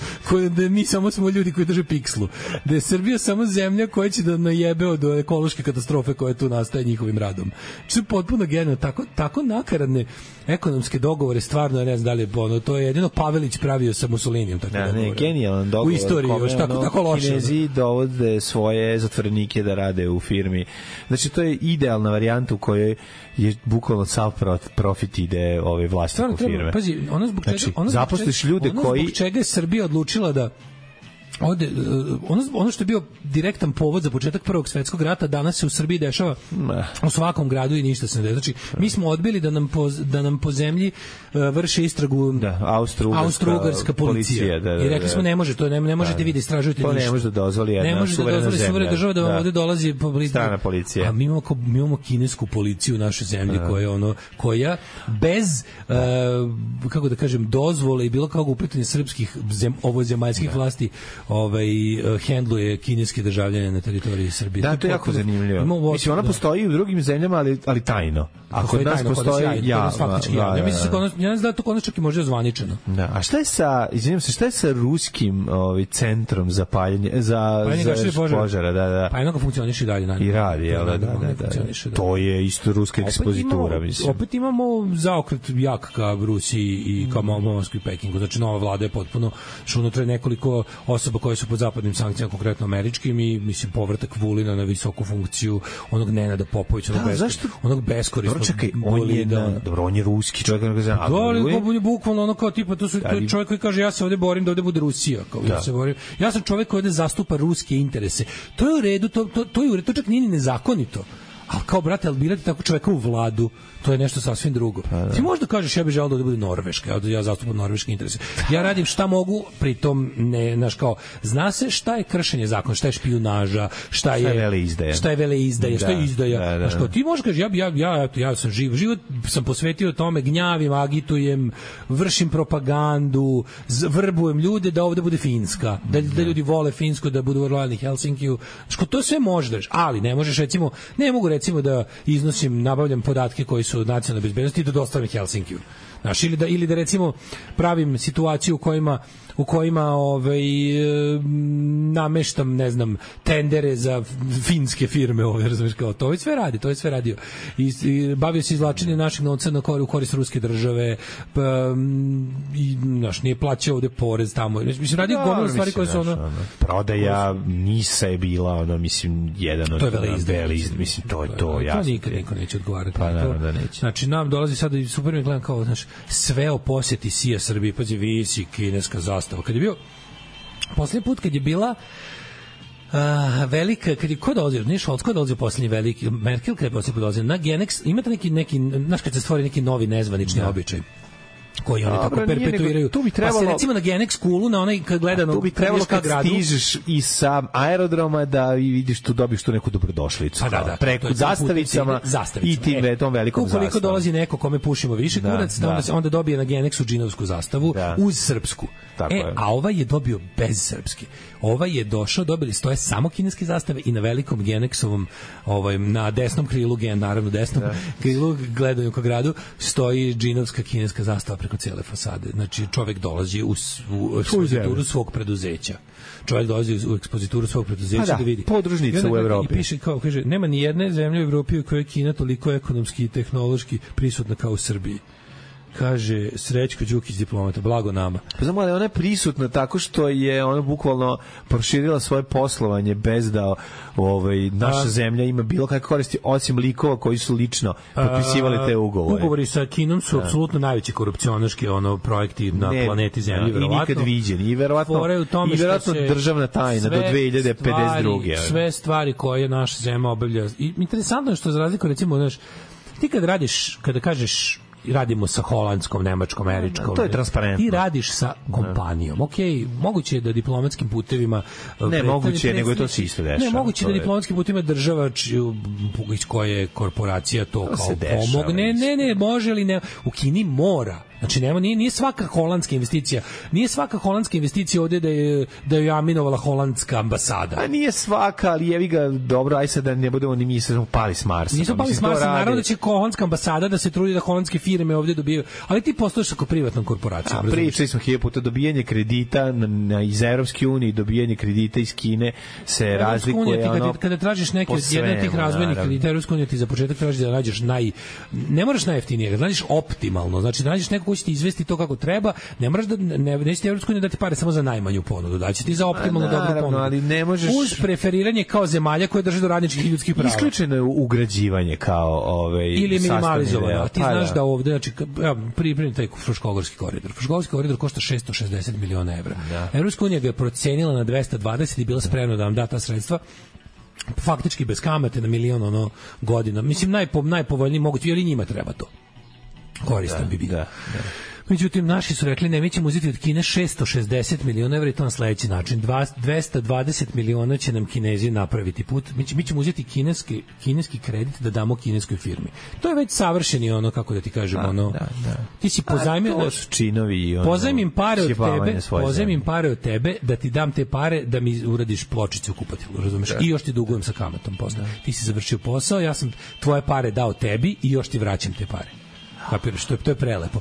Speaker 7: da mi samo smo ljudi koji drže pikslu, da je Srbija samo zemlja koja će da najebe od ekološke katastrofe koja tu nastaje njihovim radom. Što je potpuno genijalno, tako nakaradne ekonomske dogovore, stvarno ne znam da li je to je jedino Pavelić pravio sa Mussolinijem takve dogovore.
Speaker 6: Genijalan dogovor
Speaker 7: u istoriji, još tako loše.
Speaker 6: Kinezi dovode svoje zatvorenike da rade u firmi. Znači, to je idealna varijanta u kojoj je bukvalno sav profit ide vlasniku firme.
Speaker 7: Pazi,
Speaker 6: zaposliš ljude koji...
Speaker 7: Zbog čega je Srbija odlučila da ono što je bio direktan povod za početak Prvog svetskog rata danas se u Srbiji dešava u svakom gradu i ništa se ne dešava. Znači, mi smo odbili da nam po zemlji vrše istragu Austro-Ugarska policija. I rekli smo ne može, to ne možete vi da istražujete ništa.
Speaker 6: To ne može da dozvoli jedna suverena zemlja.
Speaker 7: Država da vam ovde dolazi
Speaker 6: strana policija.
Speaker 7: A mi imamo kinesku policiju u našoj zemlji koja bez kako da kažem dozvole i bilo kakvog uplitanja srpskih ovozemaljskih vlasti hendluje kineske državljane na teritoriji Srbije.
Speaker 6: Da, to je jako zanimljivo. Mislim, ona postoji u drugim zemljama, ali tajno. A kod nas postoji ja
Speaker 7: ne znam da to kod nas čak i može ozvaničeno.
Speaker 6: Da. A šta je sa ruskim centrom za paljenje požara? Da.
Speaker 7: Pa jednako funkcioniše i dalje.
Speaker 6: I radi, da. To je isto ruska ekspozitura, mislim.
Speaker 7: Opet imamo zaokret jak ka Rusiji i ka Moskvi i Pekingu. Znači, nova vlada je potpuno što unutra nekoliko osoba koje su pod zapadnim sankcijama, konkretno američkim, i mislim povratak Vulina na visoku funkciju, onog Nenada Popovića, onog beskorisnog.
Speaker 6: On je ruski čovjek,
Speaker 7: on je bukvalno ono kao tipa, to je čovjek koji kaže ja se ovde borim da ovde bude Rusija, kao ja se borim. Ja sam čovjek koji ovde zastupa ruske interese. To je u redu, to je u redu, to čak nije ni nezakonito. Ali kao, brate, ali birati tako čoveka u vladu, to je nešto sasvim drugo. Ti možda kažeš, ja bih želeo da bude Norveška, ja zastupam norveške interese. Ja radim šta mogu, pritom ne, znaš, kao, zna se šta je kršenje zakona, šta je špijunaža, šta je veleizdaja, šta je izdaja. Znaš, kao, ti možeš kažeš, ja sam život sam posvetio tome, gnjavim, agitujem, vršim propagandu, vrbujem ljude da ovde bude Finska, da ljudi vole Finsku, da budu lojalni Helsinkiju. Znaš, to sve možeš, ali ne možeš, ne mogu recimo da iznosim, nabavljam podatke koji su od nacionalne bezbednosti i da dostavim Helsinkiju. Znaš, ili da recimo pravim situaciju u kojima nameštam, ne znam, tendere za finske firme, razumiješ, kao to je sve radio. I bavio se izvlačenjem naših novca u korist ruske države, i znaš, nije plaćao ovde porez tamo. Mislim, radio gomilu stvari koje su
Speaker 6: prodaja NIS-a je bila, mislim, jedan od veleizdaja, mislim, to je to, jasno.
Speaker 7: To nikad niko neće odgovarati.
Speaker 6: Pa naravno da neće.
Speaker 7: Znači, nam dolazi sada i super mi gledam kao, znaš, sve o posjeti Sija Srbiji, pazi, visi kineska zastava. Kad je bio poslednji put, kad je bila velika, kad je ko dolazio, nije Scholz, ko dolazio poslednji veliki, Merkel kad je poslednji put dolazio, na Genex, imate neki, znaš, kad se stvori neki novi nezvanični običaj koji oni tako perpetuiraju. Pa se recimo na Genex Schoolu, na onaj kad gledano
Speaker 6: tu bi trebalo kad stižeš i sa aerodroma da vidiš tu, dobiš tu neku dobrodošlicu. Preko zastavicama i tim tom velikom zastavom.
Speaker 7: Ukoliko dolazi neko kome pušimo više kurac, onda dobije na Genexu džinovsku zastavu uz srpsku. A ovaj je dobio bez srpske. Ovaj je došao, stoje samo kineske zastave i na velikom Genexovom, na desnom krilu, naravno desnom krilu, gledaju ka gradu, stoji džinovska kineska zastava preko cijele fasade. Znači, čovjek dolazi u ekspozituru svog preduzeća. Da vidi.
Speaker 6: Podružnica u Evropi.
Speaker 7: I piše, kao, kaže, nema ni jedne zemlje u Evropi u kojoj je Kina toliko ekonomski i tehnološki prisutna kao u Srbiji. Kaže Srećko Đukić, diplomata, blago nama.
Speaker 6: Pa znamo, ali ona je prisutna tako što je ona bukvalno proširila svoje poslovanje bez da naša zemlja ima bilo kakve koristi, osim likova koji su lično potpisivali te ugovore.
Speaker 7: Ugovori sa Kinom su apsolutno najveći korupcionaški projekti na planeti Zemlji, verovatno.
Speaker 6: I nikad viđeni. I verovatno državna tajna do 2052.
Speaker 7: Sve stvari koje naša zemlja obavlja. I interesantno je što, za razliku, recimo, znaš, ti kada kažeš radimo sa holandskom, nemačkom, američkom.
Speaker 6: To je transparentno.
Speaker 7: Ti radiš sa kompanijom. Okej, moguće je da diplomatskim putevima
Speaker 6: ne moguće, nego je to se isto dešava.
Speaker 7: Ne, moguće da diplomatskim putevima država iz koje korporacija to kao pomogne. Ne, može li ne. U Kini mora. Znači, nije svaka holandska investicija ovde da je aminovala holandska ambasada.
Speaker 6: A nije svaka, ali jevi ga, dobro, aj sad da ne budemo ni mi se pali s Marsa.
Speaker 7: Nisu pali s Marsa, naravno da će holandska ambasada da se trudi da holandske firme ovde dobiju, ali ti postojiš ako privatnom korporacijom.
Speaker 6: Pričali smo 1000 puta, dobijanje kredita iz Evropske unije, dobijanje kredita iz Kine se razlikuje.
Speaker 7: Kada tražiš neke od jedne od tih razvojnih kredita, Evropska unija ti za početak traži da nađeš ne moraš najjeftinije, da nađeš optimalno, znači da nađeš nekog ako ćete izvesti to kako treba, ne moraš da nećete Evropsku uniju dati pare samo za najmanju ponudu, daće ti za optimalno dobru ponudu.
Speaker 6: Ali ne možeš
Speaker 7: uz preferiranje kao zemalja koje drže do radničkih i ljudskih prava.
Speaker 6: Isključeno je ugrađivanje kao
Speaker 7: ili minimalizovano. Ti znaš da ovde, znači, pripremi taj Fruškogorski koridor. Fruškogorski koridor košta 660 miliona evra. Evropska unija ga je procenila na 220 i bila spremna da vam da ta sredstva faktički bez kamate na milion godina. Mislim, najpovoljniji mogući, jer i njima treba to. Koristan bi bio. Međutim, naši su rekli, ne, mi ćemo uzeti od Kine 660 miliona evra i to na sledeći način. 220 miliona će nam Kinezi napraviti put. Mi ćemo uzeti kineski kredit da damo kineskoj firmi. To je već savršeni kako da ti kažem, ti si pozajmio...
Speaker 6: To su činovi i
Speaker 7: pozajmim pare od tebe da ti dam te pare da mi uradiš pločicu u kupatilu, razumeš? I još ti dugujem sa kamatom posle. Ti si završio posao, ja sam tvoje pare dao tebi i još ti vraćam te pare. Kapiraš, to je prelepo.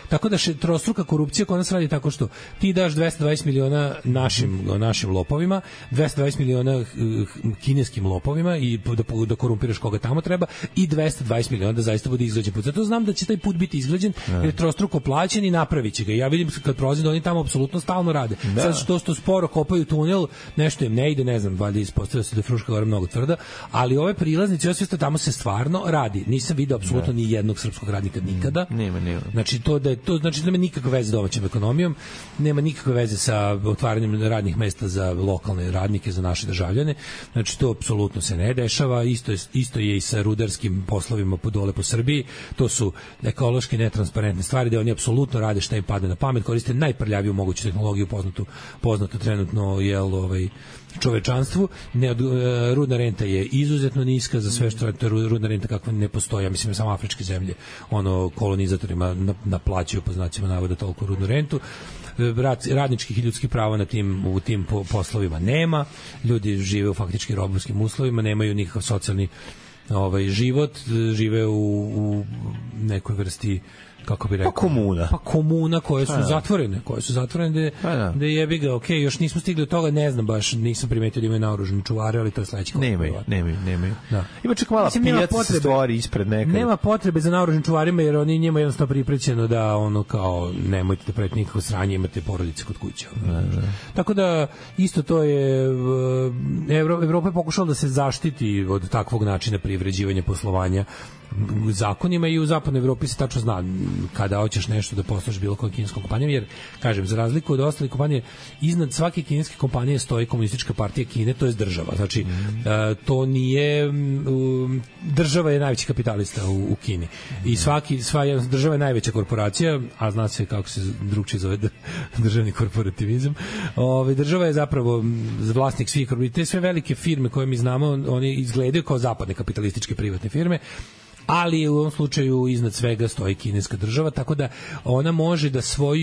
Speaker 7: Tako da trostruka korupcija koja nas radi tako što ti daš 220 miliona našim lopovima, 220 miliona kineskim lopovima i da korumpiraš koga tamo treba i 220 miliona da zaista bude izgrađen put. Zato znam da će taj put biti izgrađen jer je trostruko plaćen i napravit će ga. Ja vidim kad prolazim da oni tamo apsolutno stalno rade. Sad što sporo kopaju tunel, nešto im ne ide, ne znam, valjda ispostavlja se da je Fruška Gora mnogo tvrda, ali ove prilaznice, sve tamo se stvarno radi. Nisam video apsolutno ni jednog srpskog radnika nikada.
Speaker 6: Nema.
Speaker 7: Znači to nema nikakve veze s domaćom ekonomijom, nema nikakve veze sa otvaranjem radnih mesta za lokalne radnike, za naše državljane. Znači to apsolutno se ne dešava. Isto je i sa rudarskim poslovima dole po Srbiji. To su ekološki netransparentne stvari da oni apsolutno rade šta im padne na pamet, koriste najprljaviju moguću tehnologiju poznatu trenutno čovečanstvu. Rudna renta je izuzetno niska za sve što je rudna renta kakva ne postoji. Ja mislim samo afričke zemlje kolonizatorima naplaćuju po znacima navoda toliko rudnu rentu. Radničkih i ljudskih prava u tim poslovima nema. Ljudi žive u faktički robovskim uslovima, nemaju nikakav socijalni život, žive u nekoj vrsti, kako bi rekao, komuna koje su zatvorene da je jebi ga, još nismo stigli do toga, ne znam baš, nisam primetio da imaju naoružane čuvare, ali to je sledeći korak.
Speaker 6: Nemaju. Ima čak mala pijaca se stvori ispred nekada.
Speaker 7: Nema potrebe za naoružanim čuvarima, jer oni njima jednostavno priprećeno da kao nemojte da pravite nikakvo sranje, imate porodice kod kuće. Tako da isto to je Evropa je pokušala da se zaštiti od takvog načina privređivanja poslovanja zakonima i u zapadnoj Evropi se tačno zna kada hoćeš nešto da posluš bilo kojom kineskom kompanijom, jer, kažem, za razliku od ostalih kompanije, iznad svake kineske kompanije stoji Komunistička partija Kine, to je država. Znači, to nije... Država je najveći kapitalista u Kini. I sva država je najveća korporacija, a zna se kako se drugčije zove državni korporativizam. Država je zapravo vlasnik svih korporacija. Te sve velike firme koje mi znamo, oni izgledaju kao zapadne kapitalističke privatne firme, ali u ovom slučaju iznad svega stoji kineska država, tako da ona može da svoj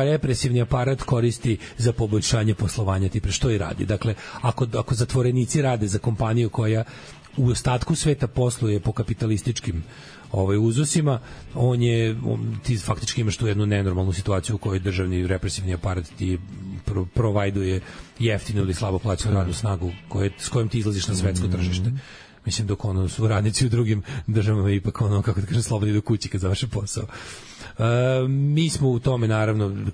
Speaker 7: represivni aparat koristi za poboljšanje poslovanja, tipa što i radi. Dakle, ako zatvorenici rade za kompaniju koja u ostatku sveta posluje po kapitalističkim uzusima, ti faktički imaš tu jednu nenormalnu situaciju u kojoj državni represivni aparat ti provajduje jeftinu ili slabo plaćenu radnu snagu s kojom ti izlaziš na svetsko tržište. Mislim, dok su radnici u drugim državama ipak kako da kažem, slobodni do kući kad završe posao. Mi smo u tome naravno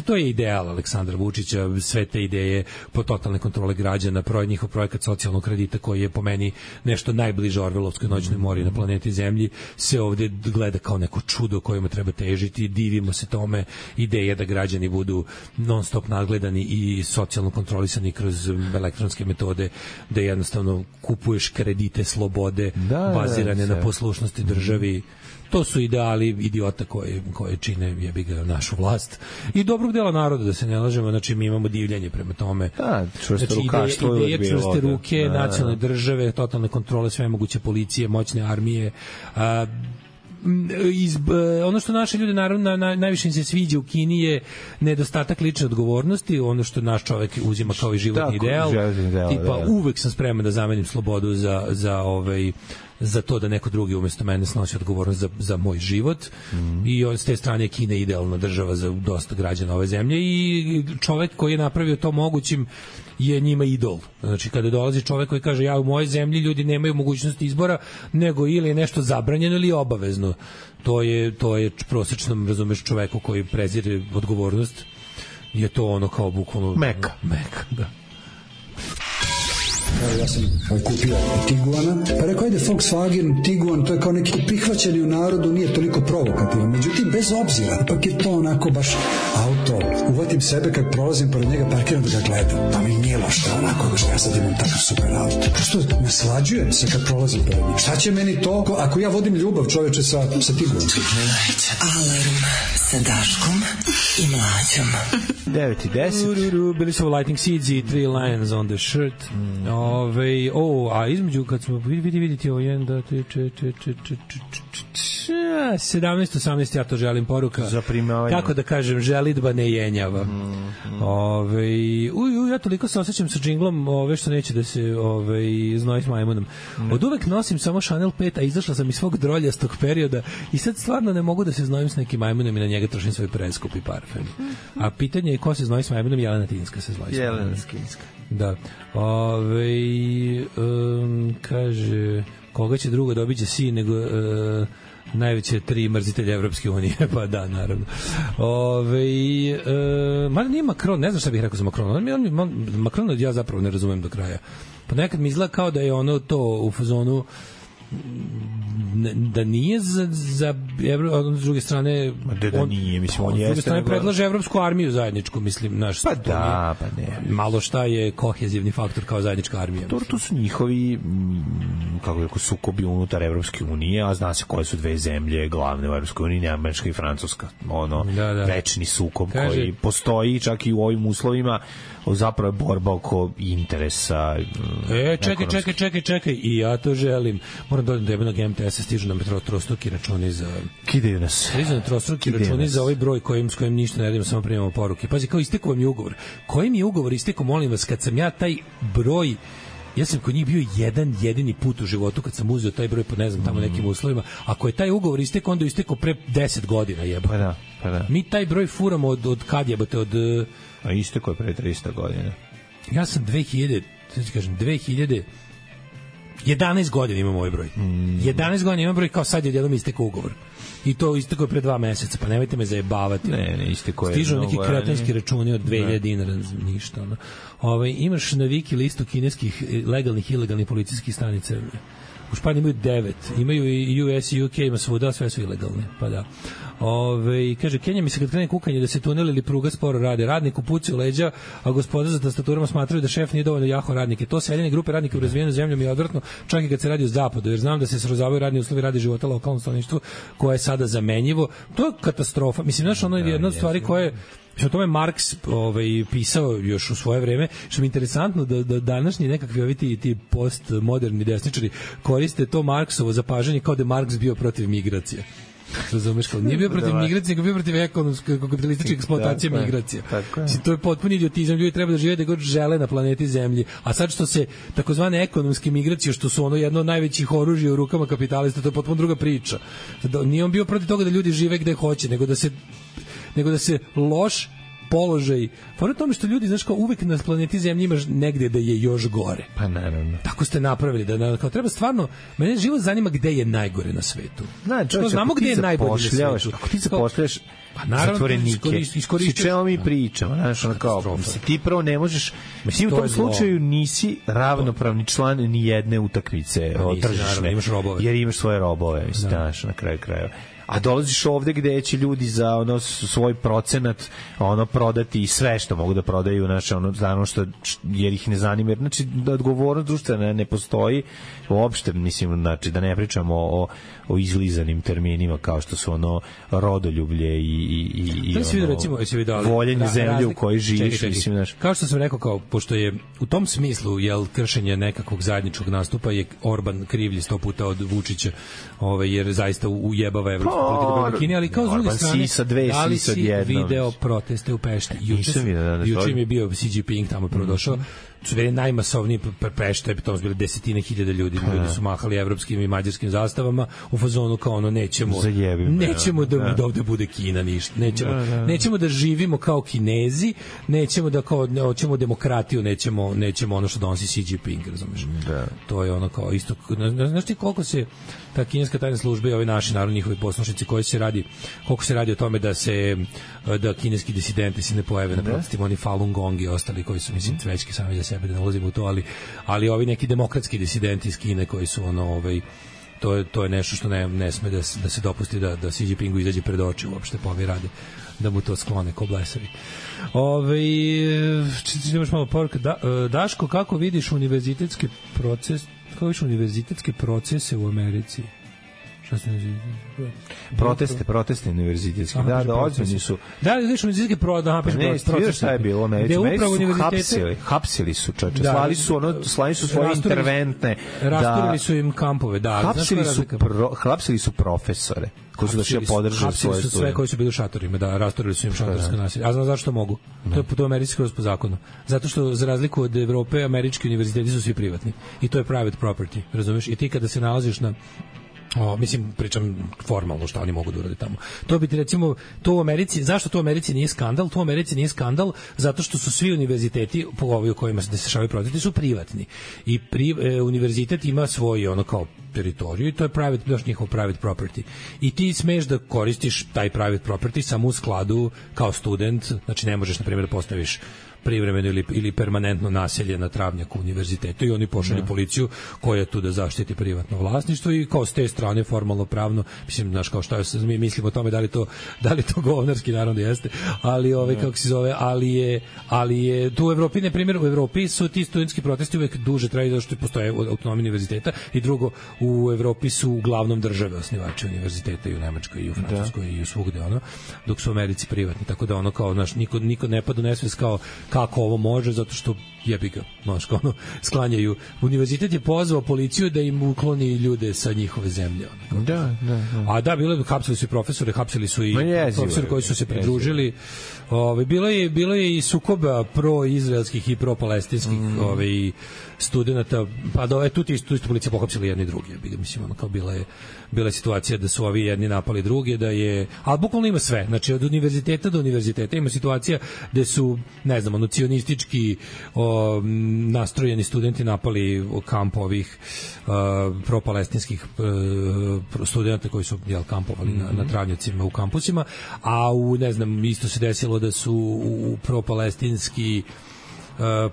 Speaker 7: to je ideal Aleksandra Vučića, sve te ideje po totalne kontrole građana, njihov projekat socijalnog kredita koji je po meni nešto najbliže Orvelovskoj noćnoj mori na planeti Zemlji, se ovde gleda kao neko čudo kojima treba težiti, divimo se tome, ideja da građani budu non stop nadgledani i socijalno kontrolisani kroz elektronske metode, da jednostavno kupuješ kredite slobode bazirane na poslušnosti državi. To su ideali idiota koje čine jebi ga našu vlast i dobrog dela naroda, da se ne lažemo. Znači, mi imamo divljanje prema tome. Ideje čvrste ruke, nacionalne države, totalne kontrole, sve moguće policije, moćne armije. Ono što naše ljude naravno najviše im se sviđa u Kini je nedostatak lične odgovornosti, ono što naš čovek uzima kao i životni ideal. Tipa, uvek sam spreman da zamenim slobodu za to da neko drugi umesto mene snosi odgovornost za moj život i s te strane Kina je idealna država za dosta građana ove zemlje i čovek koji je napravio to mogućim je njima idol. Znači, kada dolazi čovek koji kaže ja u mojoj zemlji ljudi nemaju mogućnosti izbora, nego ili je nešto zabranjeno ili obavezno. To je prosječnom, razumeš, čoveku koji prezire odgovornost, je to ono kao bukvalno...
Speaker 6: Meka,
Speaker 7: da.
Speaker 13: Ja sam kupio Tiguana, pa rekao, ajde Volkswagen, Tiguan, to je kao neki prihvaćeni u narodu, nije toliko provokativan. Međutim, bez obzira, ipak je to onako baš auto. Uvatim sebe kad prolazim pored njega, parkiram da ga gledam. Pa mi nije lošta onako, što ja sad imam takav super auto. Prosto naslađujem se kad prolazim pored njega. Šta će meni to, ako ja vodim ljubav, čoveče, sa Tiguanom?
Speaker 3: Alarm sa Daškom i Mlađom.
Speaker 6: 9:10.
Speaker 7: Bili su Lightning Seeds i Three Lions on the Shirt. A između kad smo vidite ovo 17-18, ja to želim poruka. Kako da kažem, želitba ne jenjava. Ja toliko se osjećam sa džinglom što neće da se znoji s majmunom. Od uvek nosim samo Chanel 5, a izašla sam iz svog droljastog perioda i sad stvarno ne mogu da se znojim s nekim majmunom i na njega trošim svoj preskupi parfem. A pitanje je ko se znoji s majmunom? Jelena Tinska se znoji s majmunom.
Speaker 6: Jelena Tinska.
Speaker 7: Da. Kaže, koga će drugo da obiđe sin nego najveće 3 mrzitelja Evropske unije, pa da, naravno. Mada nije Macron, ne znam šta bih rekao za Macron. Macron ja zapravo ne razumem do kraja. Pa nekad mi izgleda kao da je ono to u fazonu da nije za s druge strane
Speaker 6: nije, mislim, on
Speaker 7: s druge strane predlaže evropsku armiju zajedničku, mislim, naš
Speaker 6: pa da, pa ne.
Speaker 7: Malo šta je kohezivni faktor kao zajednička armija.
Speaker 6: To su njihovi kako rekao sukobi unutar Evropske unije, a zna se koje su dve zemlje glavne u Evropskoj uniji, Američka i Francuska. Večni sukob koji postoji čak i u ovim uslovima, zapravo je borba oko interesa. Čekaj,
Speaker 7: i ja to želim. Moram dodati da jebenog MTS-a stižu na metro trostruki računi za...
Speaker 6: Kidaju nas.
Speaker 7: Stižu na trostruki računi za ovaj broj s kojim ništa ne radimo, samo primamo poruke. Pazi, kao istekao vam je ugovor. Koji mi je ugovor istekao, molim vas, kad sam ja taj broj... Ja sam kod njih bio jedan jedini put u životu kad sam uzeo taj broj po ne znam tamo nekim uslovima. Ako je taj ugovor istekao, onda je istekao pre 10 godina, jeba.
Speaker 6: Pa da.
Speaker 7: Mi taj broj furamo od kad jebate, od...
Speaker 6: A istekao je pre 300 godina.
Speaker 7: Ja sam 2011 godina imam ovaj broj. 11 godina imam broj, kao sad je odjednom istekao ugovor. I to istekao je pre 2 meseca, pa nemojte me zajebavati.
Speaker 6: Ne, istekao je.
Speaker 7: Stižu neki kretenski računi od 2000 dinara, ništa. Imaš na Wiki listu kineskih legalnih i ilegalnih policijskih stanica. U Španiji imaju 9, imaju i US i UK, ima svuda, sve su ilegalne, pa da. Kaže, Kenja mi se kad krene kukanje da se tunel ili pruga sporo rade. Radnik u puci u leđa, a gospoda za tastaturama smatraju da šef nije dovoljno jaho radnike. To seljene grupe radnika u razvijenoj zemlji mi je odvratno, čak i kad se radi u zapadu, jer znam da se srozavaju radni uslovi radi života lokalnom stanovništvu koje je sada zamenjivo. To je katastrofa. Mislim, znaš, ono je jedna od stvari koje o tome Marks pisao još u svoje vreme, što mi je interesantno da današnji nekakvi ti postmoderni desničari koriste to Marksovo zapažanje kao da je Marks bio protiv migracije. Razumeš, kao nije bio protiv migracije, nego bio protiv ekonomske kapitalističke eksploatacije migracija. To je potpuni idiotizam, ljudi treba da žive da god žele na planeti Zemlji, a sad što se takozvane ekonomske migracije, što su ono jedno od najvećih oružja u rukama kapitalista, to je potpuno druga priča. Nije on bio protiv toga da ljudi žive gde hoće, nego da se loš položaj. Fora tome što ljudi, znaš, kao uvek na planeti Zemlji imaš negde da je još gore.
Speaker 6: Pa naravno.
Speaker 7: Tako ste napravili da kao treba stvarno, mene život zanima gde je najgore na svetu. Znamo gde je najbolje na svetu.
Speaker 6: Ako ti zapošljaš zatvorenike, s čemu mi pričamo, znaš, ono kao, ti prvo ne možeš, mislim, u tom slučaju nisi ravnopravni član ni jedne utakmice tržišne, jer imaš svoje robove, mislim, znaš, na kraju krajeva. A dolaziš ovde gde će ljudi za ono svoj procenat prodati sve što mogu da prodaju, znači ono što jer ih ne zanima, znači da odgovornost društvena ne postoji uopšte, mislim, znači da ne pričamo o izlizanim terminima kao što su rodoljublje i voljenje zemlje u kojoj živiš, mislim, znači.
Speaker 7: Kao što sam rekao, kao pošto je u tom smislu kršenje nekakvog zajedničkog nastupa je Orban krivlji 100 puta od Vučića, jer zaista ujebava evropsku politiku Kine, ali kao s druge strane, da li si video proteste u Pešti? Juče mi je bio Xi Jinping tamo prvo došao. su bili najmasovniji preštaj, to su bili desetine hiljada ljudi su mahali evropskim i mađarskim zastavama u fazonu kao ono nećemo da ovde bude Kina ništa, nećemo da živimo kao Kinezi, nećemo da kao hoćemo demokratiju, nećemo ono što donosi Xi Jinping, razumeš? To je ono kao isto, znaš ti koliko se ta kineska tajna služba i ovi naši narod njihovi poslušnici koliko se radi o tome da kineski disidenti se ne pojave na protestima, oni Falun Gong i ostali koji su mislim cvećki sami za sebe, da ne ulazimo u to, ali ovi neki demokratski disidenti iz Kine koji su ono to je nešto što ne sme da se dopusti da Xi Jinpingu izađe pred oči uopšte po ovi rade, da mu to sklone ko blesavi. Imaš malo poruka. Daško, kako vidiš univerzitetske procese u Americi?
Speaker 6: Proteste univerzitetski. Ozbiljni su.
Speaker 7: Da, vidiš univerzitetski
Speaker 6: procese. Šta je bilo u Americi? Hapsili su čoveče. Slali su svoje interventne.
Speaker 7: Rasturili su im kampove.
Speaker 6: Hapsili su profesore koji su došli podržati svoje studente.
Speaker 7: Sve koji su bili u šatorima, rasturili su im šatorsko nasilje. A znaš zašto mogu? To je američki skroz po zakonu. Zato što za razliku od Evrope, američki univerziteti su svi privatni. I to je private property, razumeš? I ti kada se nalaziš na mislim, pričam formalno šta oni mogu da urade tamo. To bi ti recimo, to u Americi, zašto to u Americi nije skandal? To u Americi nije skandal zato što su svi univerziteti, po ovi u kojima se dešavaju protesti, su privatni. I univerzitet ima svoj ono kao teritoriju i to je njihov private property. I ti smeš da koristiš taj private property samo u skladu kao student, znači ne možeš na primjer da postaviš privremeno ili permanentno naselje na travnjaku univerzitetu i oni pošalju policiju koja je tu da zaštiti privatno vlasništvo i kao s te strane formalno pravno, mislim, znaš, kao šta mi mislimo o tome da li to govnarski, naravno da jeste, ali kako se zove, ali je tu u Evropi, na primjer, u Evropi su ti studentski protesti uvek duže traju zato što postoje autonomija univerziteta i drugo, u Evropi su uglavnom države osnivači univerziteta i u Nemačkoj i u Francuskoj i u svugde dok su u Americi privatni, tako da ono kao, znaš, niko ne pada u nesvest kao kako ovo može, zato što jebi ga, sklanjaju. Univerzitet je pozvao policiju da im ukloni ljude sa njihove zemlje.
Speaker 6: Da.
Speaker 7: A da, hapsili su i profesore, hapsili su i profesori koji su se pridružili. Bilo je i sukoba pro-izraelskih i pro-palestinskih studenta, pa tu isto policija pohapsila jedni i drugi. Mislim, kao bila je situacija da su ovi jedni napali druge, ali bukvalno ima sve. Znači, od univerziteta do univerziteta ima situacija gde su, ne znam, cionistički nastrojeni studenti napali kamp ovih pro-palestinskih studenta koji su kampovali na travnjacima u kampusima, a ne znam, isto se desilo da su u pro-palestinski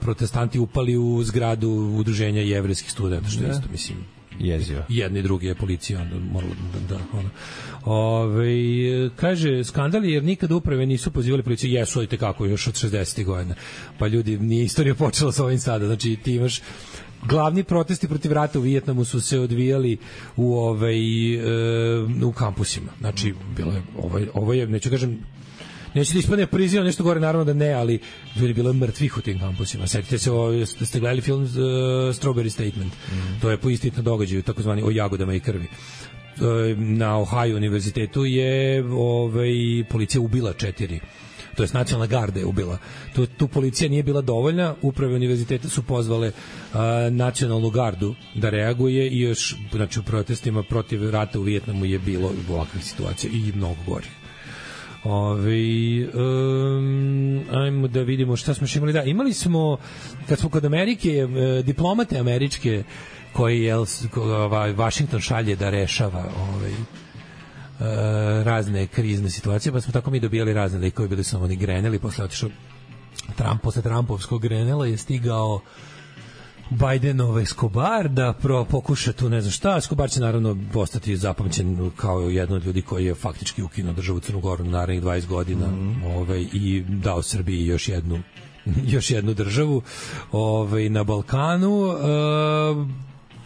Speaker 7: protestanti upali u zgradu udruženja jevrejskih studenta, što je isto, mislim,
Speaker 6: jezivo.
Speaker 7: Jedni drugi je policija morala kaže, skandali jer nikada uprave nisu pozivali policiju, jesu i tekako još od 60. godina, pa ljudi, nije istorija počela sa ovim sada, znači ti imaš glavni protesti protiv rata u Vijetnamu su se odvijali u kampusima, znači ovo je, neću da ispadne prizivam nešto gore, naravno da ne, ali ljudi bilo je mrtvih u tim kampusima. Sjetite se, ste gledali film Strawberry Statement, to je po istitnom događaju, takozvani o jagodama i krvi. Na Ohio univerzitetu je policija ubila 4, to je nacionalna garda je ubila. Tu policija nije bila dovoljna, uprave univerziteta su pozvale nacionalnu gardu da reaguje i još, znači, u protestima protiv rata u Vijetnamu je bilo ovakvih situacija i mnogo gorih. Ajmo da vidimo šta smo imali. Da, imali smo, kad smo kod Amerike, diplomate američke koji Washington šalje da rešava razne krizne situacije, pa smo tako mi dobijali razne likove, bili su oni Grenell, posle otišao posle Trumpovskog Grenella je stigao Bidenov Escobar da pokuša tu ne znam šta. Escobar će naravno postati zapamćen kao jedan od ljudi koji je faktički ukinuo državu Crnu Goru na narednih 20 godina i dao Srbiji još jednu državu na Balkanu.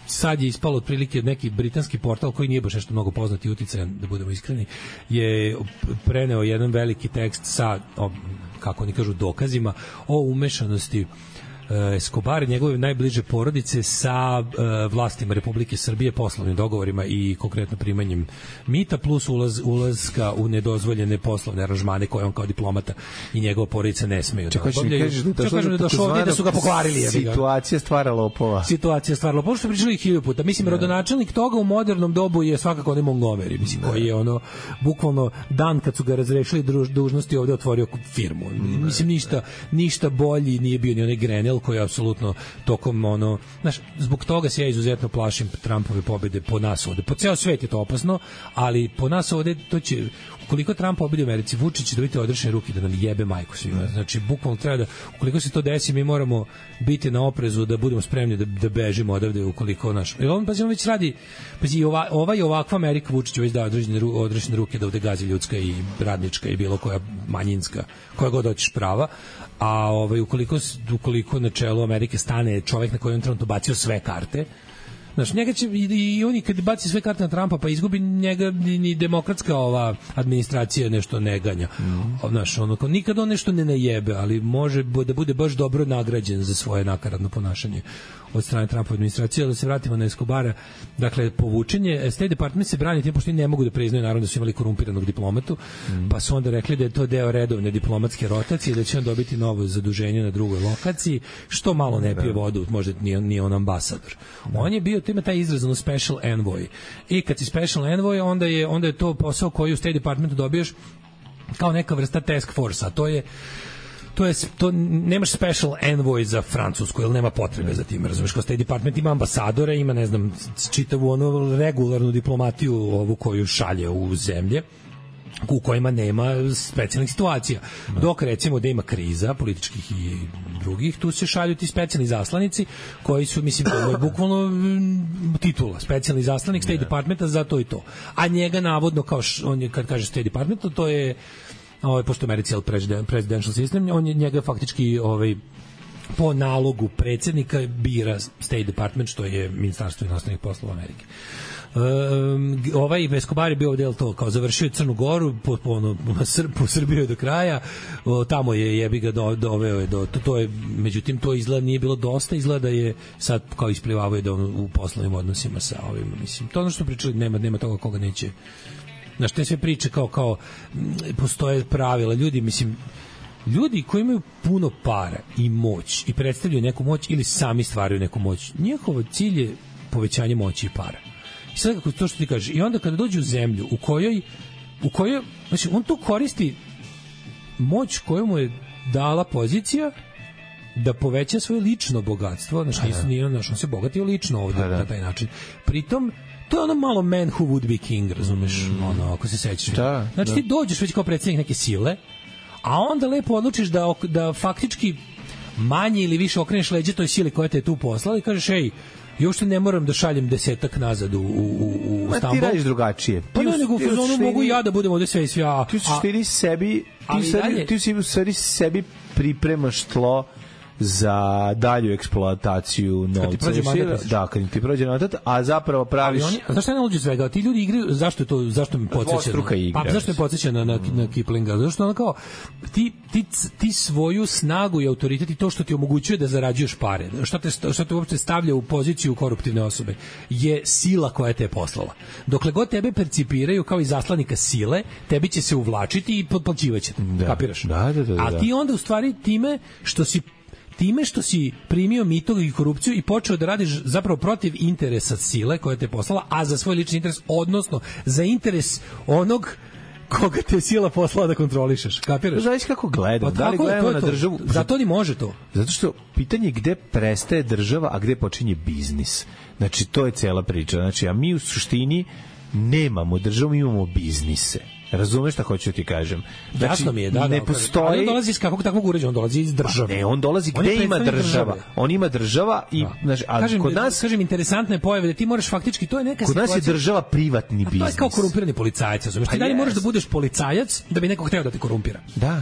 Speaker 7: Sad je ispalo otprilike neki britanski portal koji nije baš nešto mnogo poznati i uticajan, da budemo iskreni, je preneo jedan veliki tekst sa, kako oni kažu, dokazima o umešanosti Escobar i njegove najbliže porodice sa vlastima Republike Srbije, poslovnim dogovorima i konkretno primanjem mita, plus ulazka u nedozvoljene poslovne aranžmane koje on kao diplomata i njegova porodica ne smeju da obavljaju. Kažem da došlo ovdje da su ga pokvarili.
Speaker 6: Situacija stvara lopova.
Speaker 7: Što pričali 1000 puta. Mislim, rodonačelnik toga u modernom dobu je svakako onaj Montgomery, mislim, koji je bukvalno dan kad su ga razrešili dužnosti ovde otvorio firmu. Mislim, ništa bolji nije bio ni onaj Grenell koji je apsolutno tokom zbog toga se ja izuzetno plašim Trumpove pobede po nas ovde. Po ceo svet je to opasno, ali po nas ovde to će, ukoliko Trump pobedi u Americi, Vučić će dobiti odrešene ruke da nam jebe majku svima. Znači, bukvalno treba da, ukoliko se to desi, mi moramo biti na oprezu da budemo spremni da bežimo odavde ukoliko naš. On već radi, ovakva Amerika, Vučić već da odrešene ruke da ovde gazi ljudska i radnička i bilo koja manjinska, koja god hoćeš prava. A ukoliko na čelu Amerike stane čovjek na kojem on trenutno bacio sve karte, znaš, njega će i oni kad baci sve karte na Trumpa pa izgubi njega ni demokratska administracija nešto ne ganja. Znaš, nikad on nešto ne najebe, ali može da bude baš dobro nagrađen za svoje nakaradno ponašanje od strane Trumpove administracije. Da se vratimo na Escobara, dakle, povučenje, State Department se brani tim pošto ne mogu da priznaju naravno da su imali korumpiranog diplomatu, pa su onda rekli da je to deo redovne diplomatske rotacije, da će on dobiti novo zaduženje na drugoj lokaciji, što malo ne pije vodu, možda nije on ambasador. On je bio, to ima taj izraz, special envoy. I kad si special envoy, onda je to posao koji u State Departmentu dobiješ kao neka vrsta task force-a. To nemaš special envoy za Francusku, jer nema potrebe za tim, razumiješ, kao State Department ima ambasadore, ima, ne znam, čitavu regularnu diplomatiju ovu koju šalje u zemlje u kojima nema specijalnih situacija. Dok recimo da ima kriza političkih i drugih, tu se šalju ti specijalni zaslanici koji su, mislim, to je bukvalno titula, specijalni zaslanik State Departmenta za to i to. A njega navodno, kao on je, kad kaže State Department, to je pošto Americi je presidential system, on je njega faktički po nalogu predsjednika bira State Department, što je Ministarstvo inostranih poslova Amerike. Escobar je bio ovdje to kao završio Crnu Goru po Srbiju do kraja, tamo je jebi ga doveo do to je, međutim to izgleda nije bilo dosta, izgleda da je sad kao isplivavao da u poslovnim odnosima sa ovim, mislim, to ono što pričali, nema toga koga neće. Znaš, te sve priče kao postoje pravila, ljudi koji imaju puno para i moć i predstavljaju neku moć ili sami stvaraju neku moć, njihov cilj je povećanje moći i para. I sad kako to što ti kažeš, i onda kada dođe u zemlju u kojoj znači on tu koristi moć koju mu je dala pozicija da poveća svoje lično bogatstvo, znači on se bogatio lično ovdje na taj način. Pritom to je ono malo man who would be king, razumeš, ako se sećaš. Znači ti dođeš već kao predsjednik neke sile, a onda lepo odlučiš da faktički manje ili više okreneš leđe toj sili koja te je tu poslala i kažeš, ej, još ne moram da šaljem 10 nazad u Stambol.
Speaker 6: Ti radiš drugačije.
Speaker 7: Pa ne, nego mogu ja da budem ovde sve i sve.
Speaker 6: Ti u stvari sebi pripremaš tlo za dalju eksploataciju novca. Kad ti prođe mandat, a zapravo praviš...
Speaker 7: Zašto je na luđu svega? Ti ljudi igraju, zašto me podsjeća? Zašto me podsjeća na Kiplinga? Zašto ono kao, ti svoju snagu i autoritet i to što ti omogućuje da zarađuješ pare, što te uopšte stavlja u poziciju koruptivne osobe, je sila koja te je poslala. Dokle god tebe percipiraju kao i zaslanika sile, tebi će se uvlačiti i potplaćivaće te. Kapiraš? A ti onda u stvari time što si primio mito i korupciju i počeo da radiš zapravo protiv interesa sile koja te poslala, a za svoj lični interes, odnosno za interes onog koga te sila poslala da kontrolišeš. Kapiraš?
Speaker 6: Znaš kako gledam? Da li gledamo na državu?
Speaker 7: Zato ni može to.
Speaker 6: Zato što pitanje je gde prestaje država, a gde počinje biznis. Znači, to je cela priča. Znači, a mi u suštini nemamo državu, imamo biznise. Razumeš šta hoću ti kažem?
Speaker 7: Znači, jasno mi je, da.
Speaker 6: Ne postoji...
Speaker 7: On dolazi iz kakvog takvog uređaja, on dolazi iz države.
Speaker 6: Ne, on dolazi gde ima država. On ima država i... Znači, kod nas...
Speaker 7: Kažem, interesantne pojave da ti moraš faktički, to je neka situacija...
Speaker 6: Kod nas je država privatni biznis.
Speaker 7: To je kao korumpirani policajac, razumeš? Ti dalje moraš da budeš policajac da bi neko hteo da te korumpira.
Speaker 6: Da.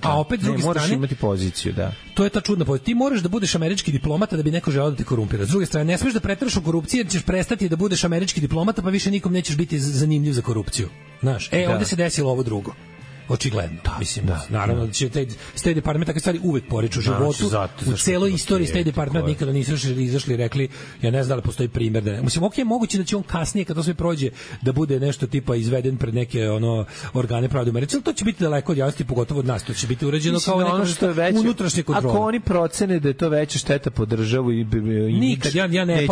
Speaker 7: A opet, s druge strane...
Speaker 6: Moraš imati poziciju, da.
Speaker 7: To je ta čudna pozicija. Ti moraš da budeš američki diplomata da bi neko želeo da te korumpira. S druge strane, ne smeš da preteraš u korupciji jer ćeš prestati da budeš američki diplomata, pa više nikom nećeš biti zanimljiv za korupciju. Znaš, ovdje se desilo ovo drugo. očigledno. Mislim, naravno da će State Department takve stvari uvek poriču u životu. U celoj istoriji State Department nikada nisu izašli i rekli, ja ne znam da li postoji primjer da ne. Mislim, ok, moguće da će on kasnije, kad to sve prođe, da bude nešto tipa izveden pred neke organe pravde u Americi, ali to će biti daleko od javnosti, pogotovo od nas. To će biti urađeno kao ono što je veće unutrašnje kontrole.
Speaker 6: Ako oni procene da je to veća šteta po državu i
Speaker 7: nikad, ja ne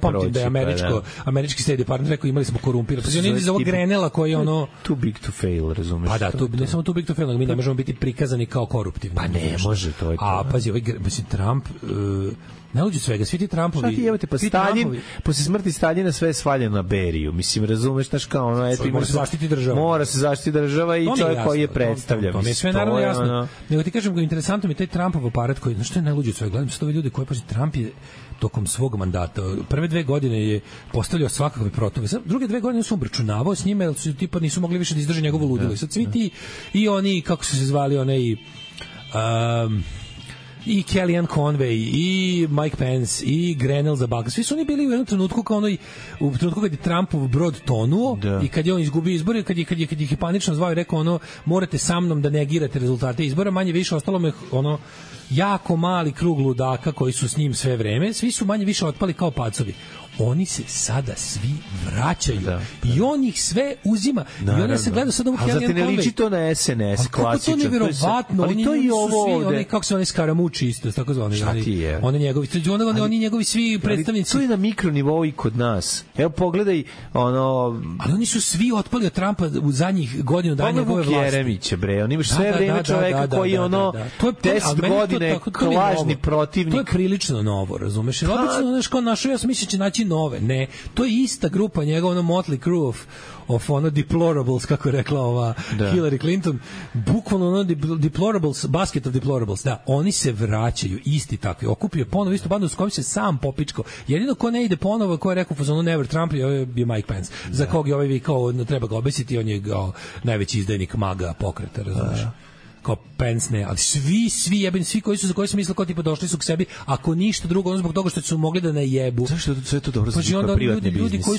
Speaker 7: pamtim da je američki State Department rekao imali smo korumpirano. Pa oni iz ovog Grenela koji je ono
Speaker 6: too big to fail, razumeš?
Speaker 7: Pa da, ne samo too big to fail, nego mi ne možemo biti prikazani kao koruptivni.
Speaker 6: Pa ne može, to je to.
Speaker 7: A pazi, Trump ne uđe svega, svi ti Trumpovi.
Speaker 6: Šta ti jevate, pa Stalin, posle smrti Staljina sve je svaljeno na Beriju. Mislim, razumeš, znaš kao ono, eto,
Speaker 7: mora se zaštiti država.
Speaker 6: Mora se zaštiti država i čovjek koji je predstavlja.
Speaker 7: To mi je sve naravno jasno. Nego ti kažem, interesantno mi je taj Trumpov aparat koji, znaš što je najluđe od svega, gledam sve ove ljude koji, pazi, Trump je tokom svog mandata, prve 2 godine je postavljao svakakve protove. Druge 2 godine su obračunavao s njima, jer su tipa nisu mogli više da izdrže njegovo ludilo. I sad svi ti, i oni, kako su se zvali, i Kellyanne Conway, i Mike Pence, i Grenell za Balkan. Svi su oni bili u jednom trenutku kao u trenutku kad je Trumpov brod tonuo i kad je on izgubio izbore, kad ih je panično zvao i rekao morate sa mnom da negirate rezultate izbora, manje više ostalo me jako mali krug ludaka koji su s njim sve vreme, svi su manje više otpali kao pacovi. Oni se sada svi vraćaju i on ih sve uzima. I onda se gleda sad ovu Kellyanne Conway.
Speaker 6: Ali ne liči to na SNS klasično.
Speaker 7: To je nevjerovatno.
Speaker 6: Ali to i ovo
Speaker 7: ovde. Kako se oni skaramuči isto, tako zvani. Oni njegovi svi predstavnici.
Speaker 6: To je na mikronivou i kod nas. Evo pogledaj
Speaker 7: Ali oni su svi otpali od Trumpa u zadnjih godinu dana njegove vlasti.
Speaker 6: Jeremića, bre. On imaš sve vreme čoveka koji je 10 godina lažni protivnik.
Speaker 7: To je prilično novo, razumeš? Obično, kao našo, ja sam mislio će naći nove. Ne, to je ista grupa njegova, motley crew of deplorables, kako je rekla Hillary Clinton, bukvalno deplorables, basket of deplorables. Da, oni se vraćaju isti takvi. Okupio ponovo istu bandu s kojom se sam popičko. Jedino ko ne ide ponovo, ko je rekao fazonu never Trump, je Mike Pence. Za kog je vikao treba ga obesiti, on je najveći izdajnik maga pokreta, razumiješ? Kao Pence ne, ali svi jebeni, svi koji su za koje su mislili kao tipa došli su k sebi, ako ništa drugo, ono zbog toga što su mogli da najebu.
Speaker 6: Zašto sve to dobro znači kao privatni biznis?
Speaker 7: Ljudi koji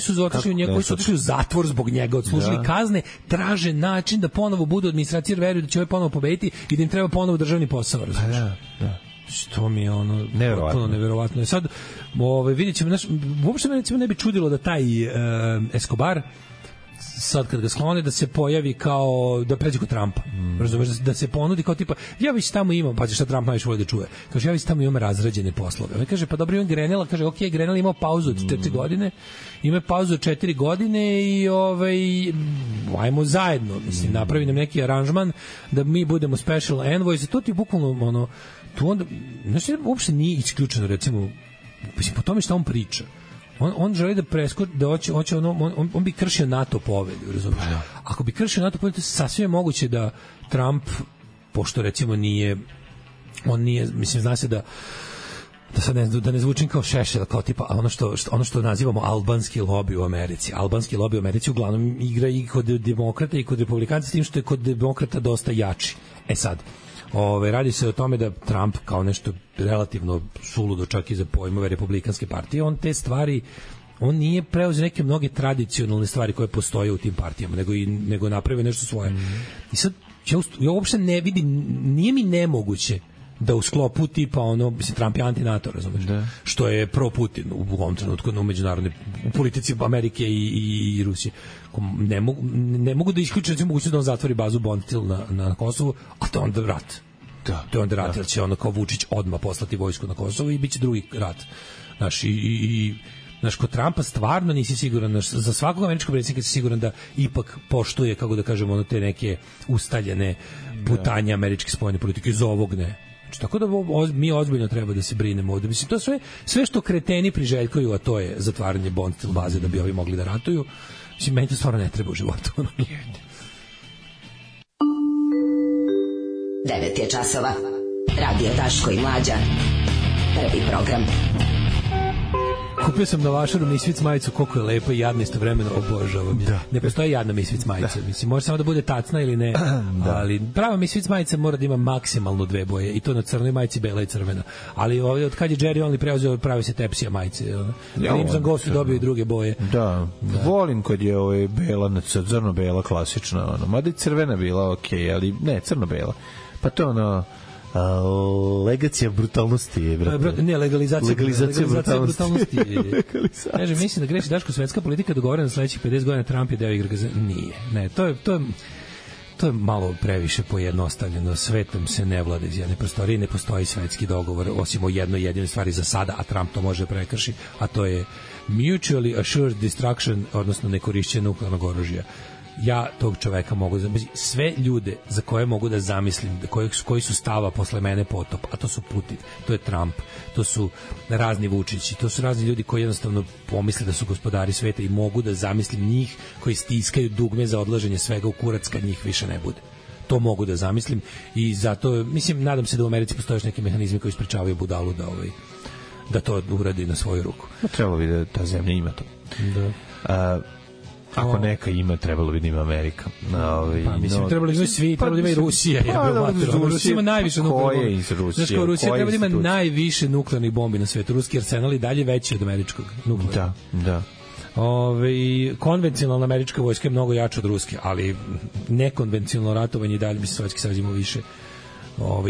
Speaker 7: su otišli u zatvor zbog njega, odslužili kazne, traže način da ponovo budu administracije, veruju da će ovaj ponovo pobediti i da im treba ponovo državni posao, razumiješ?
Speaker 6: Da.
Speaker 7: Što mi je neverovatno. Sad, vidjet ćemo, uopšte me recimo ne bi čudilo da taj Escobar sad kad ga sklone da se pojavi kao da pređe kod Trumpa. Razumeš, da se ponudi kao tipa ja već tamo imam, pa šta Trump najviše voli da čuje. Kaže ja već tamo imam razrađene poslove. On kaže pa dobro, on Grenella, kaže okej, Grenell imao pauzu od 4 godine. Ima pauzu od 4 godine i ajmo zajedno, mislim, napravi nam neki aranžman da mi budemo special envoys. To ti bukvalno tu onda, znači uopšte nije isključeno, recimo, po tome šta on priča. On želi da hoće on bi kršio NATO povelju, razumiješ? Ako bi kršio NATO povelju, to sasvim je moguće da Trump, pošto recimo on nije, mislim, zna se da sad da ne zvučim kao Šešelj, kao tipa ono što nazivamo albanski lobby u Americi. Albanski lobby u Americi uglavnom igra i kod demokrata i kod republikanca, s tim što je kod demokrata dosta jači. Sad, radi se o tome da Trump kao nešto relativno suludo čak i za pojmove republikanske partije, on te stvari, on nije preuzeo neke mnoge tradicionalne stvari koje postoje u tim partijama, nego napravio nešto svoje. I sad, ja uopšte ne vidim, nije mi nemoguće da u sklopu tipa mislim, Trump je anti-NATO, razumeš? Što je pro-Putin u ovom trenutku u međunarodnoj politici Amerike i Rusije. Ne mogu da isključujem mogućnost da on zatvori bazu Bondtil na Kosovu, a to je onda rat. To je onda rat, jer će kao Vučić odmah poslati vojsku na Kosovo i bit će drugi rat. Znaš, kod Trumpa stvarno nisi siguran, za svakog američkog predsjednika si siguran da ipak poštuje, kako da kažemo, te neke ustaljene putanje američke spoljne politike, iz ovog ne. Tako da mi ozbiljno treba da se brinemo ovde. Mislim, to sve što kreteni priželjkuju, a to je zatvaranje Bondtil baze da bi ovi mogli da ratuju, mislim, meni to stvarno ne treba u životu.
Speaker 14: 9 je časova. Radio Daško i Mlađa. Prvi program.
Speaker 7: Kupio sam na Vašaru Misfits majicu, koliko je lepa i jadna istovremeno, obožavam je. Ne postoji jadna Misfits majica, mislim, može samo da bude tacna ili ne, ali prava Misfits majica mora da ima maksimalno 2 boje, i to na crnoj majici, bela i crvena. Ali ovdje, od kad je Jerry Only preuzeo, pravi se tepsija majice. Crimson Ghost dobio i druge boje.
Speaker 6: Da, volim kad je bela, crno-bela, klasična, mada i crvena bila, okej, ali ne, crno-bela. Pa to legacija brutalnosti je, brate.
Speaker 7: Ne, legalizacija brutalnosti. Kaže, mislim da greši Daško, svetska politika dogovorena sledećih 50 godina, Trump je deo igre. Nije. Ne, to je malo previše pojednostavljeno. Svetom se ne vlada iz jedne prostorije, ne postoji svetski dogovor, osim o jednoj jedinoj stvari za sada, a Trump to može prekrši, a to je mutually assured destruction, odnosno nekorišćenje nuklearnog oružja. Ja tog čoveka mogu zamisliti, sve ljude za koje mogu da zamislim, koji su stava posle mene potop, a to su Putin, to je Trump, to su razni Vučići, to su razni ljudi koji jednostavno pomisle da su gospodari sveta, i mogu da zamislim njih koji stiskaju dugme za odlaženje svega u kurac kad njih više ne bude. To mogu da zamislim, i zato, mislim, nadam se da u Americi postoje još neki mehanizmi koji sprečavaju budalu da to uradi na svoju ruku.
Speaker 6: Trebalo bi da ta zemlja ima to. Da. Ako neka ima, trebalo bi da ima Amerika.
Speaker 7: Pa mislim, trebalo bi svi, trebalo bi ima i Rusija. Rusija ima najviše nuklearnih bombi. Znaš kao Rusija treba da ima najviše nuklearnih bombi na svetu. Ruski arsenal je dalje veći od američkog nuklearnog.
Speaker 6: Da.
Speaker 7: Konvencionalna američka vojska je mnogo jača od ruske, ali nekonvencionalno ratovanje i dalje bi se Sovjetski savez imao više.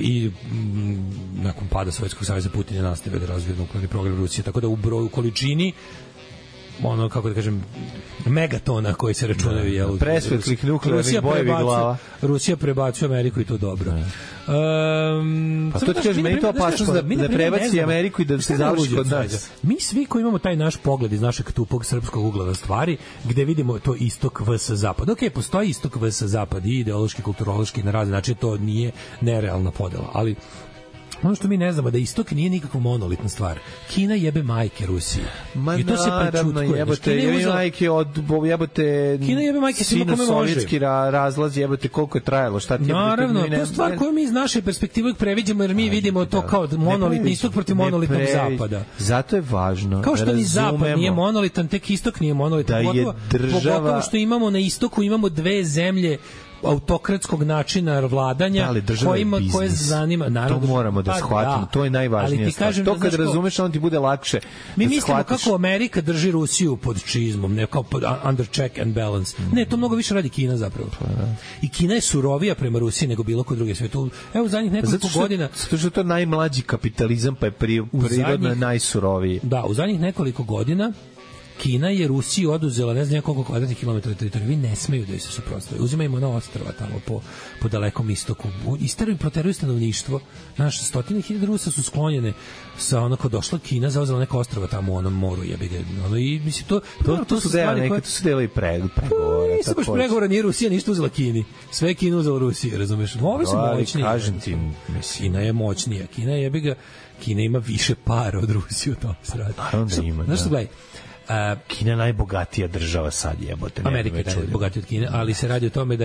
Speaker 7: I nakon pada Sovjetskog saveza Putin je nastavio da razvija nuklearni program Rusije, tako da u broju, količini, kako da kažem, megatona koji se računaju,
Speaker 6: presvetlih nuklearnih bojevih glava.
Speaker 7: Rusija prebacuje Ameriku, i to dobro.
Speaker 6: Pa to ti kažeš, meni to opasnost da prebaci Ameriku i da se završi kod nas.
Speaker 7: Mi svi koji imamo taj naš pogled iz našeg tupog srpskog ugla na stvari, gde vidimo to istok vs zapad. Ok, postoji istok vs zapad, i ideološki, kulturološki, na razni način, to nije nerealna podela, ali ono što mi ne znamo da istok nije nikakva monolitna stvar. Kina jebe majke Rusiji. I to se prečutkuje. Kina jebe majke svima kome može.
Speaker 6: Sovjetski razlaz, jebate koliko je trajalo, šta ti je...
Speaker 7: Naravno, to je stvar koju mi iz naše perspektive uvijek previđamo, jer mi vidimo to kao monolitni istok protiv monolitnog zapada.
Speaker 6: Zato je važno.
Speaker 7: Kao što ni zapad nije monolitan, tek istok nije monolitan. Pogotovo što imamo na istoku, imamo 2 zemlje autokratskog načina vladanja, koje zanima, naravno,
Speaker 6: to moramo da shvatimo, to je najvažnije stvar. To kad razumeš, onda ti bude lakše.
Speaker 7: Mi mislimo kako Amerika drži Rusiju pod čizmom, ne kao pod under check and balance. Ne, to mnogo više radi Kina zapravo. I Kina je surovija prema Rusiji nego bilo kod druge sveta. Evo, zadnjih nekoliko godina...
Speaker 6: Zato što je to najmlađi kapitalizam, pa je prirodno najsuroviji.
Speaker 7: Da, u zadnjih nekoliko godina Kina je Rusiji oduzela ne znam koliko kvadratnih kilometara teritorije. Vi ne smeju da joj se suprotstave. Uzimaju na ostrva tamo po dalekom istoku. Isteruju i proteruju stanovništvo. Naš 100.000 Rusa su sklonjene sa onako došla Kina, zauzela neka ostrva tamo u onom moru, jebi ga. I mislim
Speaker 6: to su stvari koje su delali pregovore.
Speaker 7: Nisu baš pregovora, nije Rusija ništa uzela Kini. Sve je Kina uzela Rusiji, razumeš? Ovi su moćniji.
Speaker 6: Kažem ti,
Speaker 7: Kina je moćnija. Kina jebi ga. Kina ima više para od Rusije, u tom se radi.
Speaker 6: Naravno da ima.
Speaker 7: Znaš što, gledaj,
Speaker 6: Kina je najbogatija država sad, jebote.
Speaker 7: Amerika je najbogatija od Kine, ali se radi o tome da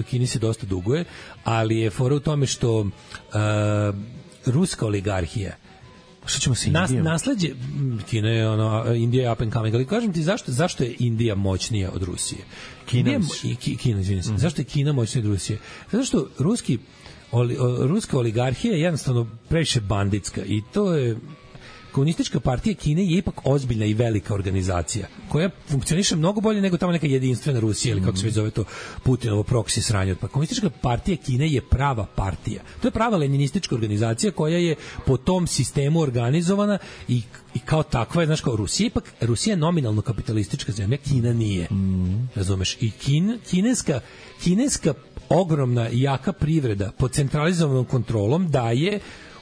Speaker 7: Kini se dosta duguje, ali je fora u tome što ruska oligarhija,
Speaker 6: što ćemo sa Indijom?
Speaker 7: Nasleđe Kina je Indija je up and coming, ali kažem ti zašto je Indija moćnija od Rusije? Kina, izvinim se. Zašto je Kina moćnija od Rusije? Zato što ruska oligarhija je jednostavno previše banditska, i to je... Komunistička partija Kine je ipak ozbiljna i velika organizacija koja funkcioniše mnogo bolje nego tamo neka jedinstvena Rusija ili kako se već zove to Putinovo proksi sranje. Pa Komunistička partija Kine je prava partija. To je prava leninistička organizacija koja je po tom sistemu organizovana i kao takva je, znaš, kao Rusija je nominalno kapitalistička zemlja, Kina nije. Razumeš? I kineska ogromna i jaka privreda pod centralizovanom kontrolom daje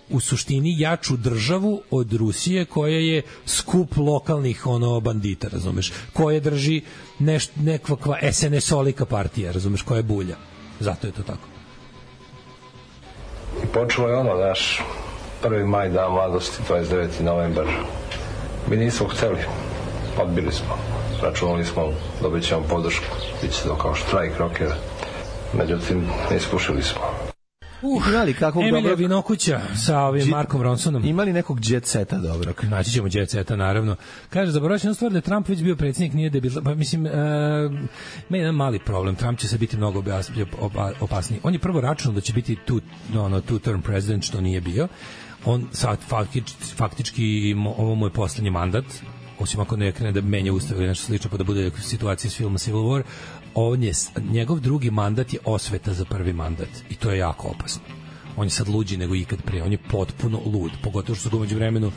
Speaker 7: u suštini jaču državu od Rusije, koja je skup lokalnih bandita, razumeš, koje drži nekakva SNS-olika partija, razumeš, koja je bulja. Zato je to tako.
Speaker 14: I počelo je naš 1. maj, dan mladosti, 29. novembar. Mi nismo hteli, odbili smo, računali smo, dobit ćemo podršku, bit će to kao štrajk rokera, međutim, ne iskušili smo.
Speaker 6: Imali kakvog
Speaker 7: Emilija
Speaker 6: dobrog...
Speaker 7: Vinokuća sa ovim Markom Ronsonom.
Speaker 6: Imali nekog jet seta dobrog?
Speaker 7: Naći ćemo jet seta, naravno. Kaže, zaboravio sam stvar da je Trump već bio predsjednik, nije da je bilo... Pa, mislim, ima jedan mali problem. Trump će se biti mnogo opasniji. On je prvo računao da će biti two-term president, što nije bio. On sad faktički ovo mu je poslednji mandat, osim ako ne krene da menja ustav ili nešto slično, pa da bude situacija s filma Civil War. Njegov drugi mandat je osveta za prvi mandat i to je jako opasno. On je sad luđi nego ikad prije, on je potpuno lud, pogotovo što su ga umeđu vremenu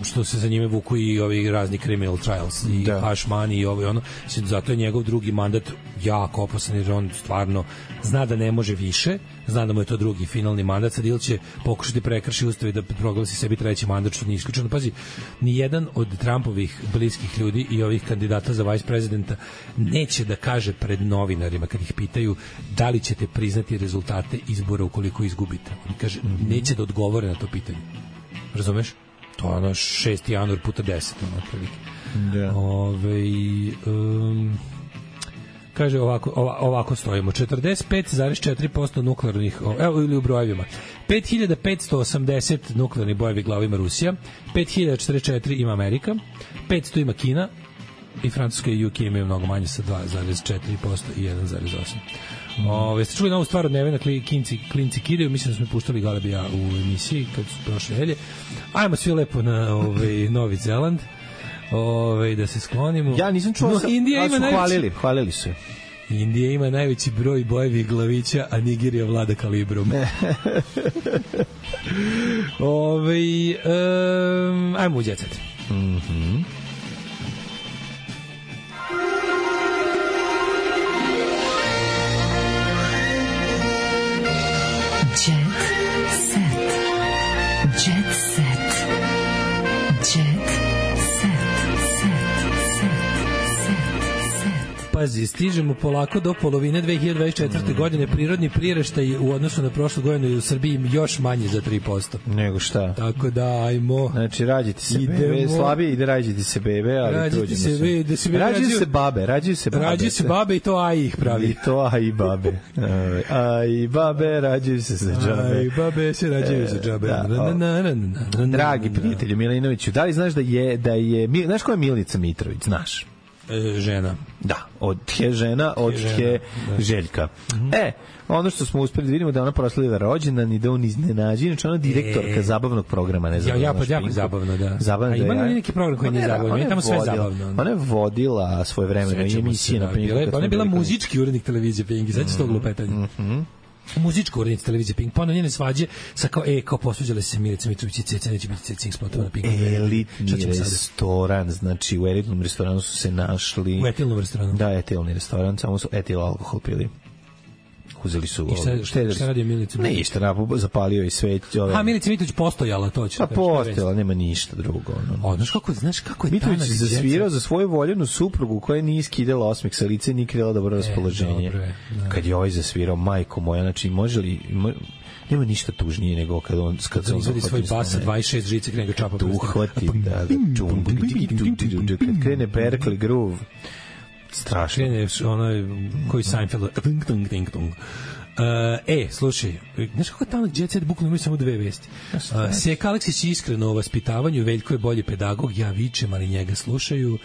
Speaker 7: što se za njime vuku i ovi razni criminal trials i hash money i ovo i ono, zato je njegov drugi mandat jako opasan jer on stvarno zna da ne može više, zna da mu je to drugi finalni mandat, sad ili će pokušati prekrši ustav i da proglasi sebi treći mandat, što nije isključeno. Pazi, nijedan od Trumpovih bliskih ljudi i ovih kandidata za vice prezidenta neće da kaže pred novinarima kad ih pitaju da li ćete priznati rezultate izbora ukoliko izgubite. On kaže, neće da odgovore na to pitanje. Razumeš? To je ono 6. januar puta 10. Kaže ovako stojimo. 45,4% nuklearnih, ili u brojevima. 5580 nuklearnih bojevi glava ima Rusija, 5044 ima Amerika, 500 ima Kina i Francuska i UK imaju mnogo manje sa 2,4% i 1,8%. Ste čuli novu stvar od Nevena Klinci kidaju, mislim da smo puštali Galebija u emisiji kad su prošle nelje. Ajmo svi lepo na Novi Zeland, da se sklonimo.
Speaker 6: Ja nisam čuo, ali su hvalili su.
Speaker 7: Indija ima najveći broj bojevih glavića, a Nigerija vlada kalibrom. Ajmo u djecet. Pazi, stižemo polako do polovine 2024. godine. Prirodni priraštaj u odnosu na prošlu godinu je u Srbiji još manji za 3%.
Speaker 6: Nego šta?
Speaker 7: Tako da, ajmo.
Speaker 6: Znači, rađite se bebe, slabije ide rađite se bebe, ali truđimo se. Rađuju se babe
Speaker 7: i to aj ih pravi.
Speaker 6: I to aj i babe. Aj babe, rađuju se za džabe.
Speaker 7: Aj babe se rađuju za džabe.
Speaker 6: Dragi prijatelju Milinoviću, da li znaš da je znaš ko je Milica Mitrović, znaš?
Speaker 7: Žena.
Speaker 6: Da, od je žena, od je Željka. Ono što smo uspeli da vidimo da ona proslavila rođendan i da on iznenađi, znači ona direktorka zabavnog programa, ne znam.
Speaker 7: Jako zabavno, da. A ima li neki program koji nije zabavno? Je tamo sve zabavno.
Speaker 6: Ona je vodila svoje vremena i emisije na Pinku.
Speaker 7: Ona je bila muzički urednik televizije Pink, znači s tog lupetanja. Muzičku urednicu televizije Pink, pa ono njene svađe sa kao posveđale se Milica Mitrović i Ceca, neće biti Cecing spotova na Pinku.
Speaker 6: Elitni restoran, znači u elitnom restoranu su se našli...
Speaker 7: U etilnom restoranu?
Speaker 6: Da, etilni restoran, samo su etil alkohol pili. Uzeli su...
Speaker 7: I šta radi Milica Mitrović?
Speaker 6: Ništa, zapalio i sveć.
Speaker 7: A Milica Mitrović postojala, to će.
Speaker 6: Pa postojala, nema ništa drugo.
Speaker 7: Znaš kako je
Speaker 6: Mitrović se zasvirao za svoju voljenu suprugu koja nije skidala osmeh sa lice i nije krila dobro raspoloženje. Kad je ovaj zasvirao, majko moja, znači može li... Nema ništa tužnije nego kad se
Speaker 7: izvadi svoj bas sa 26 žice krene ga čapa.
Speaker 6: Uhvati, kad krene Berkeley Groove. Strašno.
Speaker 7: Krene koji Seinfeld. Slušaj, znaš kako tamo Jet Set bukvalno imaju samo dve vesti. Seka Aleksić je iskreno o vaspitavanju, Veljko je bolji pedagog, ja vičem, ali njega slušaju.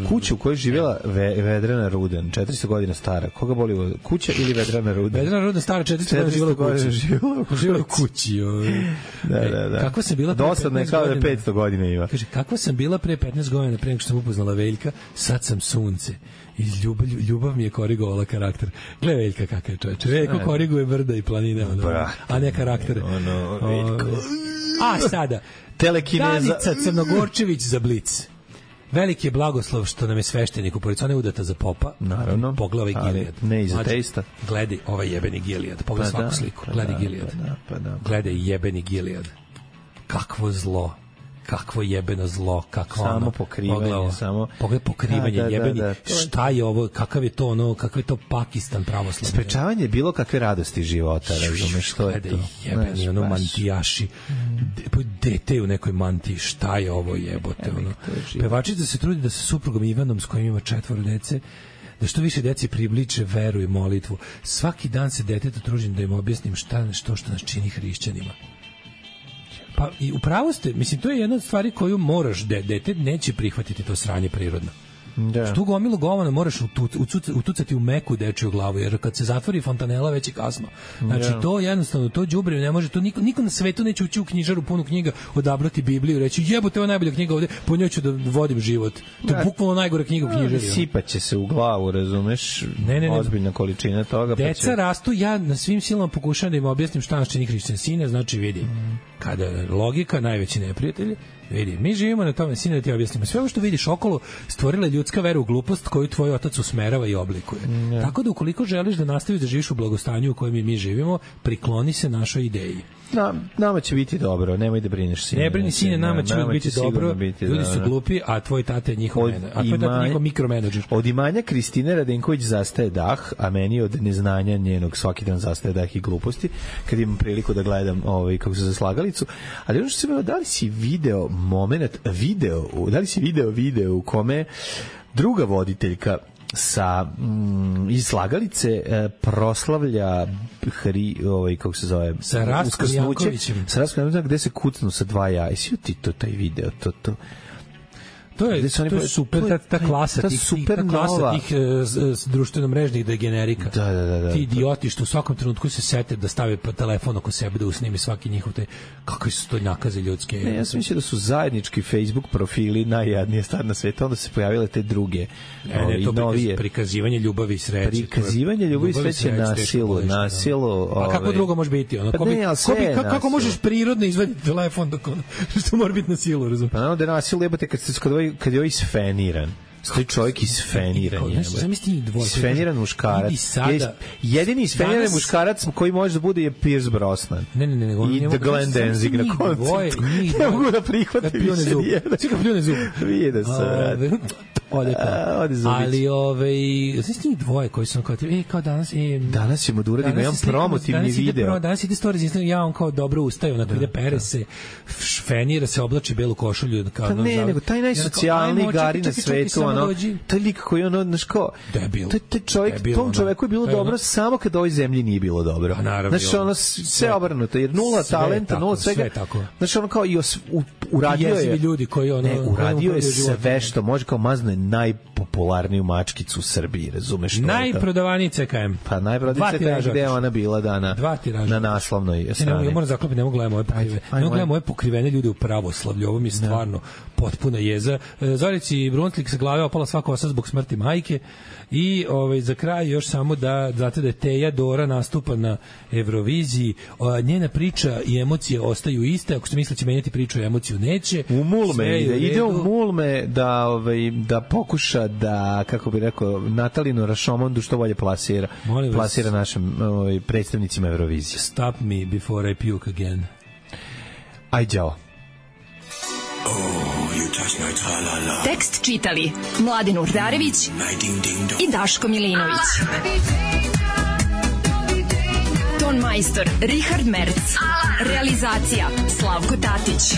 Speaker 6: Kuća u kojoj živjela Vedrana Ruden, 400 godina stara. Koga boli kuća ili Vedrana Ruden?
Speaker 7: Vedrana Ruden stara 400 godina živjela u kući.
Speaker 6: Da.
Speaker 7: Kako sam bila
Speaker 6: dosadno je kao da 500 godina ima.
Speaker 7: Kaže, kako sam bila pre 15 godina, pre nego što sam upoznala Veljka, sad sam sunce. I ljubav mi je korigovala karakter. Gle Veljka kakav je čovječe. Veljko koriguje brda i planine, a ne karaktere. A sada, Danica Crnogorčević za Blic. Veliki je blagoslov što nam je sveštenik u policiji, ona je udata za popa.
Speaker 6: Naravno.
Speaker 7: Pogledaj Gilead.
Speaker 6: Ne i za testa.
Speaker 7: Gledaj ovaj jebeni Gilead. Pogledaj svaku sliku. Gledaj Gilead. Gledaj jebeni Gilead. Kakvo zlo. Kakvo jebeno zlo, kakvo
Speaker 6: samo pokrivanje, samo
Speaker 7: pogledaj pokrivanje jebeni. Šta je ovo, kakav je to Pakistan pravoslavni.
Speaker 6: Sprečavanje bilo kakve radosti života, razumeš što je to.
Speaker 7: Jebeni ono mantijaši. Dete u nekoj mantiji, šta je ovo jebote ono. Pevačica se trudi da sa suprugom Ivanom s kojim ima 4 dece da što više deci približe veru i molitvu. Svaki dan se detetu trudim da im objasnim što nas čini hrišćanima. Pa i upravo ste, mislim, to je jedna od stvari koju moraš, dete neće prihvatiti to sranje prirodno. Da. Što gomilu govana moraš utucati u meku dečiju glavu, jer kad se zatvori fontanela već je kasno. Znači to jednostavno, to đubre ne može, to niko na svetu neće ući u knjižaru punu knjiga, odabrati Bibliju i reći jebote, ovo je najbolja knjiga ovde, po njoj ću da vodim život. To je bukvalno najgora knjiga u knjižari.
Speaker 6: Sipaće se u glavu, razumeš? Ne. Ozbiljna količina toga.
Speaker 7: Deca rastu, ja na svim silama pokušavam da im objasnim šta nas čini hrišćan. Sine, znači vidi, kada je logika najveći neprijatelj, vidi, mi živimo na tome, sine, da ti objasnimo. Sve ovo što vidiš okolo stvorila je ljudska vera u glupost koju tvoj otac usmerava i oblikuje. Tako da ukoliko želiš da nastaviš da živiš u blagostanju u kojem mi živimo, prikloni se našoj ideji.
Speaker 6: Nama će biti dobro, nemoj da brineš, sine.
Speaker 7: Ne brini, sine, nama će biti dobro. Ljudi su glupi, a tvoj tata je njihov mikromenadžer.
Speaker 6: Od imanja Kristine Radenković zastaje dah, a meni od neznanja njenog svaki dan zastaje dah i gluposti, kad imam priliku da gledam kako se za slagalicu. Ali ono što se da li si video video u kome druga voditeljka sa iz slagalice proslavlja kako se zove,
Speaker 7: sa Rastkom Jankovićem,
Speaker 6: gde se kucnu sa dva jaja. Jesi ti to taj video?
Speaker 7: To je super, ta klasa tih društveno mrežnih degenerika.
Speaker 6: Da.
Speaker 7: Ti idioti što u svakom trenutku se sete da stave telefon oko sebe da usnimi svaki njihov te, kakve su to nakaze ljudske.
Speaker 6: Ne, ja sam mislio da su zajednički Facebook profili najjadnije stvar na svetu, onda se pojavile te druge novije.
Speaker 7: Prikazivanje ljubavi i sreće.
Speaker 6: Prikazivanje ljubavi i sreće na silu.
Speaker 7: A kako drugo može biti? Kako možeš prirodno izvaditi telefon dok što mora biti na silu, razumiješ?
Speaker 6: Pa naravno da je na silu, jebote, kad je ovaj isfeniran. Stoji čovjek isfeniran. Isfeniran muškarac. Jedini isfeniran muškarac koji može da bude je Pierce Brosnan.
Speaker 7: Ne.
Speaker 6: I The Glenn Danzig na koncertu. Ne mogu da prihvatim više nijedan.
Speaker 7: Svi ga pljune zub.
Speaker 6: Vidio sam, rad.
Speaker 7: Ali znači njih dvoje koji su kao
Speaker 6: danas ćemo da uradimo jedan promotivni video.
Speaker 7: Danas ide stories, ja on kao dobro ustaje, onako ide pere se, fenira se, oblači belu košulju.
Speaker 6: Nego taj najsocijalniji gari na svetu, taj lik koji znaš kao, tom čoveku je bilo dobro samo kad ovoj zemlji nije bilo dobro. Znači ono sve obrnuto, jer nula talenta, nula svega. Znači ono kao i uradio je sve što može, kao mazno najpopularniju mačkicu u Srbiji, razumeš?
Speaker 7: Najprodavaniji CKM.
Speaker 6: Pa najprodavaniji CKM gde je ona bila dana na naslovnoj strani.
Speaker 7: Ja moram zaklopiti, ne mogu gledati moje pokrivene. Ne mogu gledati moje pokrivene ljude u pravoslavlju. Ovo mi je stvarno potpuna jeza. Zorici Brunslik sa glave opala sva kosa zbog smrti majke. I za kraj još samo da znate da je Teja Dora nastupa na Euroviziji. Njena priča i emocije ostaju iste. Ako ste mislili će menjati priču i emociju, neće.
Speaker 6: U Mulme ide u Mulme da pokuša da, kako bi rekao, Natalinu Rašomondu što bolje plasira našim predstavnicima Eurovizije.
Speaker 7: Stop me before I puke again.
Speaker 6: Aj, đao.
Speaker 15: Tekst čitali Mladin Urdarević i Daško Milinović. Ton majstor Richard Merc. Realizacija Slavko Tatić.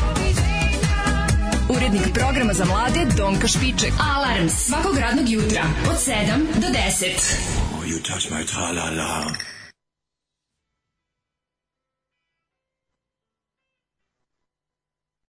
Speaker 15: Urednik programa za mlade Donka Špiček. Alarms svakog radnog jutra od 7 do 10.